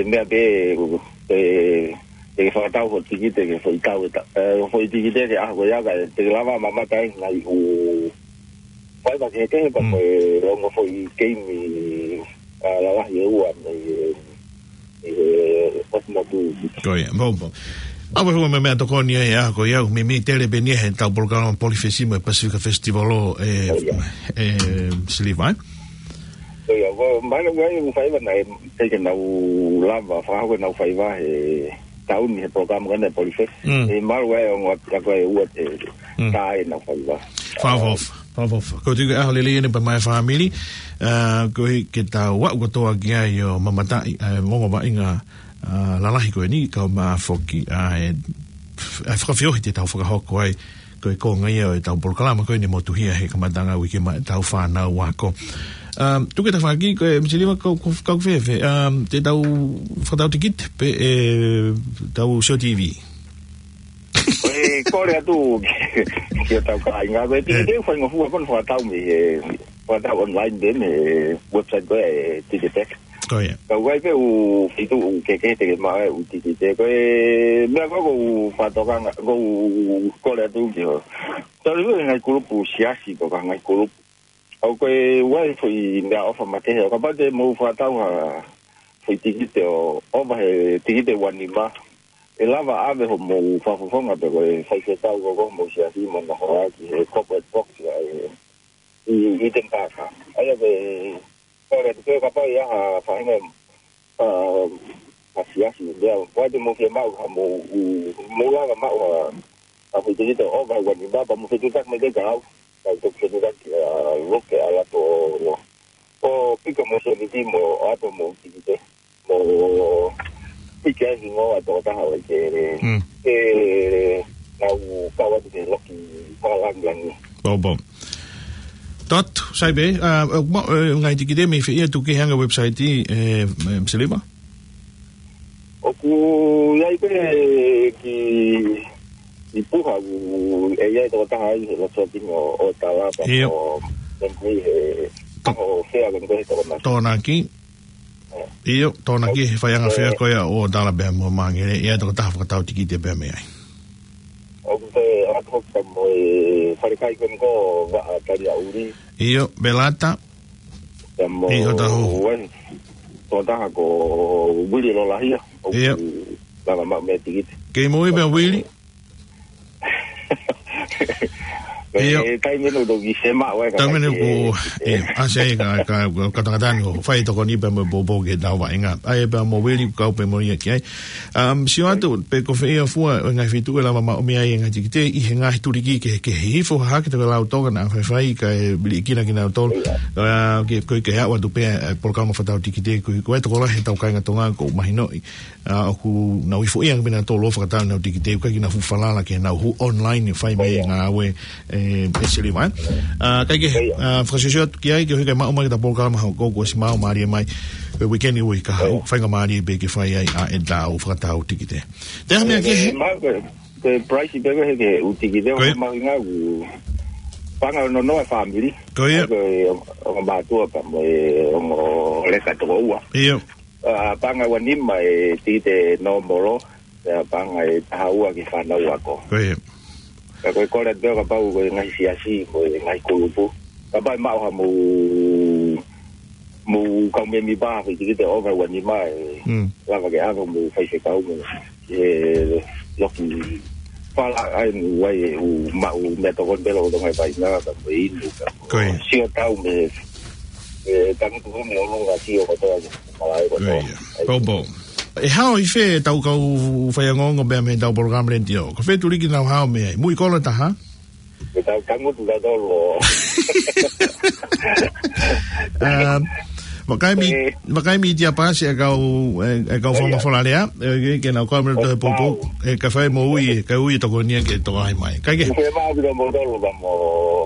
meʻa pē, ʻe, ʻe fakatau hoʻo tikite ke foʻi tau e ta-, ʻe, foʻi tikite ke ʻaho ko ia kae, te ke lava mamata ai ngaahi ʻū faiva kehekehe pea Mm. mo e ongo foʻi keimi, ʻa, lalahi ʻe ua mei, ʻi he ʻOtu Motu. Ko ia, maopao. ʻA, ʻoku ʻi ai e meʻa tokoni ai ʻa ko ia, ʻoku meimei tele pē eni ʻetau polokalama Polifesi mo e Pacific Festival ʻo, ʻe, Ko ia. ʻe, Siliva, ē? Ko ia, ko, mahalo ko e faiva naʻe, te ke nau lava, fakahoko ʻenau faiva he taʻu ni he polokalama ko eni Polifesi. Mm. ʻE mahalo ko e ongo atu, ko e ua te, Mm. tā ʻenau faiva. Fakaʻofoʻofa, fakaʻofoʻofa. Ko e tui ko e ʻaho lelei eni pea mo e fāmili, ʻa, koeʻuhi ke tau aʻu kotoa ki ai ʻo mamataʻi, ʻa, e ongo vaʻinga, ʻa, lalahi ko eni, kae ʻumaʻā foki, ʻa, e, ʻa e fakafeohi te tau fakahoko ai, ko e konga ia ʻo ʻetau polokalama ko eni motuhia he kamataʻanga uike maʻa ʻetau fānau ako. ʻA, tuku ke tafaʻaki, ko e Misiliva kau, kau, kau fēfē, ʻa, te tau fakatau tikite pē ʻetau Sio T V. Ko e kole atu ki, ki hotau kāinga, ko e Eh. tikite ʻoku faingofua pē hono fakatau mei he, fakatau online pē mei he website ko e Ticketek. Ko ia. Ka ʻoku ʻi ai pē ʻū feituʻu kehekehe te ke maʻu ai e ʻū tikite. Ko e meʻa ko ē ʻoku ou fakatokanga, ʻoku ou kole atu ki ho. Tau ʻi he ngaahi kulupu siasi, ko e ngaahi kulupu. ʻOku ʻi ai e foʻi meʻaʻofa makehe, ʻo kapau te mou fakatau ha foʻi tikite ʻo ʻova he tikite ua nima, ʻe lava ʻave hoʻomou fakafofonga pe ko e faifekau ko ē ʻo homou siasi mo nau hoa ki he corporate box ʻa e, ʻi, ʻi Eden Park. ʻA ia ko e, ko e, ko e kapau ʻe ʻi ai ha faʻahinga, ʻa, ha siasi, meʻa, ʻoku ʻi ai te mou fiemaʻu ha mou, mou lava maʻu ha, ha foʻi tikite ʻo ʻova he ua nima, pea mou fetuʻutaki mai ki ai kiate au. Ka u toki fetuʻutaki, ʻa, loke ʻa lato ʻo, ʻo pika mo seniti mo ʻoatu mo tikite. Mo pika e hingoa ʻo e tokotaha ʻoku ʻikai ke, Mm. ke nau kau atu ke loki fakalāngilangi. Maopao. Tō atu, sai pē, ʻa, ʻoku maʻu, ʻe, ngaahi tikite mei fē ia, tuku ke hanga website ʻi, ʻe, ʻe, Siliva? ʻOku ʻi ai pē ki, ki Puha, ʻoku ʻi ai e tokotaha ʻi he Lototini ʻo, ʻo Talapa ʻIo. ʻo, ʻo, ʻo, ʻo, Tokonaki. ʻIo, Tokonaki, he faiʻanga fea ko ia ʻo Talapa mo Mangere, ʻi ai e tokotaha fakatau tikite pē mei ai. ʻOku te atu hoki pea mo e falekai ko eni ko Vaʻa Taliaʻuli. ʻIo, Belata. Pea mo ʻIo, Tahu. Wen. Tokotaha ko Vili Lolahia. ʻOku ʻIo. lava maʻu mei ai e tikite. Kei moʻui pē ʻa Vili? ʻIo. ʻE, taimi ʻeni ʻoku toki sema ʻoe ka Taimi ʻeni kai ko, ke, ʻe, ʻa se ka, ka, ka tangata ni ʻoku fai tokoni pea mo e poupou ki heʻetau vaʻinga. ʻA ia pea mo Vili ʻoku kau pē mo ia ki ai. Um, sio atu, pe ko fē ia fua ʻo e ngaahi feituʻu ʻe lava maʻu mei ai e ngaahi tikite ʻi he ngaahi tuliki kehekehe. Hifo hake te ke lau toka naʻa faifai kae liʻekina kinautolu. ʻIo. ʻA, ke, ko e ke aʻu atu pē, ʻe, polokalama fakatau tikite, ko, ko e tokolahi ʻetau kāinga Tonga ʻoku mahinoʻi. ʻA, ʻoku nau hifo ia pē nautolu ʻo fakatau ʻenau tikite, ʻikai ke nau fuʻu falala ke nau hū online ʻo fai mai e ʻIo. ngāue, ʻe, ʻe Siliva, ē. ʻA, kae kehe, ʻIo. ʻa, fakasiosio atu ki ai, koeʻuhi ke maʻu mai ke ta polokalama hoko kuo ʻosi maʻu mālie mai. Ko e weekend ʻoku ʻi ai ka ʻIo. faingamālie pē ke fai ai ʻa ʻetau fakatau tikite. Te ha meʻa ʻIo, kehe? ma, ko, ko e price pē ko ē he ke ʻū tikite, Ko ia. ʻoku mahuʻinga ʻoku paʻanga ʻe noa noa e fāmili. Ko ia. Ko e ongo mātuʻa pea mo e ongo leka toko ua. ʻIo. ʻA, paʻanga ua nima e tikite nōmolo, pea paʻanga ʻe taha ua ki he fānau ako. Ko ia. Ka ko e kole atu kapau ko e ngaahi siasi, ko e ngaahi kulupu. Kapau ʻe maʻu ha mou, mou kau mēmipa ha foʻi tikite ʻo ʻova ua nima ʻe Mm. lava ke ʻave mo faifekau mo e loki fala ai mo wai ʻe ʻū maʻu meʻatokoni pē lolotonga e vaʻinga ka mo e inu ka mo Ko ia. sio tau mei he, e tangutu ko ē mei ʻolunga sio kotoa ke malae Ko kotoa. ia. Poupou. ʻE hao ʻi fē ʻetau kau faiongoongo pea mei heʻetau polokalama letiō? Ko fē tuliki ʻoku nau hao mei ai? Muʻi kolo taha? ʻE tau tangutu ka tolo. Um, vakai mi, Eh. vakai mi tia pasi e kau, e, e kau Oh, fama yeah. folalea, e, ke, ke nau kau mei loto he Oh, poupou, wow. e, ka fai mo ui, ka ui tokoni ia ke toka ai mai. Kae kehe? Ufema ʻaupito mo tolo ka mo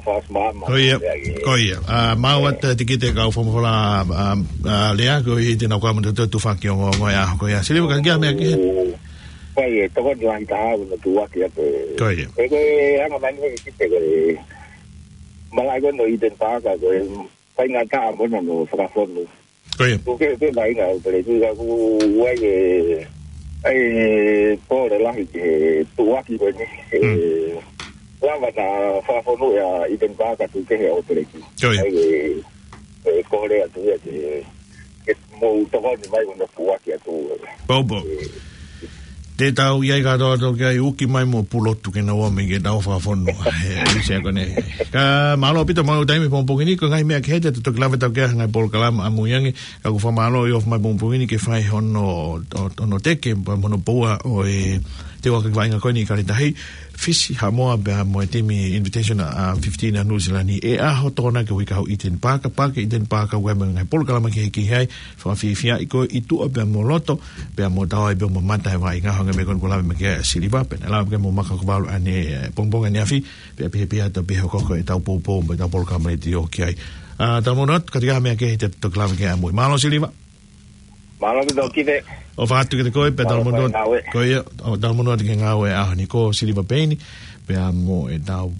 Fast Mama. Ko ia, ko ia. ʻA, mau atu e tikite kau fakafola, ʻa, ʻa, Lea, ko ia te nau kau mo e tufaki ongoongo ia, ko ia. Siliva, ka kia mea ke. Ko ia, tokoni lahi taha ʻo e tuʻuaki atu. Ko ia. Ko e, ko e anga mai ni ko e tikite ko e. Malaʻe ko ē ʻo Eden Park, ko e faingataʻa mo hono fakafonu. Ko ia. Ko e, ko e vaʻinga ʻo Peleki, ka ʻoku ʻi ai e, ʻa e pole lahi ki he tuʻuaki ko eni. E, lava naʻa fakafonu ʻa Eden Park atu ki he ʻo Peleki. Ko ia. ʻA e, e pole atu ia ke, ke mou tokoni mai mo hono tuʻuaki atu. Pau, pau. E, Te tau ʻi ai kātoa atu ki ai, uki mai mo Pulotu ke nau ō mai ke tau fakafonu. He, he, se kone. Ka mālō ʻaupito, mālō taimi pongipongi ni, ko e ngaahi meʻa kehe te tau toki lave atu ki ai he ngaahi polokalama ʻamui ange, ka ʻoku fakamālō ʻi he ʻofa mai pongipongi ni ke fai hono, ʻo, hono teke, pea mo hono poua ʻo e teuaki vaʻinga ko eni ʻi Kaletahi, Fisi, Haʻamoa, pea mo e timi Invitation, ʻa, fifteen ʻa Nuʻu Sila ni, ʻe ʻaho Tokonaki ʻo e uike ʻi Eden Park, Paaki Eden Park, ʻoku ʻi ai mo e ngaahi polokalama kehekehe ai, fakafiefia ʻi ko e ʻi tuʻa pea mo loto, pea mo tau ai pea mo mamata he vaʻinga, hangē ko eni kuo lave mai ki ai ʻa Siliva, pea naʻe lava ke mo maka ko valu ʻanepō, pongipongi ʻaneafi, pea pehē pē ʻa e tau pehē ʻoku ʻi ai ʻetau poupou, mo ʻetau polokalama letiō ki ai. ʻA, tau mono atu, ka ʻi ai ha meʻa kehe te tau toki lave ki ai ʻamui. Mālō Siliva. Mālō ʻaupito Kite. ʻOfa atu kiate koe, pea tau mono atu. Ko ia, ʻo tau mono atu ki he ngāue ʻaho ni ko Siliva Peini, pea mo ʻetau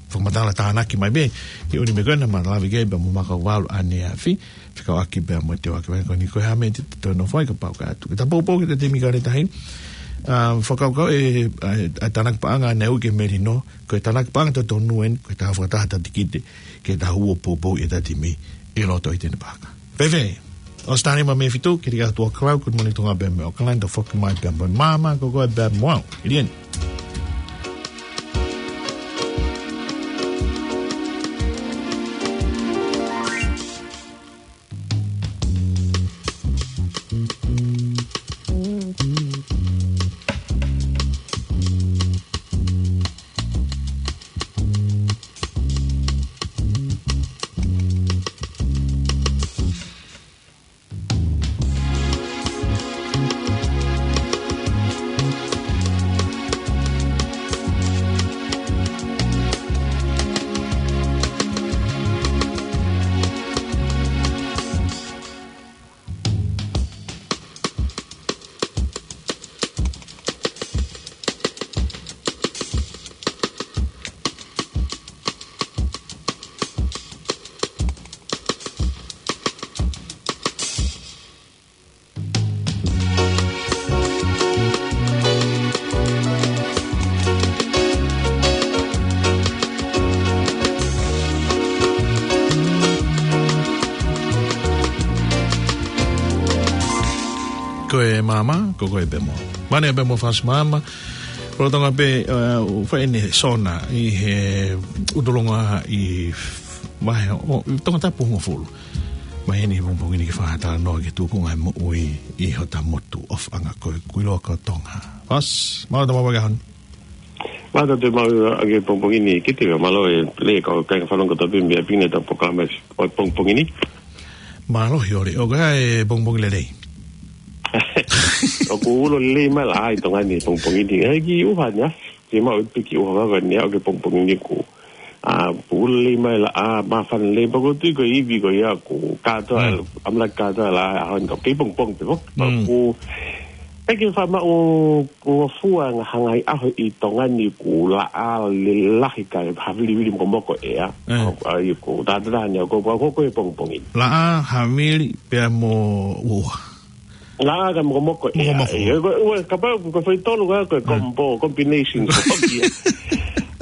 fakamatala tānaki mai pē, he ʻuhi meʻa ko ena naʻa ma lave ki ai pea mo maka ko valu ʻaneafi, fekauʻaki pea mo e teuaki vaʻinga ko eni, ko e hā e meʻa te tau nofo ai kapau ʻe ʻatu. Ke ta poupou ki he timi Kaletahi, ʻa, fakakaukau e, ʻa, ʻa e tānaki paʻanga naʻe ui ki he melino, ko e tānaki paʻanga totonu eni, ko e tau fakataha ʻetau tikite, ke tau ō ʻo poupou ʻi heʻetau timi, ʻi loto ʻi Eden Park. Fēfē, ʻosi taimi mei he fitu, ki he ʻaho Tuʻakau, good morning Tonga pea mei ʻAokalani, tau foki mai pea mo māmani, ko koe pea mo au. ʻIliani. Ko e māmani, ko koe pea mo au. Mane pea mo Fast Mama. Lolotonga pē, ʻa, ʻoku fai ʻene sona ʻi he ʻutuʻanga ʻi vahe ʻo, ʻi Tongatapu hongofulu. Mai eni he pongipongi ni ke fakatalanoa ki he tuʻunga e moʻui ʻi hota motu ʻofaʻanga ko e kuiloa ko Tonga. Fast, mālō e tau maʻu e ʻaho ni. Mālō e tau maʻu e pongipongi ni Kite, mālō e Lea, kau kāinga fanongo kotoa pē mei ʻapi ni ʻetau polokalama ʻo e pongipongi ni. Mālō, ʻio Lea, ʻoku ʻi ai e pongipongi lelei. ʻOku ulo lelei mai e laʻā ʻi Tonga ni pongipongi ni. ʻI ai e kiʻi ʻuha ʻaneafi, te mau ʻi ai e kiʻi ʻuha vave ʻaneafi ʻo e pongipongi ni ko ē. ʻA, ulo lelei mai e laʻā, māfana lelei, pea ʻoku ou tui ko e ivi ko ia ʻoku kātoa, Mm. ʻamanaki kātoa e laʻā he ʻaho ni, kei pongipongi pē foki. Mm. ʻOku ʻikai ke faʻa maʻu ngofua ha ngaahi ʻaho ʻi Tonga ni ʻoku laʻā lelei lahi kae havilivili mokomoko ʻea. Eh. ʻA, ʻoku tātātaha ni, ʻoku, ʻoku, ʻoku, ʻoku ʻi he pongipongi. Laʻā, havili, pea mo ʻuha. Laʻā kae mokomoko ʻea. Mokomoko. ʻIo, ko, ʻo, kapau ko e foʻi tolu ka, ko e Mm. combo, combination ko ia.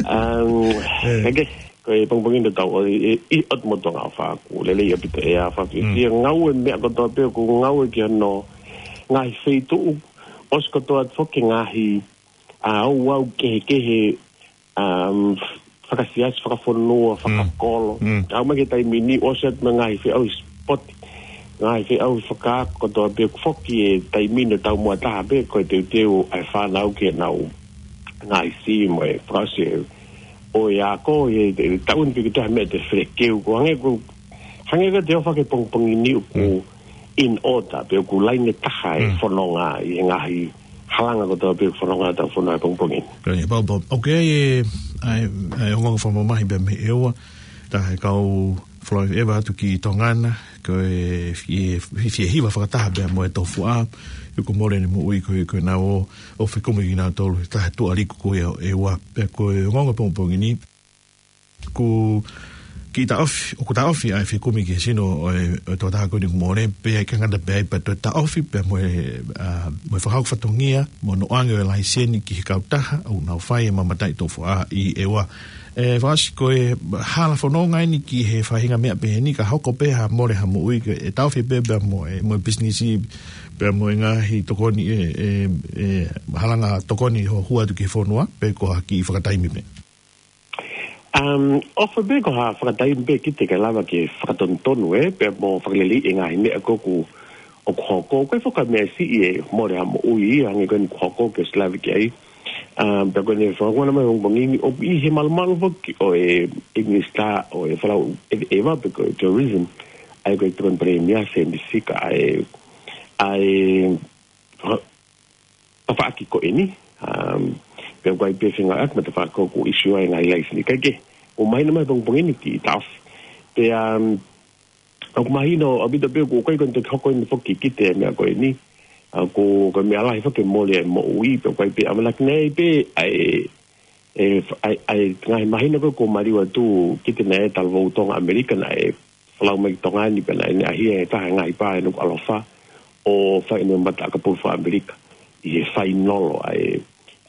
Um, Eh. ʻIkai ke, ko e pongipongi ni tau ʻi, ʻi, ʻi ʻOtu Motu Tonga ʻofa ʻoku lelei ʻaupito ʻea, fakafiefia Mm. ngāue meʻa kotoa pē ʻoku ngāue ki hono ngaahi feituʻu, ʻosi kotoa atu foki ngaahi, ʻa, ouau kehekehe, um, fakasiasi, fakafonua, Mm. fakakolo. Mm. Aʻu mai ki he taimi ni ʻosi atu mo e ngaahi feʻauhi sipoti. Ngaahi feʻauhi fakaako kotoa pē ʻoku foki he taimi ni ʻo e taumuʻa taha pē ko e teuteu ʻa e fānau ki heʻenau ngaahi sī mo e fakaʻosi ʻo e ako he, he taʻu ni pē ki he taha meʻa te felekeu ko hangē ko, hangē ko e te ʻofa ki he pongipongi ni ʻoku Mm. in order pē ʻoku laine taha e Mm. fononga ʻi he ngaahi halanga kotoa pē ʻoku fononga ʻetau fonua he pongipongi ni. Ko ia, pau, pau. ʻOku ʻi ai e, ʻa e, ʻa e ongoongo fakamamahi pē mei ʻEua, ʻa e kau folau ʻeva atu ki Tonga na, ko e fie, fie, fie hiva fakataha pē mo e tofuaʻa, ʻoku mole ʻene moʻui ko e, ko e nau ō, ʻo fekumi kinautolu, taha tuʻa liku ko ia ʻo ʻEua, pea ko e ongoongo pongipongi ni, ʻoku kiʻi taʻofi, ʻoku taʻofi ʻa e fekumi ki he sino ʻo e, ʻo e tokotaha ko eni kuo mole, pea ʻikai ngata pē ai pea toe taʻofi, pea mo e, ʻa, mo e fakahoko fatongia, mo hono ʻoange ʻo e laiseni ki he kautaha, ʻoku nau fai e mamataʻi tofuaʻa ʻi ʻEua. ʻE, Fakaʻosi, ko e hala fononga eni ki he faʻahinga meʻa pehē ni, ka hoko pē ha mole ha moʻui, ke, ʻe taʻofi pē, pea mo e, mo e pisinisi, pea mo e ngaahi tokoni, ʻe, ʻe, ʻe, halanga tokoni hono hū atu ki he fonua, pe ko ha kiʻi fakataimi pē. Um, ʻofa pē ko ha fakataimi pē kiate ia ke lava ke fakatonutonu ē, pea mo fakaleleiʻi e ngaahi meʻa ko ē ʻoku, ʻoku hoko, ko e fakameʻa siʻi e mole ha moʻui ia, hangē ko eni ʻoku hoko ke ʻosi lave ki ai. Um, pea ko eni fakakona mai pongipongi ni, ʻoku ʻi he malumalu foki ʻo e, e minisitā ʻo e folau ʻeva, ʻeva pe ko e tourism, ʻa ia ko e tokoni palēmia Sēmisi Sika, ʻa e, ʻa e, tafaʻaki ko eni, um, pea ʻoku ʻi ai pē fengāueʻaki mo e tafaʻaki ko ē ʻoku ʻisiū ai e ngaahi laiseni. Kae kehe, ʻoku mahino mai pongipongi ni kiʻi taʻofi. Pea, um, ʻoku mahino ʻaupito pē ʻoku ʻikai ko eni toki hoko eni foki kiate ia e meʻa ko eni. ʻA, ko, ko e meʻa lahi foki e mole e moʻui, pea ʻoku ʻi ai pē ʻamanaki naʻe ʻi ai pē ʻa e, e, ʻa e, ʻa e ngaahi māhina ko ē kuo maliu atu kiate ia e talavou Tonga ʻAmelika naʻe folau mai ki Tonga ni pea naʻe, naʻe ʻahiʻahi e taha e ngaahi pā ʻi he ʻAlo Fā ʻo fai ʻene mata ʻakapulu faka-ʻAmelika ʻi he fainolo ʻa e,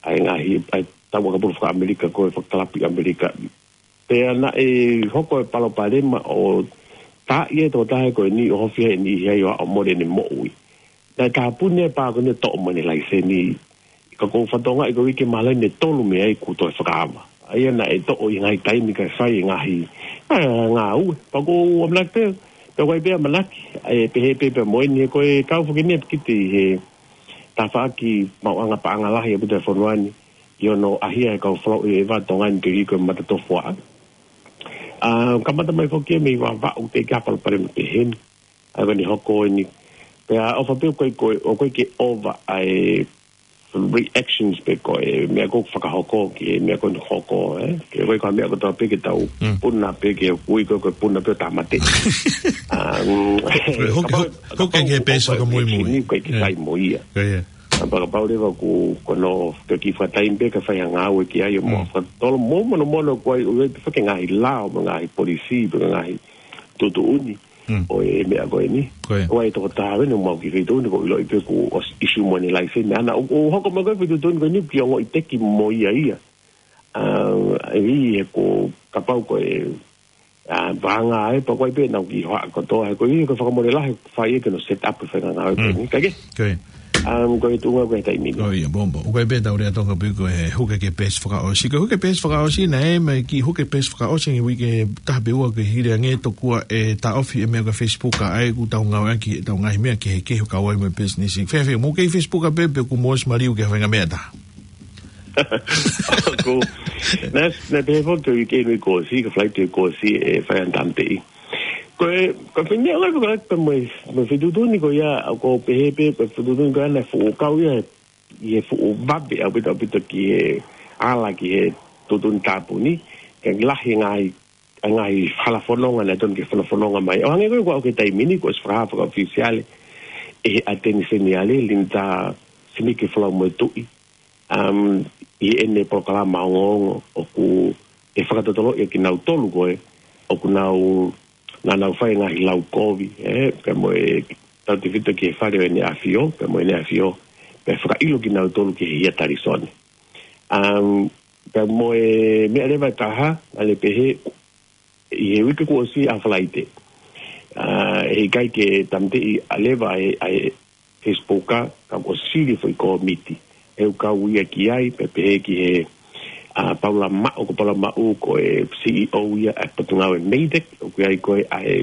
ʻa e ngaahi, ʻa e tau ʻakapulu faka-ʻAmelika ko e fakakalapu ʻi ʻAmelika. Pea naʻe hoko e palopalema ʻo taaʻi e tokotaha ko eni ʻo ofi ai e niʻihi ai ʻo aʻu ʻo mole ʻene moʻui. Naʻe tāpuni e pā ko eni ʻo toʻo mai ʻene laiseni. Ka ʻoku ou fakatokangaʻi ko e uike mahalo ʻe tolu mei ai kuo toe fakaava. ʻA ia naʻe toʻo ʻi he ngaahi taimi kae fai e ngaahi, ʻa, ngāue. Pea ʻoku ou ʻamanaki pē, pea ʻoku ʻi ai pē ʻamanaki, ʻa e pehē pē pea mo eni he ko e kau foki eni ʻa e piki ʻi he tafaʻaki maʻuʻanga paʻanga lahi ʻaupito e fonua ni, ʻi hono ʻahiʻahi e kau folau ʻeva Tonga ni ke ui ko e mata tofuaʻa. ʻA, kamata mai foki ia mei Vavaʻu, teʻeki ai ha palopalema pehē ni. ʻA ia ko eni hoko eni. Pea ʻofa pē ʻoku ʻikai ko e, ʻoku ʻikai ke ʻova ʻa e reactions pe ko e meʻa ko ē ʻoku fakahoko ki he meʻa ko eni ʻoku hoko, ē? Ke ʻoku ʻikai ko ha meʻa kotoa pē ke tau Mm. puna pē ke ui ko e, ko e puna pē ʻo tāmateʻi. Um, Hoko, kapau, hoko, hoko kapau ke ʻoku peesi ʻova e fakamuimui. reaction ni, ʻoku ʻikai ke Ē. sai mo ia. Ko ia. ʻA, pea kapau leva ʻoku, ko hono, ke kiʻi fakataimi pē ke fai ha ngāue ki ai ʻo mo Mm. fakatolo mo monomono ko ai, ʻoku ʻi ai pē foki e ngaahi lao mo e ngaahi polisi, pe ko e ngaahi tuʻutuʻuni Mm. ʻo e meʻa ko eni. Ko ia. ʻOku ʻi ai e tokotaha ʻeni ʻoku mau kiʻi feituʻu ni ʻoku ʻiloʻi pē kuo ʻosi ʻisiū mai ʻene laiseni. ʻA ia naʻa ʻoku, ʻoku hoko mai ko e feituʻu ni ko eni ʻoku kiʻi ongoʻi teki mo ia ia. ʻA, ʻi he ko e kapau ko e, ʻa, vānga ai pea ʻoku ʻi ai pē ʻenau kiʻi hoʻaʻa kotoa, he ko e, ko e fakamole lahi ʻoku fai ia ke nau set up e faʻahinga ngāue ko Mm. eni. Kae kehe. Ko ia. Um, ko e tuʻunga ko e taimi ni. Ko ia, pea mo. ʻOku ʻi ai pē ʻetau lea Tonga pē ko e huke ki he peesi fakaʻosi. Ko e huke peesi fakaʻosi naʻe mai ki he huke peesi fakaʻosi ʻi he uike taha pe ua ke hili ange tokua ʻe taʻofi e meʻa ko e Facebook ʻa ia ʻoku tau ngāueʻaki ʻetau ngaahi meʻa kehekehe ʻo kau ai mo e pisinisi. Fēfē, mou kei Facebook pē pe ʻoku mou ʻosi maliu ki ha faʻahinga meʻa ʻe taha? Ko, naʻe, naʻe pehē foki ko e uike ni kuo ʻosi, ko e flight kuo ʻosi ʻe fai ʻa e tāmateʻi. Ko e, ko e fai meʻa lahi ko e, ko e mo e, mo e feituʻu ni ko ia, ʻoku ou pehē pē, ko e feituʻu ni ko ia naʻe fuʻu kau ia, ʻi he fuʻu vave ʻaupito ʻaupito ki he ala ki he tuʻutuʻuni tāpuni, ke lahi e ngaahi, e ngaahi hala fononga naʻe tonu ke fakafononga mai. ʻO hangē ko e ʻoku ou ki he taimi ni, kuo ʻosi fakahā fakaʻofisiale ʻe he ʻAteni Seniale, Linda Sinikifolau Moetuʻi, um, ʻi heʻene polokalama ongoongo ʻoku ʻe fakatotoloʻi ʻa kinautolu ko ē ʻoku nau, naʻa nau fai e ngaahi lau kovi, ē, pea mo e tautefito ki he fale ʻo ʻEne ʻAfio, pea mo ʻEne ʻAfio, pea fakaʻilo kinautolu ki he hia talisone. Um, pea mo e meʻa leva ʻe taha, naʻa ne pehē, ʻi he uike kuo ʻosi ʻa Falaite. ʻA, heʻikai ke tāmateʻi ʻa leva ʻa e, ʻa e Facebook, ka ʻoku sili foʻi kōmiti. ʻE ʻoku kau ia ki ai, pea pehē ki he, ʻa, Paula Maʻu, ko Paula Maʻu, ko e C E O ia ʻa e potungāue Meitec, ʻoku ʻi ai ko ē ʻa e,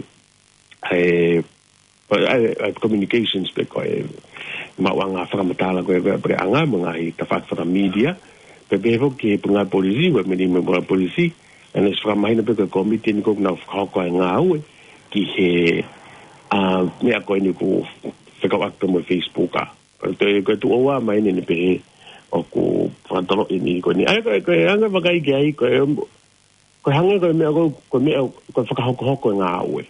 ʻa e, ʻa e, ʻa e communications pe ko e maʻuʻanga fakamatala ko ē, ko e, pe anga mo e ngaahi tafaʻaki fakamedia, pea pehē foki ki he potungāue polisi, ko e meni mo e potungāue polisi, ʻa ia naʻe ʻosi fakamahino pē ko e kōmiti eni ʻoku nau fakahoko e ngāue ki he, ʻa, meʻa ko eni ʻoku fekauʻaki pē mo e Facebook, ʻa. Ko e, ko e tuʻo ua mai eni pehē ʻoku fakatoloʻi eni ko eni. ʻA ia ko e, ko e anga vakai ki ai, ko e, ko e hangē ko e meʻa ko, ko e meʻa, ko e fakahokohoko e ngāue.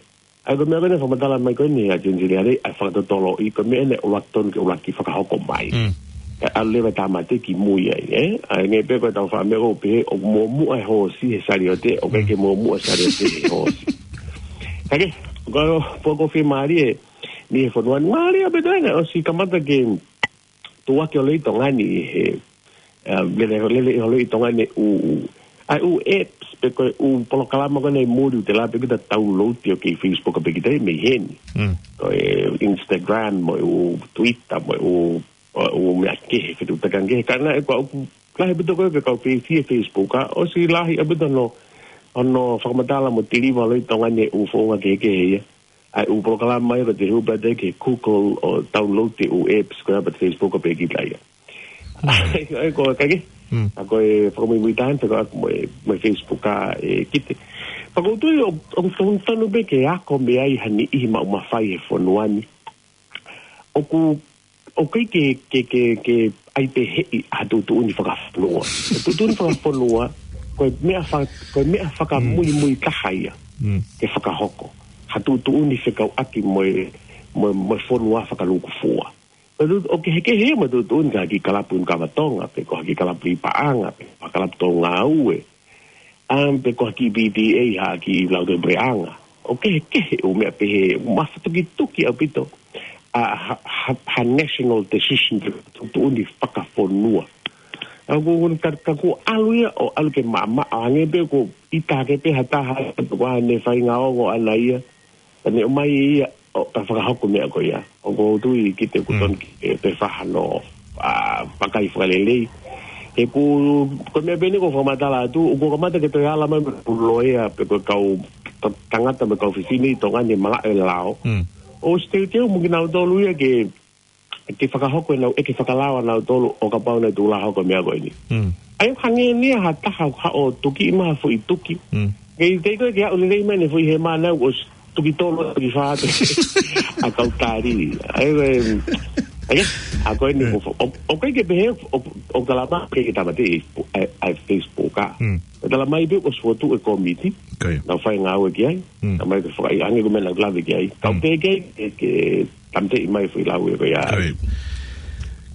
ʻA ia ko e meʻa ko eni fakamatala mai ko eni ʻa Jensiliare, ʻa e fakatotoloʻi, ko e meʻa eni ʻoku tonu ke ʻuluaki fakahoko mai. Mm. Kae ʻalu leva e tāmate ki mui ai, ē? ʻA ia hangē pē ko e tau faʻa meʻa ko pehē, ʻoku muʻomuʻa e hoosi he saliote, ʻoku ʻikai ke muʻomuʻa e saliote he hoosi. Kae kehe, ko e, ko e, ko e fiemālie, ni he fonua ni, mālie pē taina, ʻosi kamata ke tuʻuaki ʻo lelei Tonga ni he, eh, lele, lele ʻo lelei Tonga ni ʻū, ʻū, ʻa e ʻū apps, pe ko e ʻū polokalama ko eni ʻi muli ʻoku te lava pē ke ta download ʻi ʻo kei Facebook pē kita mei heni. Mm. Ko e Instagram, mo e ʻū Twitter, mo e ʻū, ʻū meʻa kehe, fetuʻutaki kehe. Ka naʻe ko ʻeku lahi pē toko ke kau feifie Facebook, ʻa, ʻosi lahi ʻaupito hono, hono fakamatala mo deliver ʻo lelei Tonga ni ʻū founga kehekehe ia. ʻA e ʻū polokalama ia ko e te hū pē ki he Google ʻo download e ʻū apps ko ia pea Facebook pē kita ia. Mm. ʻA ia ko e kae kehe. Mm. ʻA ia ko e fakamuimui taha eni pē ko ʻeku mo e, mo e Facebook ʻa e kite. Pea ʻoku ou tui ʻoku, ʻoku totonu pē ke ako mei ai ha niʻihi maʻu mafai he fonua ni. ʻOku, ʻoku ʻikai ke, ke, ke, ke ʻai pē heʻi ha tuʻutuʻuni fakafonua. Ko e tuʻutuʻuni fakafonua, ko e meʻa fa-, ko e meʻa fakamuimui taha ia. Mm. Ke fakahoko ha tuʻutuʻuni fekauʻaki mo e, mo e, mo e fonua fakalūkufua. Ko e tuʻu-, ʻoku kehekehe ia mo e tuʻutuʻuni ki ha kiʻi kalapu ʻi Nukuʻalofa pe ko ha kiʻi kalapu ʻi Paʻanga, pe ko ha kalapu tō ngāue, ʻa, pe ko ha kiʻi P T A ha kiʻi lautohi puleʻanga. ʻOku kehekehe ʻū meʻa pehē, mafatukituki ʻaupito ʻa ha, ha, ha national decision, tuʻutuʻuni fakafonua. ʻA ia ko, ko, ka, ka kuo ʻalu ia ʻo ʻalu ke maʻamaʻa, hangē pē ko e ʻita hake pē ha taha, pe ko haʻane faʻahinga ongo ʻana ia, pea ne ʻomai ia ʻo ka fakahoko meʻa ko ia. ʻOku ou tui kite ʻoku, mm, tonu ke, e, pē fai hano, ʻa, vakai fakalelei. He ko, ko e meʻa pē eni ʻoku ou fakamatala atu, ʻoku kamata ke toe ala mai mo e kau loea, pe ko e kau ta-, tangata mo e kau fefine ʻi Tonga ni malaʻe lao. Mm. ʻOsi teuteu mo kinautolu ia ke, ke fakahoko ʻenau ʻeke fakalao ʻanautolu ʻo kapau naʻe tuʻu lā hoko e meʻa ko eni. Mm. ʻA ia hangē ni ha taha ʻoku haʻu ʻo tuki mai ha foʻi tuki. Mm. Kei, kei ko e ke aʻu lelei mai ʻene foʻi hema naʻe ʻosi tuki tolu, tuki fā atu ʻa e kau tali. ʻA ia, em, ʻa ia, ʻa ko eni, eh, ʻo, ʻo, ʻoku ʻikai ke pehē ʻo, ʻo, ʻo talamai ke, ke tāmateʻi ʻa e, ʻa e Facebook ʻa. Mm. Ka talamai pē ʻosi fokotuʻu e kōmiti. Ko ia. Naʻa nau fai ngāue ki ai. Mm. Talamai ke fakaʻi ange ko e meʻa naʻa nau lave ki ai. Ka, mm, ʻoku ke, ke, ke tāmateʻi mai e foʻi lau ia ko ia. Ko ia.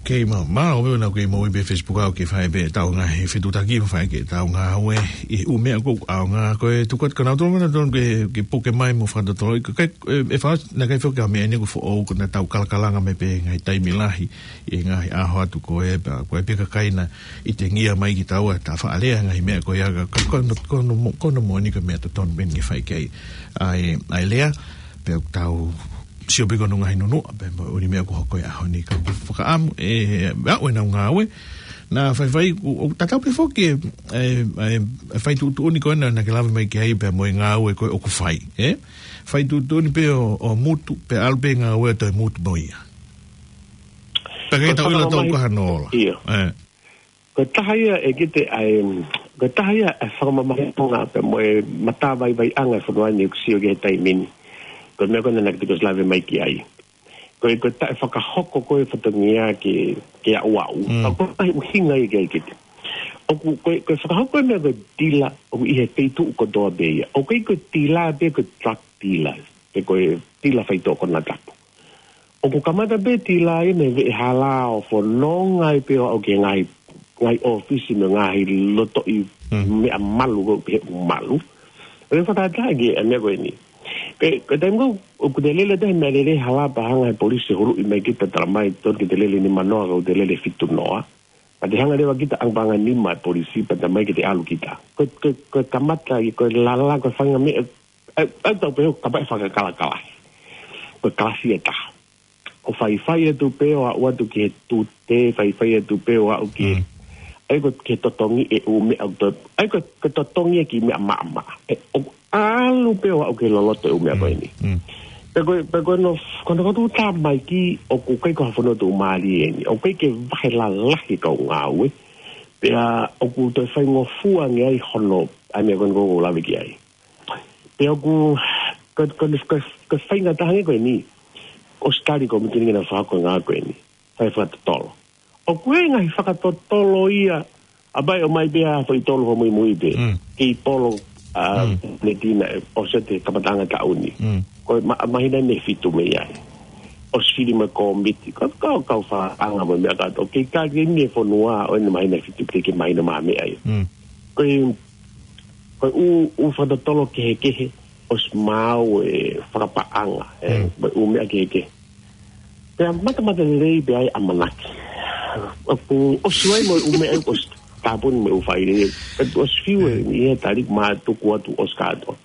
Kei mau, mau, ʻo meʻa naʻa ke mau ʻi pē Facebook ʻa ʻoku ke fai pē ʻetau ngaahi fetuʻutaki, fai ki heʻetau ngāue ʻi he ʻū meʻa ʻoku ʻaonga, ko e tuku atu kia nautolu, nautolu ke, ke puke mai mo fakatotoloʻi, ko e, e, e fai, naʻe ʻikai foki ha meʻa eni ʻoku foʻou, ko ʻenau tau kalakalanga mai pē ngaahi taimi lahi, ʻi he ngaahi ʻaho atu ko ē, pea ko e pē kakai naʻe ʻitangia mai kitaua, ta faʻa lea ngaahi meʻa ko ia, ka, ka, ko hono, ko hono mo-, ko hono moʻoni ko e meʻa totonu pē eni ke fai ki ai. ʻA e, ʻa e lea, pea ʻoku tau sio pē ki hono ngaahi nunuʻa, pea mo e ʻū meʻa ʻoku hoko he ʻaho ni ka ʻoku fakaʻamu, ʻe, ʻe aʻu ʻenau ngāue, naʻa faifai, ʻo, ʻo tatau pē foki, ʻe, ʻe, ʻe fai tuʻutuʻuni ko ena naʻa ke lave mai ki ai pea mo e ngāue ko ē ʻoku fai, ē? Fai tuʻutuʻuni pē ʻo, ʻo mutu, pea ʻalu pē ngāue ʻo toe mutu mo ia. Pea ke tau ʻilo tau ka hano ola. Ia. Ē. Ko e taha ia ʻe kite ai, ko e taha ia e fakamamahiʻanga pea mo e matavaivaiʻanga e fonua ni ʻoku sio ki ai he taimi ni. Ko e meʻa ko ena naʻa ke toki ʻosi lave mai ki ai. Ko e, ko e taʻefakahoko ko e fatongia ke, ke aʻuaʻu. Mm. Ka ko e ʻuhinga ia ke ai kite. ʻOku, ko e, ko e fakahoko e meʻa ko e tila, ʻoku ʻi he feituʻu kotoa pē ia. ʻOku ʻikai ko e tila pē ko e drug dealer, pe ko e tila faitoʻo konatapu. ʻOku kamata pē tila ia mei he veʻe hala ʻo fononga ai pē ʻo aʻu ki he ngaahi, ngaahi ʻōfisi mo e ngaahi lotoʻi, mm, meʻa malu ko ē pehē ʻoku malu. ʻOku fakatātā ki he meʻa ko eni. Pea, ko e taimi ko ē, ʻoku te lele atu he meʻalele hala pea hanga he polisi ʻo huluʻi mai kita, talamai tonu ke te lele nimanoa, ka ʻoku te lele fitu noa. Pea te hanga leva kita ʻo ʻange paʻanga nima e polisi pea talamai ke te ʻalu kita. Ko, ko, ko e kamata ia, ko e lala, ko e faʻahinga meʻa, ʻa, ʻa tau pehē ʻoku kamata fakakalakala. Ko e kalasi ʻe taha. ʻO faifai atu pē ʻo aʻu atu ki he tute, faifai atu pē ʻo aʻu ki he, mm, ʻa ia ko e totongi e ʻū meʻa ʻoku to-, ʻa ia ko e, ko e totongi e kiʻi meʻa maʻamaʻa. ʻE, ʻo ʻalu pē ʻo aʻu ki he loloto e ʻū meʻa ko eni. Mm. Pea ko e, pea ko hono, ko hono kotoa mai ki ʻoku ʻikai ko ha fonua tuʻumālie eni. ʻOku ʻikai ke vahe lalahi e kau ngāue. Pea ʻoku toe faingofua ange ai hono, ʻa e meʻa ko eni ʻoku ou lave ki ai. Pea ʻoku, ko, ko, ko, ko e faingataʻa ange ko eni, ʻosi tali ko e mītingi naʻe fakahoko e ngāue ko eni. fai fakatotolo. ʻOku ʻi ai e ngaahi fakatotolo ia, ʻa pea ʻomai pē ʻa e foʻi tolo hoʻo muimui pē. Mm. Kei polo, ʻa, Mm. ne tina, ʻe, ʻosi ʻete kamataʻanga taʻu ni. Mm. Ko e ma-, māhina ʻe fitu mei ai. ʻOsi fili mo e kōmiti, ko e kau, kau fakaʻanga mo e meʻa kātoa. Kei ka ke ne fonua, ʻo ʻene māhina ʻe fitu ke, ke māhina mā meʻa ia. Mm. Ko e, ko e ʻū, ʻū fakatotolo kehekehe, ʻosi maau e fakapaʻanga, ʻe, Mm. mo e ʻū meʻa kehekehe. Pea matamata lelei pē ʻa e ʻamanaki. ʻOku ʻosi ʻi ai mo e ʻū meʻa ʻoku ʻosi tāpuni mo e ʻū faʻahinga. Ka ʻosi fiu e Mm. ʻi he tali mā tuku atu ʻosi kātoa.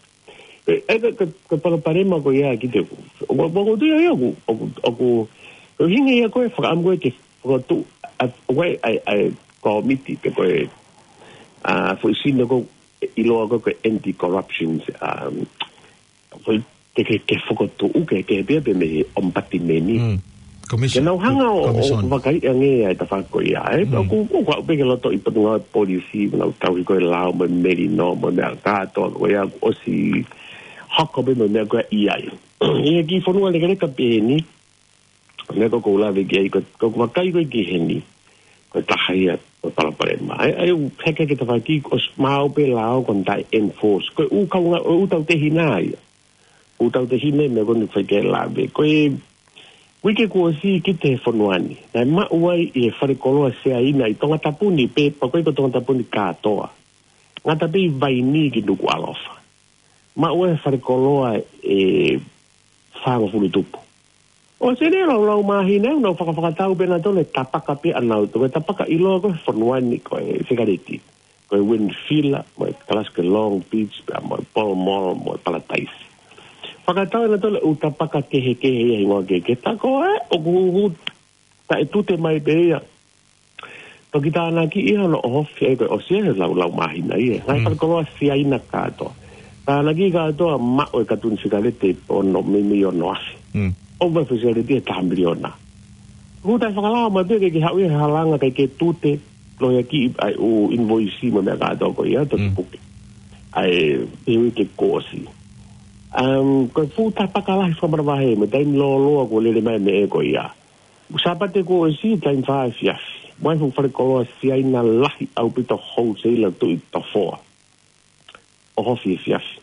ʻE, ʻe, ka, ka, ka palopalema ko ia ki te ku. ʻOku, ʻoku, ʻoku, ʻoku, ʻoku, ʻoku hinga ia ko e fakaʻamu ko e ke, fokotuʻu, ʻa, ʻa e, ʻa e, ʻa e kōmiti pe ko e, ʻa, foʻi sino ko e ʻiloa ko e anti-corruptions, um, foʻi ke, ke, ke fokotuʻu ke, ke pia pē mei he ʻomipatimeni. Mm. Commission. Ke nau hanga ʻo, ʻo Commission. Vakai ange ʻa e tafaʻaki ko ia, ē? Mm. ʻOku, ʻoku aʻu pē ke loto ʻi Potungāue Polisi, nau tauhi ko e lao mo e melino mo e meʻa kātoa ko ia, ʻosi hoko pē mo e meʻa ko ia ʻi ai. ʻI he kiʻi fonua lekeleka pē eni, meʻa ko ʻoku ou lave ki ai, ko, ko ʻeku vakai ko ē ki heni, ko e taha ia ʻo e palopalema. ʻAi, ʻai, ʻoku heke ke tafaʻaki, ʻosi maau pē lao ko ʻene taʻe enforce. Ko e ʻū kaunga, ʻū tautehina ia. ʻŪ tautehina meʻa ko eni ʻoku fai ke lave. Ko e uike kuo ʻosi ki he fonua ni. Naʻe maʻu ai ʻi he falekoloa Siaina ʻi Tongatapu ni pe, pea ko e ko Tongatapu ni kātoa. Ngata pē ʻi Vainī ki Nukuʻalofa. Maʻu ai he falekoloa ʻe fāngofulu tupu. ʻOsi ʻene laulau māhina, ʻoku nau fakafakatau pē nautolu e tapaka pē ʻanautolu. Ko e tapaka ʻiloa ko e fonua ni ko e sikaleti. Ko e Windfeeler, mo e kalasi ko e Long Beach, pea mo e Pall Mall, mo e Paradise. Fakatau ʻe nautolu ʻū tapaka kehekehe ia hingoa kehekehe. Tā ko ē, ʻoku, ʻoku taʻetute mai pē ia. Toki tānaki ia hono ʻohofi ai ko e ʻosi e laulau māhina ia. Ngaahi Mm. falekoloa Siaina kātoa. Tānaki kātoa maʻu e katuʻuna sikaleti ʻe ono, meimei ono afe. Mm. ʻO e foʻi sikaleti ʻe taha miliona. Ko e taʻefakalao mai pē ke, ke haʻu ia he halanga kae ke tute, lohiakiʻi ʻa e ʻū invoisi mo e meʻa kātoa ko ia, toki Mm. puke. ʻAi, he uike kuo ʻosi. Um, ko e fuʻu tapaka lahi fakamanavahē, mo e taimi lōloa kuo lele mai e meʻa ko ia. Sāpate kuo ʻosi, taimi fā efiafi. Maʻu e fuʻu falekoloa Siaina lahi ʻaupito wholesale ʻo tuʻu ʻi Tofoa. ʻOhofi efiafi.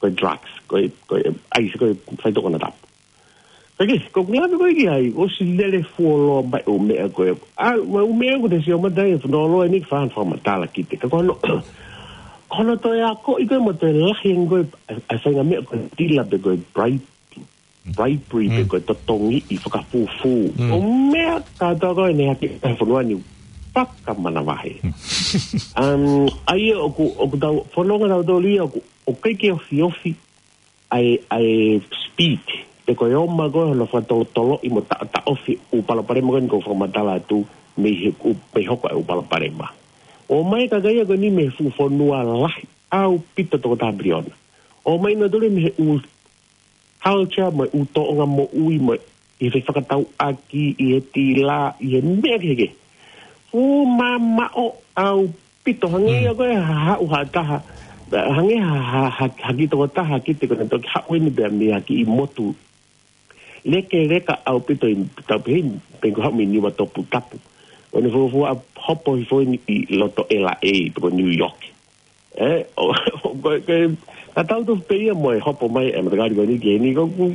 Ko e drugs, ko e, ko e ʻaisi, ko e faitoʻo konatapu. Ka ke, ko ʻeku lave ko ē ki ai, ʻosi lele fuoloa mai ʻū meʻa ko ē. ʻA, ʻū meʻa ko ē te sio mai ai, funoloa eni ke fai ha fakamatala ki te. Ka ko hono, ko hono toe akoʻi ko ē mo toe lahi ange ko ē, ʻa, ʻa e faʻahinga meʻa ko e tila pe ko e bribe, bribery pe Mm. ko e totongiʻi fakafufū. Mm. ʻO meʻa kātoa ko ē ne hake ʻa e fonua ni fakamanavahē. Mm. Um, ʻa ia ʻoku, ʻoku tau, fononga nautolu ia ʻoku, ʻoku ʻikai ke ofiofi ʻa e, ʻa e speed. Pe ko e ʻomai ko ē hono fakatolotoloʻi mo taʻotaʻofi ʻū palopalema ko eni ʻoku ou fakamatala atu mei he, ʻū, mei he hoko ʻa e ʻū palopalema. ʻOmai e kakai ia ko eni mei he fuʻu fonua lahi ʻaupito toko taha piliona. ʻOmai nautolu mei he ʻū culture mo e ʻū tōʻonga moʻui mo e ʻi he fakatauʻaki, ʻi he tila, ʻi he meʻa kehekehe. Fuʻu mamaʻo ʻaupito, hangē Mm. ia ko e ha, haʻu ha taha, hangē ha, ha, ha, ha kiʻi tokotaha ki te ko ʻene toki haʻu eni pea mei ha kiʻi motu lekeleka ʻaupito ʻi tau pehē, pe ko e haʻu mei Niuatoputapu. ʻO ne fuofua hopo hifo eni ʻi loto L A, pe ko New York. Ē, ʻo, ʻo, ko e, ko e, ka tau tofu pē ia mo e hopo mai e matakali ko eni ki heni ko ʻeku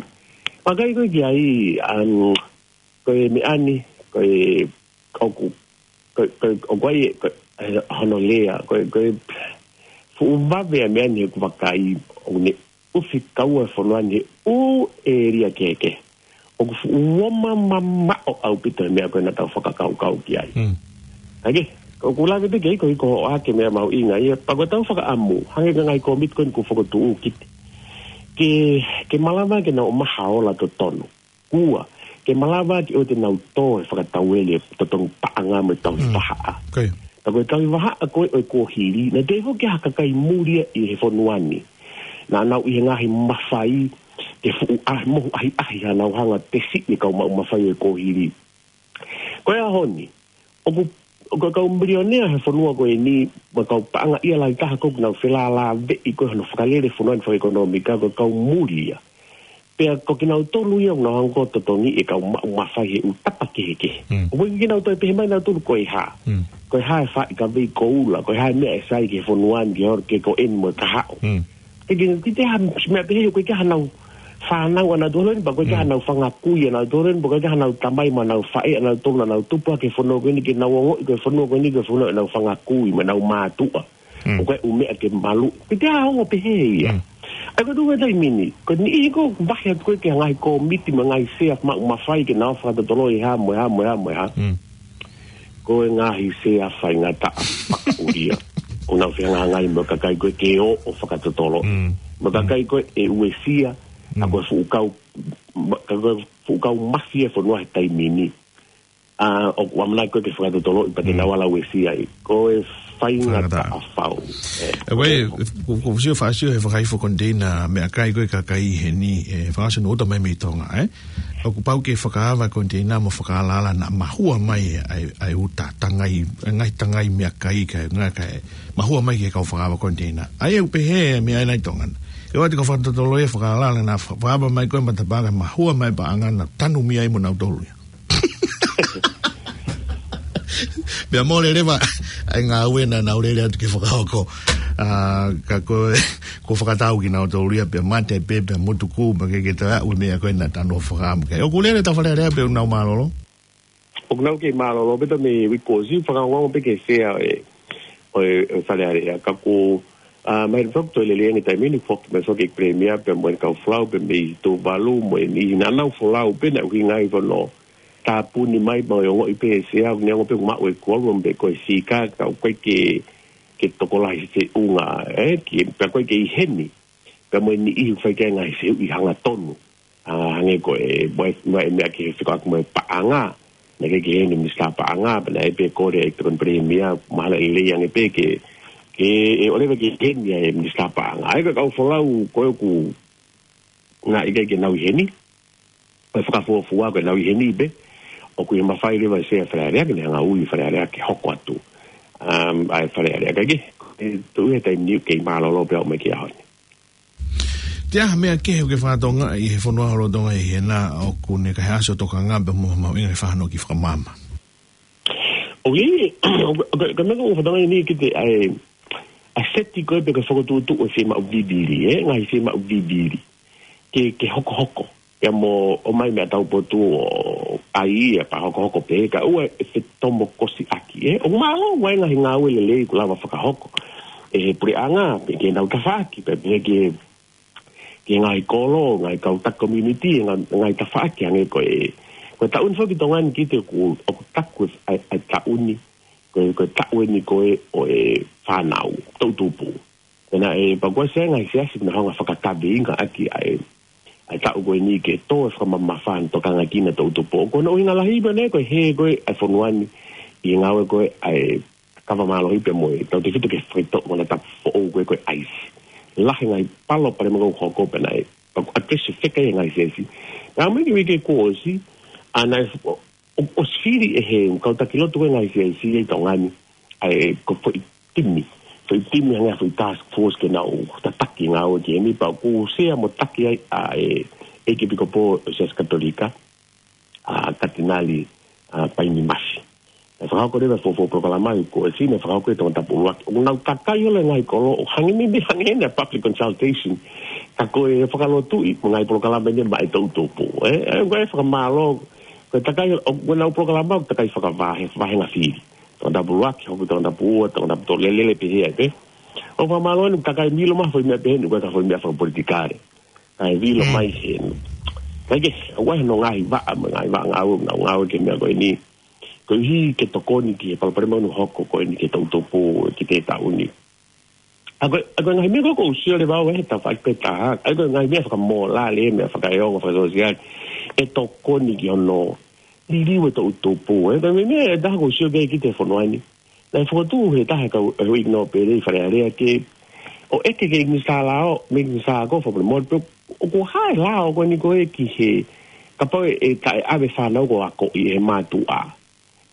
vakai ko ē ki ai, um, ko e meʻa ni, ko e, ʻoku, ko e, ko e, ʻoku ʻi ai, ko e, hono lea, ko e, ko e, fuʻu vave ʻa e meʻa ni ʻeku vakai, ʻoku ne ʻufi kaua e fonua ni he ʻū ʻēlia kehekehe. ʻOku fuʻu ʻomai mamaʻo ʻaupito e meʻa ko ē naʻa tau fakakaukau ki ai. Mm. Ka ke, ko ʻeku lave pē ki ai ko e hiko hoʻo ʻā ke meʻa mahuʻinga ia, pea ko ʻetau fakaʻamu, hangē ko e ngaahi kōmiti ko eni kuo fokotuʻu ki te. Ke, ke malava ke nau ʻomai ha ola totonu. Ua, ke malava ke ʻoua te nau tō e fakatauele totongi paʻanga mo e tauhi Mm. vahaʻa. Ko ia. Ka ko e tauhi vahaʻa ko ē ʻo e kuohili, naʻe toe foki ha kakai muli ia ʻi he fonua ni. Naʻa nau ʻi he ngaahi mafai, ke fuʻu ʻa, mohu ʻahiʻahi ha nau hanga tesi e kau maʻu mafai ʻo e kuohili. Ko e ʻaho ni, ʻoku, ʻoku kau milionea he fonua ko eni, mo e kau paʻanga ia lahi taha ko ē ʻoku nau felālāveʻi ko ē hono fakalele fonua ni fakaʻekonōmika, ko e kau muli ia. Pea ko kinautolu ia ʻoku nau hanga ʻo totongi e kau maʻu mafai he ʻū tapa kehekehe. Mm. ʻOku ʻikai ke nau toe pehē mai nautolu ko e hā. Mm. Ko e hā e faʻi kavei koula, ko e hā e meʻa ʻe sai ki he fonua ni, ki he holo, ke ko eni mo e kahaʻu. Mm. ʻIkai ke, ʻikai ke ha meʻa pehē, ʻoku ʻikai ke ha nau fānau ʻanautolu eni, pea ʻoku ʻikai ke ha Mm. nau fanga kui ʻanautolu eni, pea ʻoku ʻikai ke ha nau tamai mo nau faʻē ʻanautolu naʻa nau tupu hake he fonua ko eni ke nau ongoʻi ko e fonua ko eni ko e fonua ʻenau fanga kui mo ʻenau mātuʻa. Mm. ʻOku ʻi ai e ʻū meʻa ke malu. ʻIkai ke ha ongo pehē ia. Mm. ʻA ia ko e tuʻu he taimi ni, ko e niʻihi ko ē ʻoku vahe atu ko ē ki he ngaahi kōmiti mo e ngaahi sea maʻu mafai ke nau fakatotolo e hā mo e hā mo e hā mo e hā. Mm. Ko e ngaahi sea faingataʻa fakaʻulia. ʻOku nau fehangahangai mo e kakai ko ē ke ō ʻo fakatotolo. Mm. Mo e kakai ko ē ʻe uesia, ʻa Mm. ko e fuʻu kau, ma-, ka ko e fuʻu kau mafia e fonua he taimi ni. ʻA, ʻoku ʻamanaki ko ē ke fakatotoloʻi pea te Mm. nau ala uesia ai. Ko e faingataʻa Faingataʻa. fau. ʻE. ʻE, ʻoku ou, ʻoku ou sio faʻa sio he fakaifo konteina meʻakai ko ē kakai heni, ʻe, fakaʻosi hono uta mai mei Tonga, ʻe. ʻOku pau ke fakaava konteina mo fakaalaala naʻa mahua mai ʻa e, ʻa e uta tangai, ngaahi tangai meʻakai ka, ngaahi ka, mahua mai ki he kau fakaava konteina. ʻA ia ʻoku pehē meʻa ʻi Tonga na. ʻE ʻoua te ke fakatotolo ia fakaalaala naʻa fa-, fakaava mai ko ē matapā kae mahua mai paʻanga naʻa tanumia ai mo nautolu ia. Pea mole leva ʻa e ngāue naʻa nau lele atu ke fakahoko. ʻA, ka ko e, ko e fakatau kinautolu ia pea mate pē, pea motuku, pea ke ke taʻu e meʻa ko ē naʻa tanu fakahā mai. ʻOku lele ʻetau Fale Alea pea ʻoku nau mālōlō? ʻOku nau kei mālōlō pē ʻetau mei uike kuo ʻosi, fakaongoongo pē ki he sea ʻo e, ʻo e, ʻo e Fale Alea. Ka ko, ʻa, mai foki toe lelei ange taimi ni foki, mai foki e Premier, pea mo e kau folau, pea mei Tuvalu, mo e niʻihi naʻa nau folau, pea naʻe ʻuhinga ai hono tāpuni mai, mo e ongoʻi pē ʻe he sea, ʻoku ne ongoʻi pē ʻoku maʻu e quorum pē ko e sika, ka ʻoku ʻikai ke, ke tokolahi feʻunga, ʻe, ke, pea ʻoku ʻikai ke ʻi heni. Pea mo e niʻihi ʻoku fai ki ai e ngaahi fehuʻi hangatonu. ʻA, hangē ko e, mo e, mo e meʻa ki he fekauʻaki mo e paʻanga. Naʻe ʻikai ke ʻi heni e Minisitā Paʻanga, pea naʻe pē kole ʻe he Tokoni Palēmia, mahalo ʻe lelei ange pē ke, ke ʻe ʻoleva ke ʻi heni ʻa e Minisitā Paʻanga. ʻA ia ko e kau folau ko ē ʻoku naʻe ʻikai ke nau ʻi heni, ʻo e fakafuofua ko ē nau ʻi heni pē, ʻoku ʻi he mafai leva e sea Fale Alea ke ne hanga ʻo ui Fale Alea ke hoko atu. Um, ʻa e Fale Alea ka ke, ʻe tuʻu he taimi ni ʻoku kei mālōlō pē ʻo aʻu mai ki he ʻaho ni. Te ʻi ai ha meʻa kehe ʻoku ke fakatokangaʻi he fonua holo Tonga ʻi hena ʻoku ne kei ʻasi ʻo tokanga pea mo mahuʻinga ke fakahoko ki he fakamaama? ʻOku ʻi ai, ʻoku, ʻoku, ʻoku meʻa ʻoku ou fakatokangaʻi ni ki he ʻa e, ʻa e seti ko ē pē ke fokotuʻutuʻu e fiemaʻu vivili, ʻe, ngaahi fiemaʻu vivili. Ke, ke hokohoko. Ia mo, ʻomai meʻa taupotu ʻo ʻai ia pea hokohoko pē, ka ʻoua ʻe fetomokosi ʻaki, ʻe. ʻOku mālō ʻa e ngaahi ngāue lelei ʻoku lava fakahoko ʻe he puleʻanga, pea ke nau tafaʻaki, pea, pea ke, ke ngaahi kolo, ngaahi kau taki community, ngaahi, ngaahi tafaʻaki hangē ko e, ko e taʻu ni foki Tonga ni kiate au ʻoku, ʻoku taku ʻa e, ʻa e taʻu ni, ko e, ko e taʻu eni ko ē ʻo e fānau, toʻutupu. Pea naʻe, pea ko e sea ngaahi siasi naʻa nau hanga ʻo fakakaveinga ʻaki ʻa e, ʻa e taʻu ko eni ke tō e fakamamafa ʻo tokanga ki he toʻutupu. Ko hono ʻuhinga lahi pē ʻeni ko e hē ko ē ʻa e fonua ni ʻi he ngāue ko ē ʻa e kava mālohi pea mo e tautefito ke faitoʻo mo e tapu foʻou ko ē ko e ʻaisi. Lahi e ngaahi palopalema ʻoku hoko pea naʻe, pea ʻoku ʻatesi feka ia ʻe he ngaahi siasi. Naʻa mo e uike kuo ʻosi, ʻa naʻe, ʻo, ʻosi fili ʻe he kau taki lotu ko ē ngaahi siasi ʻi Tonga ni, ʻa e ko e foʻi timi. Foʻi timi hangē ha foʻi task force ke nau tataki ngāue ki heni pea ʻoku sea mo taki ai ʻa e, ʻEikipikopō ʻo e Siasi Katolika, ʻa Katinali, ʻa Paini Mafi. Naʻe fakahoko leva e fuofua polokalama ʻi he kuo ʻosi naʻe fakahoko ʻi Tongatapu ʻUluaki. ʻOku nau kakai holo e ngaahi kolo ʻo hangē ni, ni hangē ni ʻa e public consultation. Ka ko e fakalotuʻi mo e ngaahi polokalama ni maʻa e toʻutupu. ʻE, ʻe, ko e fakamālō, ko e takai, ʻo, ko ʻenau polokalama, ʻoku takai fakavahe, vahenga fili. Tongatapu ʻUluaki, hoko Tongatapu Ua, Tongatapu Tolu, lele pē hē ai pē. ʻOku fakamālō eni, takai milo mai foʻi meʻa pehē ni, ko e ka foʻi meʻa fakapolitikale. Kae vilo Mm. mai heni. Kae kehe, ʻoku ʻi ai hono ngaahi vaʻa, mo e ngaahi vaʻa ngāue, ngāue, ngāue ki he meʻa ko eni. Koeʻuhi ke tokoni ki he palopalema ʻoku hoko ko eni ki he toʻutupu, ki he taʻu ni. ʻA ko e, ʻa ko e ngaahi meʻa ko ē ʻoku ou sio leva au he tafaʻaki pē taha. ʻA ko e ngaahi meʻa fakamōlale, meʻa fakaeongo, fakasōsiale. ʻE tokoni ki hono liliu e toʻutupu, ʻe. Ko e meʻa, meʻa ʻe taha ʻoku ou sio ki ai ki he fonua ni. Naʻe fokotuʻu ʻe he taha e kau, e Huikino pele ʻi Fale Alea ke, ʻo ʻeke ki he Minisitā Lao, Minisitā ko ē Fakamolemole pē, ʻoku hā e lao ko eni ko ē ki he, kapau ʻe, ʻe taʻeʻave fānau ko ē ʻo akoʻi ʻe he mātuʻa.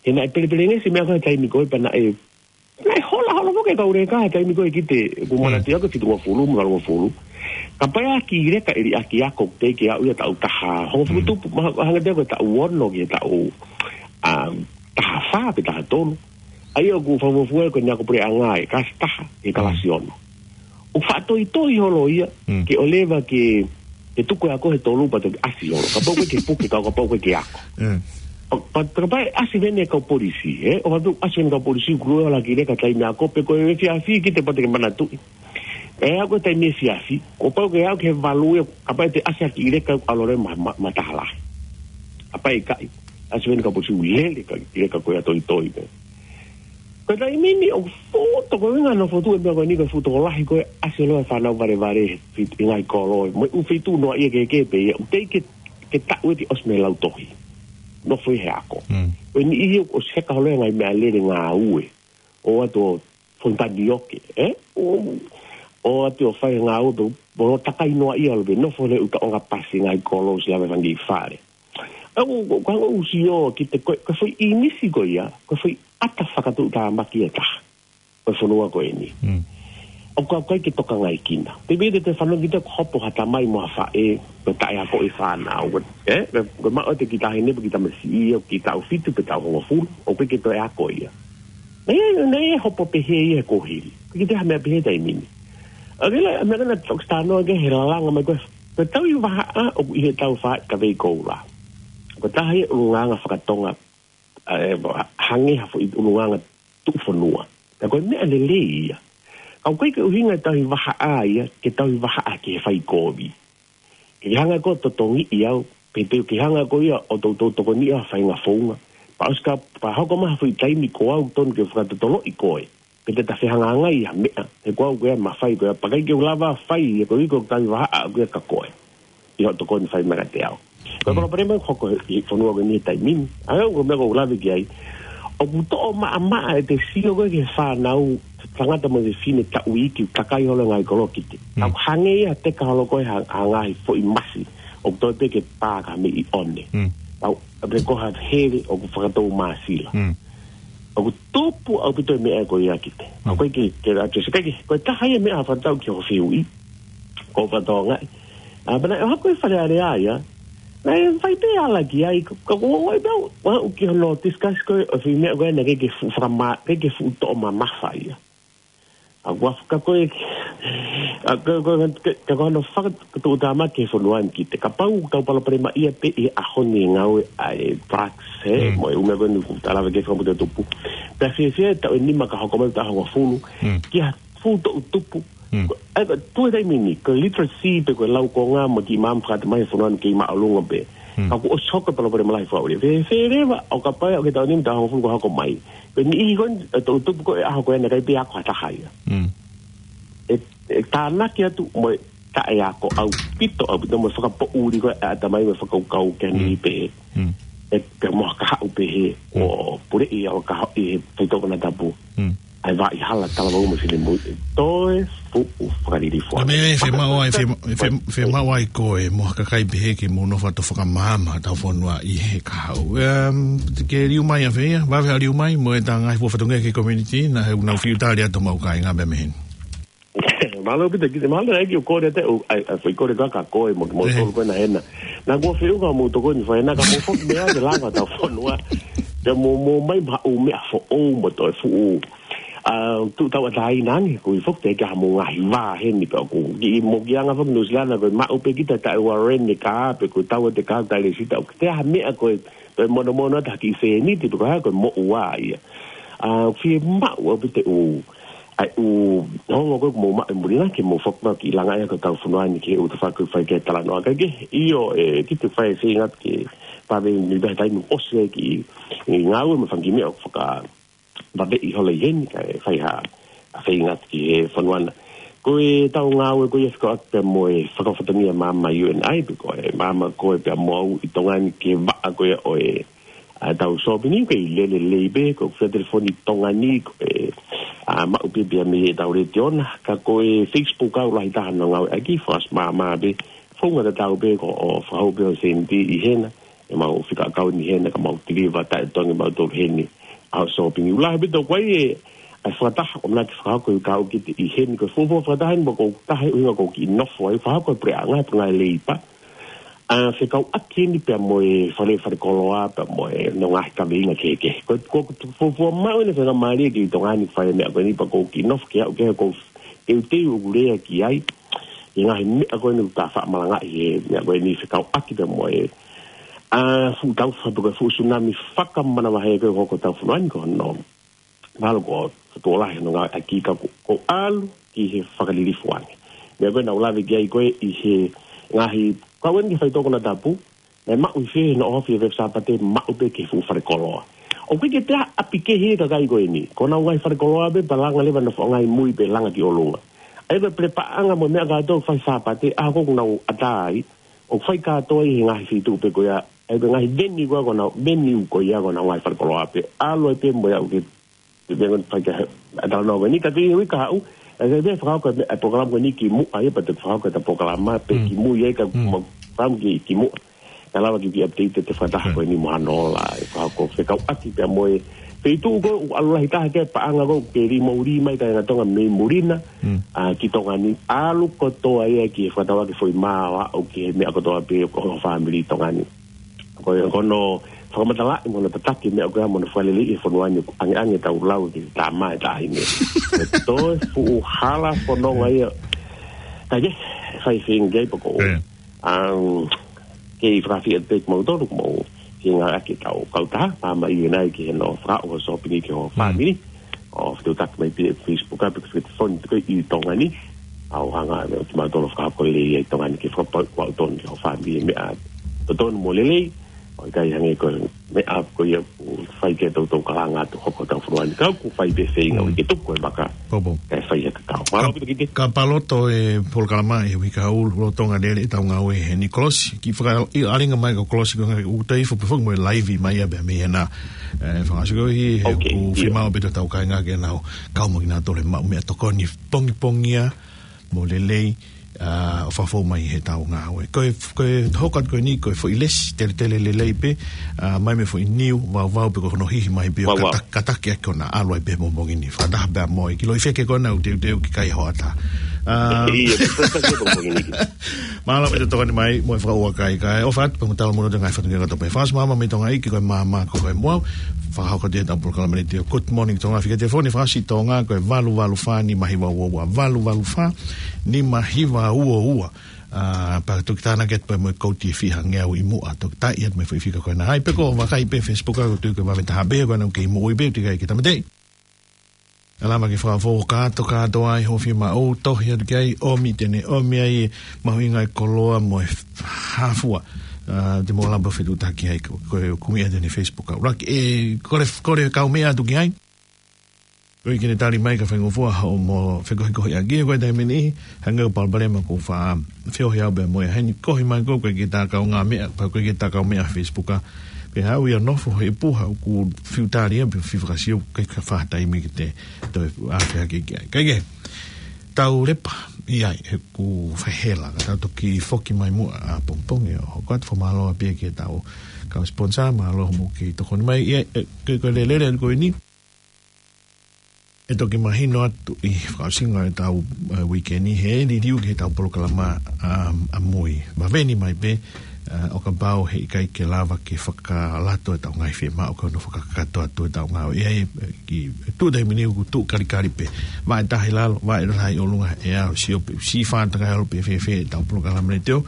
He naʻe pelepelengesi e meʻa ko ē he taimi ko ē pea naʻe, naʻe hola, hola foki e kau leka he taimi ko ē ki he, ʻoku Mm. manatu au ko e fitungofulu mo e valungofulu. Kapau ʻe ʻaki leka ʻe liʻaki ako teʻeki ke aʻu ia taʻu taha. Hongofulu tupu, ma-, hanga te ko e taʻu ono ki he taʻu, um, taha fā pe taha tolu. ʻA ia ʻoku fakafuofua ko eni ako puleʻanga ʻi he kalasi taha, ʻi he kalasi ono. ʻOku faʻa toitoi holo ia, ke ʻoleva ke, ke tuku e ako he tolu pea toki ʻasi holo. Kapau ʻoku ʻikai ke puke, ka kapau ʻoku ʻikai ke ako. ʻO, pa-, kapau ʻe ʻasi vene kau polisi, ē? ʻO kapau ʻasi vene kau polisi, ʻoku lue ʻaki leka taimi ako, pe ko e efiafi kita pea te ke manatuʻi. ʻE, ako taimi efiafi, ʻo pau ke aʻu ki he valu ia, kapau te ʻasi ʻaki leka ʻalu leva ma, ma, ma taha lahi. Kapau ʻe ʻikai, ʻasi vene kau polisi ʻoku lele ʻaki leka ko ia toitoi pē. Ko e taimi ni ʻoku fuʻu tokolahi e ngaahi fotu e meʻa ko eni ko e fuʻu tokolahi ko e ʻasi leva e fānau valevale he fit-, ʻi he ngaahi kolo, mo e ʻū feituʻu noaʻia kehekehe pē ia, ʻoku teʻeki ke, ke taʻu ʻeti ʻosi mei he lautohi. Nofo ʻi he ako. Ko e niʻihi ʻoku ʻosi heka holo e ngaahi meʻalele ngāue. ʻO atu ʻo fonu tanioke, ē? ʻO, ʻo atu ʻo fai e ngāue pē, mo takai noaʻia ʻalu pē, nofo leva ʻo ʻuta ʻonga pasi ngaahi kolo ʻosi lava e fanga kiʻi fale. ʻA, ʻo, ʻo, ka ʻoku ou sio ki he ko e, ko e foʻi ʻīmisi ko ia, ko e foʻi ʻata fakatuʻutāmaki ʻe taha. Ko e fonua ko eni. ʻOku ʻikai ke tokangaʻi kina. Te pehē te te fanongo kita ʻoku hopo ha tamai mo ha faʻē, ko e taʻeakoʻi e fānau, ē? Ko e, ko e maʻu ʻete kiʻi taʻahine pe kiʻi tamasiʻi ia, kiʻi taʻu fitu pe taʻu hongofulu, ʻoku ʻikai ke toe ako ia. Naʻe, naʻe hopo pehē ia he kuohili. Ko e kiʻi taha meʻa pehē taimi ni. ʻA ia, meʻa ko ena toki talanoa ki he lalanga mai ko e, ko e tauhi vahaʻa ʻoku ʻi he tau fai ka vei koula. Ko e taha ia ʻulungaanga fakatonga, ʻa, ʻe, hangē ha foʻi ʻulungaanga tuʻufonua. Ka ko e meʻa lelei ia. Ka ʻoku ʻikai ke ʻuhinga e tauhi vahaʻa ia, ke tauhi vahaʻa ki he fai kovi. Ke hanga ko e totongiʻi au, pe te ke hanga ko ia ʻo toutou tokoniʻi au ha faʻahinga founga. Pea ʻosi ka, pea hoko mai ha foʻi taimi ko au tonu ke fakatotoloʻi koe. Pe te ta fehangahangai ha meʻa, he ko au ko ia mafai ko ia, pea ʻikai ke u lava fai, he ko e ʻikai ko e tauhi vahaʻa ko ia kia koe. ʻI hoʻo tokoni fai mai kiate au. Ko e palopalema ʻoku hoko ʻi he fonua ko eni he taimi ni. ʻA ia ko e meʻa ʻoku ou lave ki ai. ʻOku toʻo maʻamaʻa ʻete sio ko ē ki he fānau, tangata mo e fefine taʻu iiki ʻoku takai holo e ngaahi kolo ki te. ʻOku hangē ia ha teka holo ko ē ha, ha ngaahi foʻi masi. ʻOku toe pē ke pā ka mei ʻone. ʻOku, ʻa pē ko ha hele ʻoku fakatou māsila. ʻOku tupu ʻaupito e meʻa ko ia ki te. ʻOku ʻikai ke, ke atu se kai ke, ko e taha ia e meʻa ha fakatau ki hoʻo fehuʻi. Ko e fakatau ngai. ʻA, pea naʻe ʻohake e Fale Alea ia. Naʻe fai pē ala ki ai, ka, ka ko e ʻai pē au, ʻa, ʻoku ki hono discuss ko e, ʻo e foʻi meʻa ko ē naʻe ʻikai ke fuʻu fakamā, ʻikai ke fuʻu toʻo mamafa ia. ʻA, ʻoku ʻafka ko e, ʻa, ka, ka, ka, ka, ka ko hono fakatuʻutāmaki e fonua ni ki te kapau, tau palopalemaʻia pē ʻi he ʻaho ni e ngāue ʻa e drugs, ē, mo e ʻū meʻa ko eni ʻoku ta lave ki ai fakamutu tupu. Pea fiefia e taʻu ʻe nima ka hoko mai taʻu hongofulu, ki ha fuʻu toʻu tupu. Ko, ʻa, ko e tuʻu he taimi ni, ko e literacy pe ko e laukonga mo e kiʻi maama fakatamai he fonua ni kei māʻolunga pē. Ka kuo ʻosi hoko e palopalema lahi fakaʻuli. Fē, fē leva, ʻo kapau ʻe ʻoku ke taʻu ʻe nima taʻu hongofulu ka hoko mai. Ko e niʻihi ko eni, e toʻu tupu ko e ʻaho ko ē naʻe ʻikai pē ako ha taha ia. ʻE, ʻe tānaki atu mo e taʻeako ʻaupito, ʻaupito mo e fakapoʻuli ko ē ʻa e ʻatamai mo e fakakaukau ke ni pē. ʻE, ke mo ha kahaʻu pehē, ʻo puleʻi ʻa e kahaʻu ʻi he faitoʻo konatapu. ʻA e vaʻa hala talavou mo e finemui. Toe fuʻu fakalilifu. Ka meʻa ē, fiemaʻu ai, fie-, fie-, fiemaʻu ai ko e mo ha kakai pehē ke mou nofo atu ʻo fakamaama ʻetau fonua ʻi he kahaʻu. Em, ke liu mai ʻa fē ia, vave ha liu mai, mo e ta ngaahi fua fatongia ki he community, naʻa he unau fiu tali atu mau kāinga meʻa mei heni. Mālō ʻaupito ki te mālō ʻaupito ʻoku ou kole atu, ʻa, ʻa, foʻi kole ko ē kia koe mo, mo tolu ko ena hena. Naʻa kuo feʻunga mo tokoni fai na ka mo foki meʻa ke lava ʻetau fonua. Ke mo, mo mai maʻu meʻa foʻou mo toe fuʻu. ʻA, tuʻu tauʻatāina ange, ko e foki te ke ha mo ngaahi vā heni pea ko ki mo ki anga foki Nuʻusila na ko e maʻu pē kita taʻe ua reni ka pe ko e tau te ka taʻe lēsisita. ʻOku te ha meʻa ko e, ko e monomono atu ha kiʻi sēniti pe ko e hā ko e moʻua ia. ʻA, fiemaʻu ʻaupito ʻa e ʻū, ʻa e ʻū, hongo ko ē ʻoku mou maʻu ʻi muli na ke mou foki mai ki langa ia ko ʻetau fonua ni ke u te faku fai ke talanoa ka ke, ʻio, ʻe, ki te fai e feinga ke pave ni pē taimi ʻosi e kiʻi, ʻi ngāue mo e fanga kiʻi meʻa ʻoku faka, pave ʻi holo ʻi heni kae fai ha, ʻa feinga ki he fonua na. Ko ʻetau ngāue ko ia fika atu pea mo e fakafatongia maama U N I pe ko e maama ko ē pea mo au ʻi Tonga ni ki he vaʻa ko ia ʻo e, ʻa ʻetau sōpingi ko e lele lei pē, ko e fia telefoni Tonga ni, ko e, ʻa, maʻu pē pea mei heʻetau letiō na, ka ko e Facebook ʻoku lahi taha hono ngāueʻaki, fast maama pē, founga tatau pē, ko e fakahū pē ʻo sēniti ʻi hena, ʻe mau fika ʻakauni hena, ka mau tiliva taʻe tongi mau tolu heni, ʻa e sōpingi. ʻOku lahi ʻaupito ko ē, ʻa e fakataha ʻoku nau fakahoko ʻe he kau ki te ʻi heni, ko e fuofua fakataha eni ʻoku ou tahe ʻuhinga ʻoku ou kiʻi nofo ai, fakahoko ʻe he puleʻanga, puleʻanga Leipa. ʻA, fekauʻaki eni pea mo e fale, fale koloa, pea mo e, mo e ngaahi kaveinga kehekehe. Ko, ko, ko e fuofua maʻu eni e faingamālie ki Tonga ni fai e meʻa ko eni pea ʻoku ou kiʻi nofo ki ai, ʻoku ou teuteu ʻeku lea ki ai. ʻI he ngaahi meʻa ko eni ʻoku ta faʻa malangaʻi he meʻa ko eni fekauʻaki pea mo e, ʻa, fuʻu tau fatu ko e fuʻu tsunami fakamanavahē ko ē ʻoku hoko ʻi hotau fonua ni ko hono. Mahalo ko e tuʻo lahi hono ngāueʻaki ka ʻoku, ʻoku ʻalu ki he fakalilifu ange. Meʻa ko ē naʻa ku lave ki ai ko ē ʻi he ngaahi kau eni ki he faitoʻo konatapu, naʻe maʻu ʻi fē hono ʻohofi ʻi he efiafi Sāpate, maʻu pē ki he fuʻu fale koloa. ʻOku ʻikai ke toe ʻi ai ha ʻapi kehe ʻi he kakai ko eni. Ko honau ngaahi fale koloa pē, pea langa leva ʻenau foʻi ngaahi mui pē langa ki ʻolunga. ʻA ia ko e pelepāʻanga mo e meʻa kātoa ʻoku fai Sāpate, ʻa ia ko ē ʻoku nau ʻatā ai, ʻoku fai kātoa ʻi he ngaahi feituʻu pē ko ia, ʻa ia ko e ngaahi venue ko ē ʻoku nau, venue ko ia ʻoku nau ngaahi fale koloa pē, ʻalu ai pē mo ia ʻoku ke, te vengo fai ka, ʻa e talanoa ko eni, ka ko e uike kahaʻu, ʻe, ʻe, ʻe fakahoko e, e polokalama ko eni kimuʻa ia, pea te fakahoko ʻeta polokalama pē Mm. kimui ai ka Mm. ma, pam ki, kimuʻa. Ka lava ke u kiʻi update ʻete fakataha Mm. ko eni mo Hanola, ʻe fakahoko fekauʻaki pea mo e feituʻu ko ē ʻoku ʻalu lahi taha ki ai e paʻanga ko ē ʻoku ke lī mo lī mai kāinga Tonga mei muli na, Mm. ʻa, ki Tonga ni, ʻalu kotoa ia ki he fakatauʻaki foʻi mā ʻo aʻu ki he meʻa kotoa pē ʻo ho fāmili ʻi Tonga ni. Ko e, ko hono fakamatalaʻi mo hono tataki e meʻa ko ia mo hono fakaleleiʻi e fonua ni, ʻoku ʻangeʻange ʻetau lau ki he tama e taʻahine. Ko e toe fuʻu hala fononga ia. Ka ke, fai feinga ki ai pea ko ē. ʻE. ʻAm, kei fakaafeʻi atu pē kimautolu, ko mau feinga ʻaki ʻetau kautaha, pea mai ʻi he nai ki he no fakao ho sōpingi ki ho Mm. fāmili. ʻO fetuʻutaki mai pē Facebook, ʻa pē ko e fefoni ko ē ʻi Tonga ni. ʻA ʻo hanga ʻe kimautolu fakapapau lelei ʻi Tonga ni ke fakapapauʻi ʻoku totonu ki ho fāmili e meʻa totonu mo lelei. ʻOku ʻikai hangē ko e meʻa ko ia ʻoku fai ki ai ʻetau, ʻetau kalanga atu hoko ʻetau fonua ni. Ka ʻoku fai pē feinga Mm. ʻo ke tuku e maka. Pau, pau. Kae fai ha kakau. Mālō Ka, ʻaupito Kiki. Kapau loto e polokalama ʻi he uike kahaʻu, lolotonga lele ʻetau ngāue heni, Kolosi, kiʻi fakaʻalinga mai ko Kolosi ko e ngaahi uta ifo pē foki mo e live mai ia pē mei hena. ʻE, fakaʻosi ko ē he Ok, ʻoku ʻio. fiemaʻu pē ʻe hotau kāinga ke nau kau mo kinautolu he maʻu meʻatokoni pongipongia mo lelei, ʻa, ʻo fakafou mai heʻetau ngāue. Ko e, ko e hoko atu ko eni, ko e foʻi lesi, teletele lelei pē, ʻa, mai mei he foʻi niu, vauvau pē ko hono hihi mai pē ʻo Vauvau. kata-, kataki ʻaki ko ena ʻalu ai pē he pongipongi ni. Fakataha pē mo e kiʻi loʻi feke ko ena ʻoku teuteu ke kai hoʻatā. ʻA, ʻIo, fakataha pē he pongipongi ni. Mālō pē ʻete tokoni mai, mo e fakaʻuakai kae ʻofa atu pē mo tala muno ʻete ngaahi fatongia kātoa pē. Fakaʻosi maama mei Tonga ʻEiki ko e maama ko e moʻui. Fakahoko atu ʻetau polokalama ni ʻo e Good Morning Tonga, fika telefoni fakaʻosi Tonga ko e valu valu fā nima hiva ua ua, valu valu fā nima hiva ua ua. ʻA, pea toki tānaki atu pē mo e kouti ʻe fiha ngeau ʻi muʻa, toki taaʻi atu mo e foʻi fika ko ena. ʻAi pē ko e vakai pē Facebook ʻoku tui ko e vave taha pē ko ena ʻoku kei moʻui pē, ʻoku teʻeki ai ke tāmateʻi. ʻE lava ke fakafou kātoa kātoa ai hoʻo fiemaʻu, tohi atu ki ai, ʻomi te ne ʻomi ai e mahuʻinga e koloa mo e hā fua. ʻA, te mou lava pē ʻo fetuʻutaki ai ko, ko e kumi ʻa ʻene Facebook ʻuluaki. ʻE, kole, kole kaumeʻa atu ki ai. Ko e ʻikai ke ne tali mai ka faingofua hoʻomo fekohikohiʻaki ia ko e taimi ni, hangē ko e palopalema ʻoku faʻa feohi au pea mo ia heni, kohi mai ko e ʻikai ke ta kaungāmeʻa, pea ʻikai ke ta kaumeʻa Facebook ʻa. Pea haʻu ia ʻo nofo he puha ʻoku fiu tali ia, pea fiu fakasio, ʻikai ke fai ha taimi ke te toe ʻave hake ki ai. Kae kehe, tau lepa ʻi ai, he ʻoku fai hela, ka tau toki foki mai muʻa ʻapongipongi ʻo hoko atu. Fakamālō pē ki heʻetau kau sponsor, mālō hoʻomou kei tokoni mai. ʻI ai, ʻe, ko e, ko e lelele ko eni. ʻE toki mahino atu ʻi he fakaʻosinga ʻetau, ʻe, uike ni he liliu ki heʻetau polokalama, um, ʻamui. Vave ni mai pē, ʻa, ʻo kapau heʻikai ke lava ke fakalato ʻetau ngaahi fiemaʻu ko hono fakakakato atu ʻetau ngāue. ʻI ai, ʻe, ki, tuʻu taimi ni ʻoku tuʻu kalikali pē. Vaʻe taha ʻi lalo, vaʻe taha ʻi ʻolunga, ʻe ʻalu sio pē, siʻi fātaka ʻalu pē fēfē ʻetau polokalama ni te o.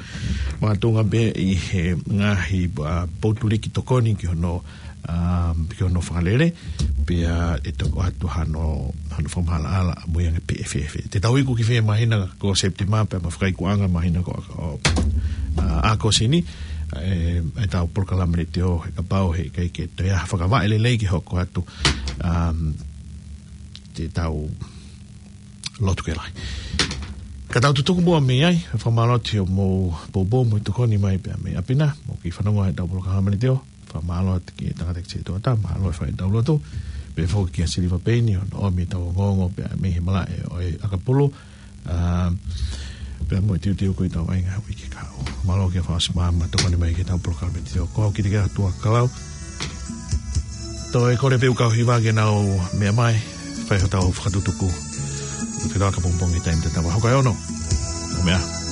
Makatuʻunga pē ʻi he ngaahi, ʻa, poutuliki tokoni ki hono um, ki hono fakalele, pea ʻe toki ʻoatu hano, hano fakamaʻalaʻala ʻamui ange pe ʻe fēfē. Te tau iku ki fē māhina ko Sepitema pea mo e fakaikuʻanga māhina ko, ʻo, ʻa, ʻAokosi ni, ʻe, ʻetau polokalama ni te o he kapau heʻikai ke toe ʻi ai ha fakavaʻe lelei ke hoko atu, um, te tau lotu ke lahi. Ka tau tutuku muʻa mei ai, fakamālō atu hoʻomou poupou mo e tokoni mai pea mei ʻapi na, mou kiʻi fanongo heʻetau polokalama ni te o. Fakamālō atu ki he tangata ki he toʻatā, mālō e fai ʻetau lotu. Pehē foki kia Siliva Peini, hono ʻomi ʻetau ongoongo pea mei he malaʻe ʻo e ʻakapulu. ʻA, pea mo e teuteu ko ē ʻetau ʻai ngaahi uike kahaʻu. Mālō kia Faʻasi Māma, tokoni mai ki heʻetau polokalama ni te o. Ko au Kite Kea Tuʻakalau. Toe kole pē ʻeku kau hiva ke nau meʻa mai. Fai hotau fakatutuku. Ke laka pongipongi taimi tatau. Hoko e ono. ʻO meʻa.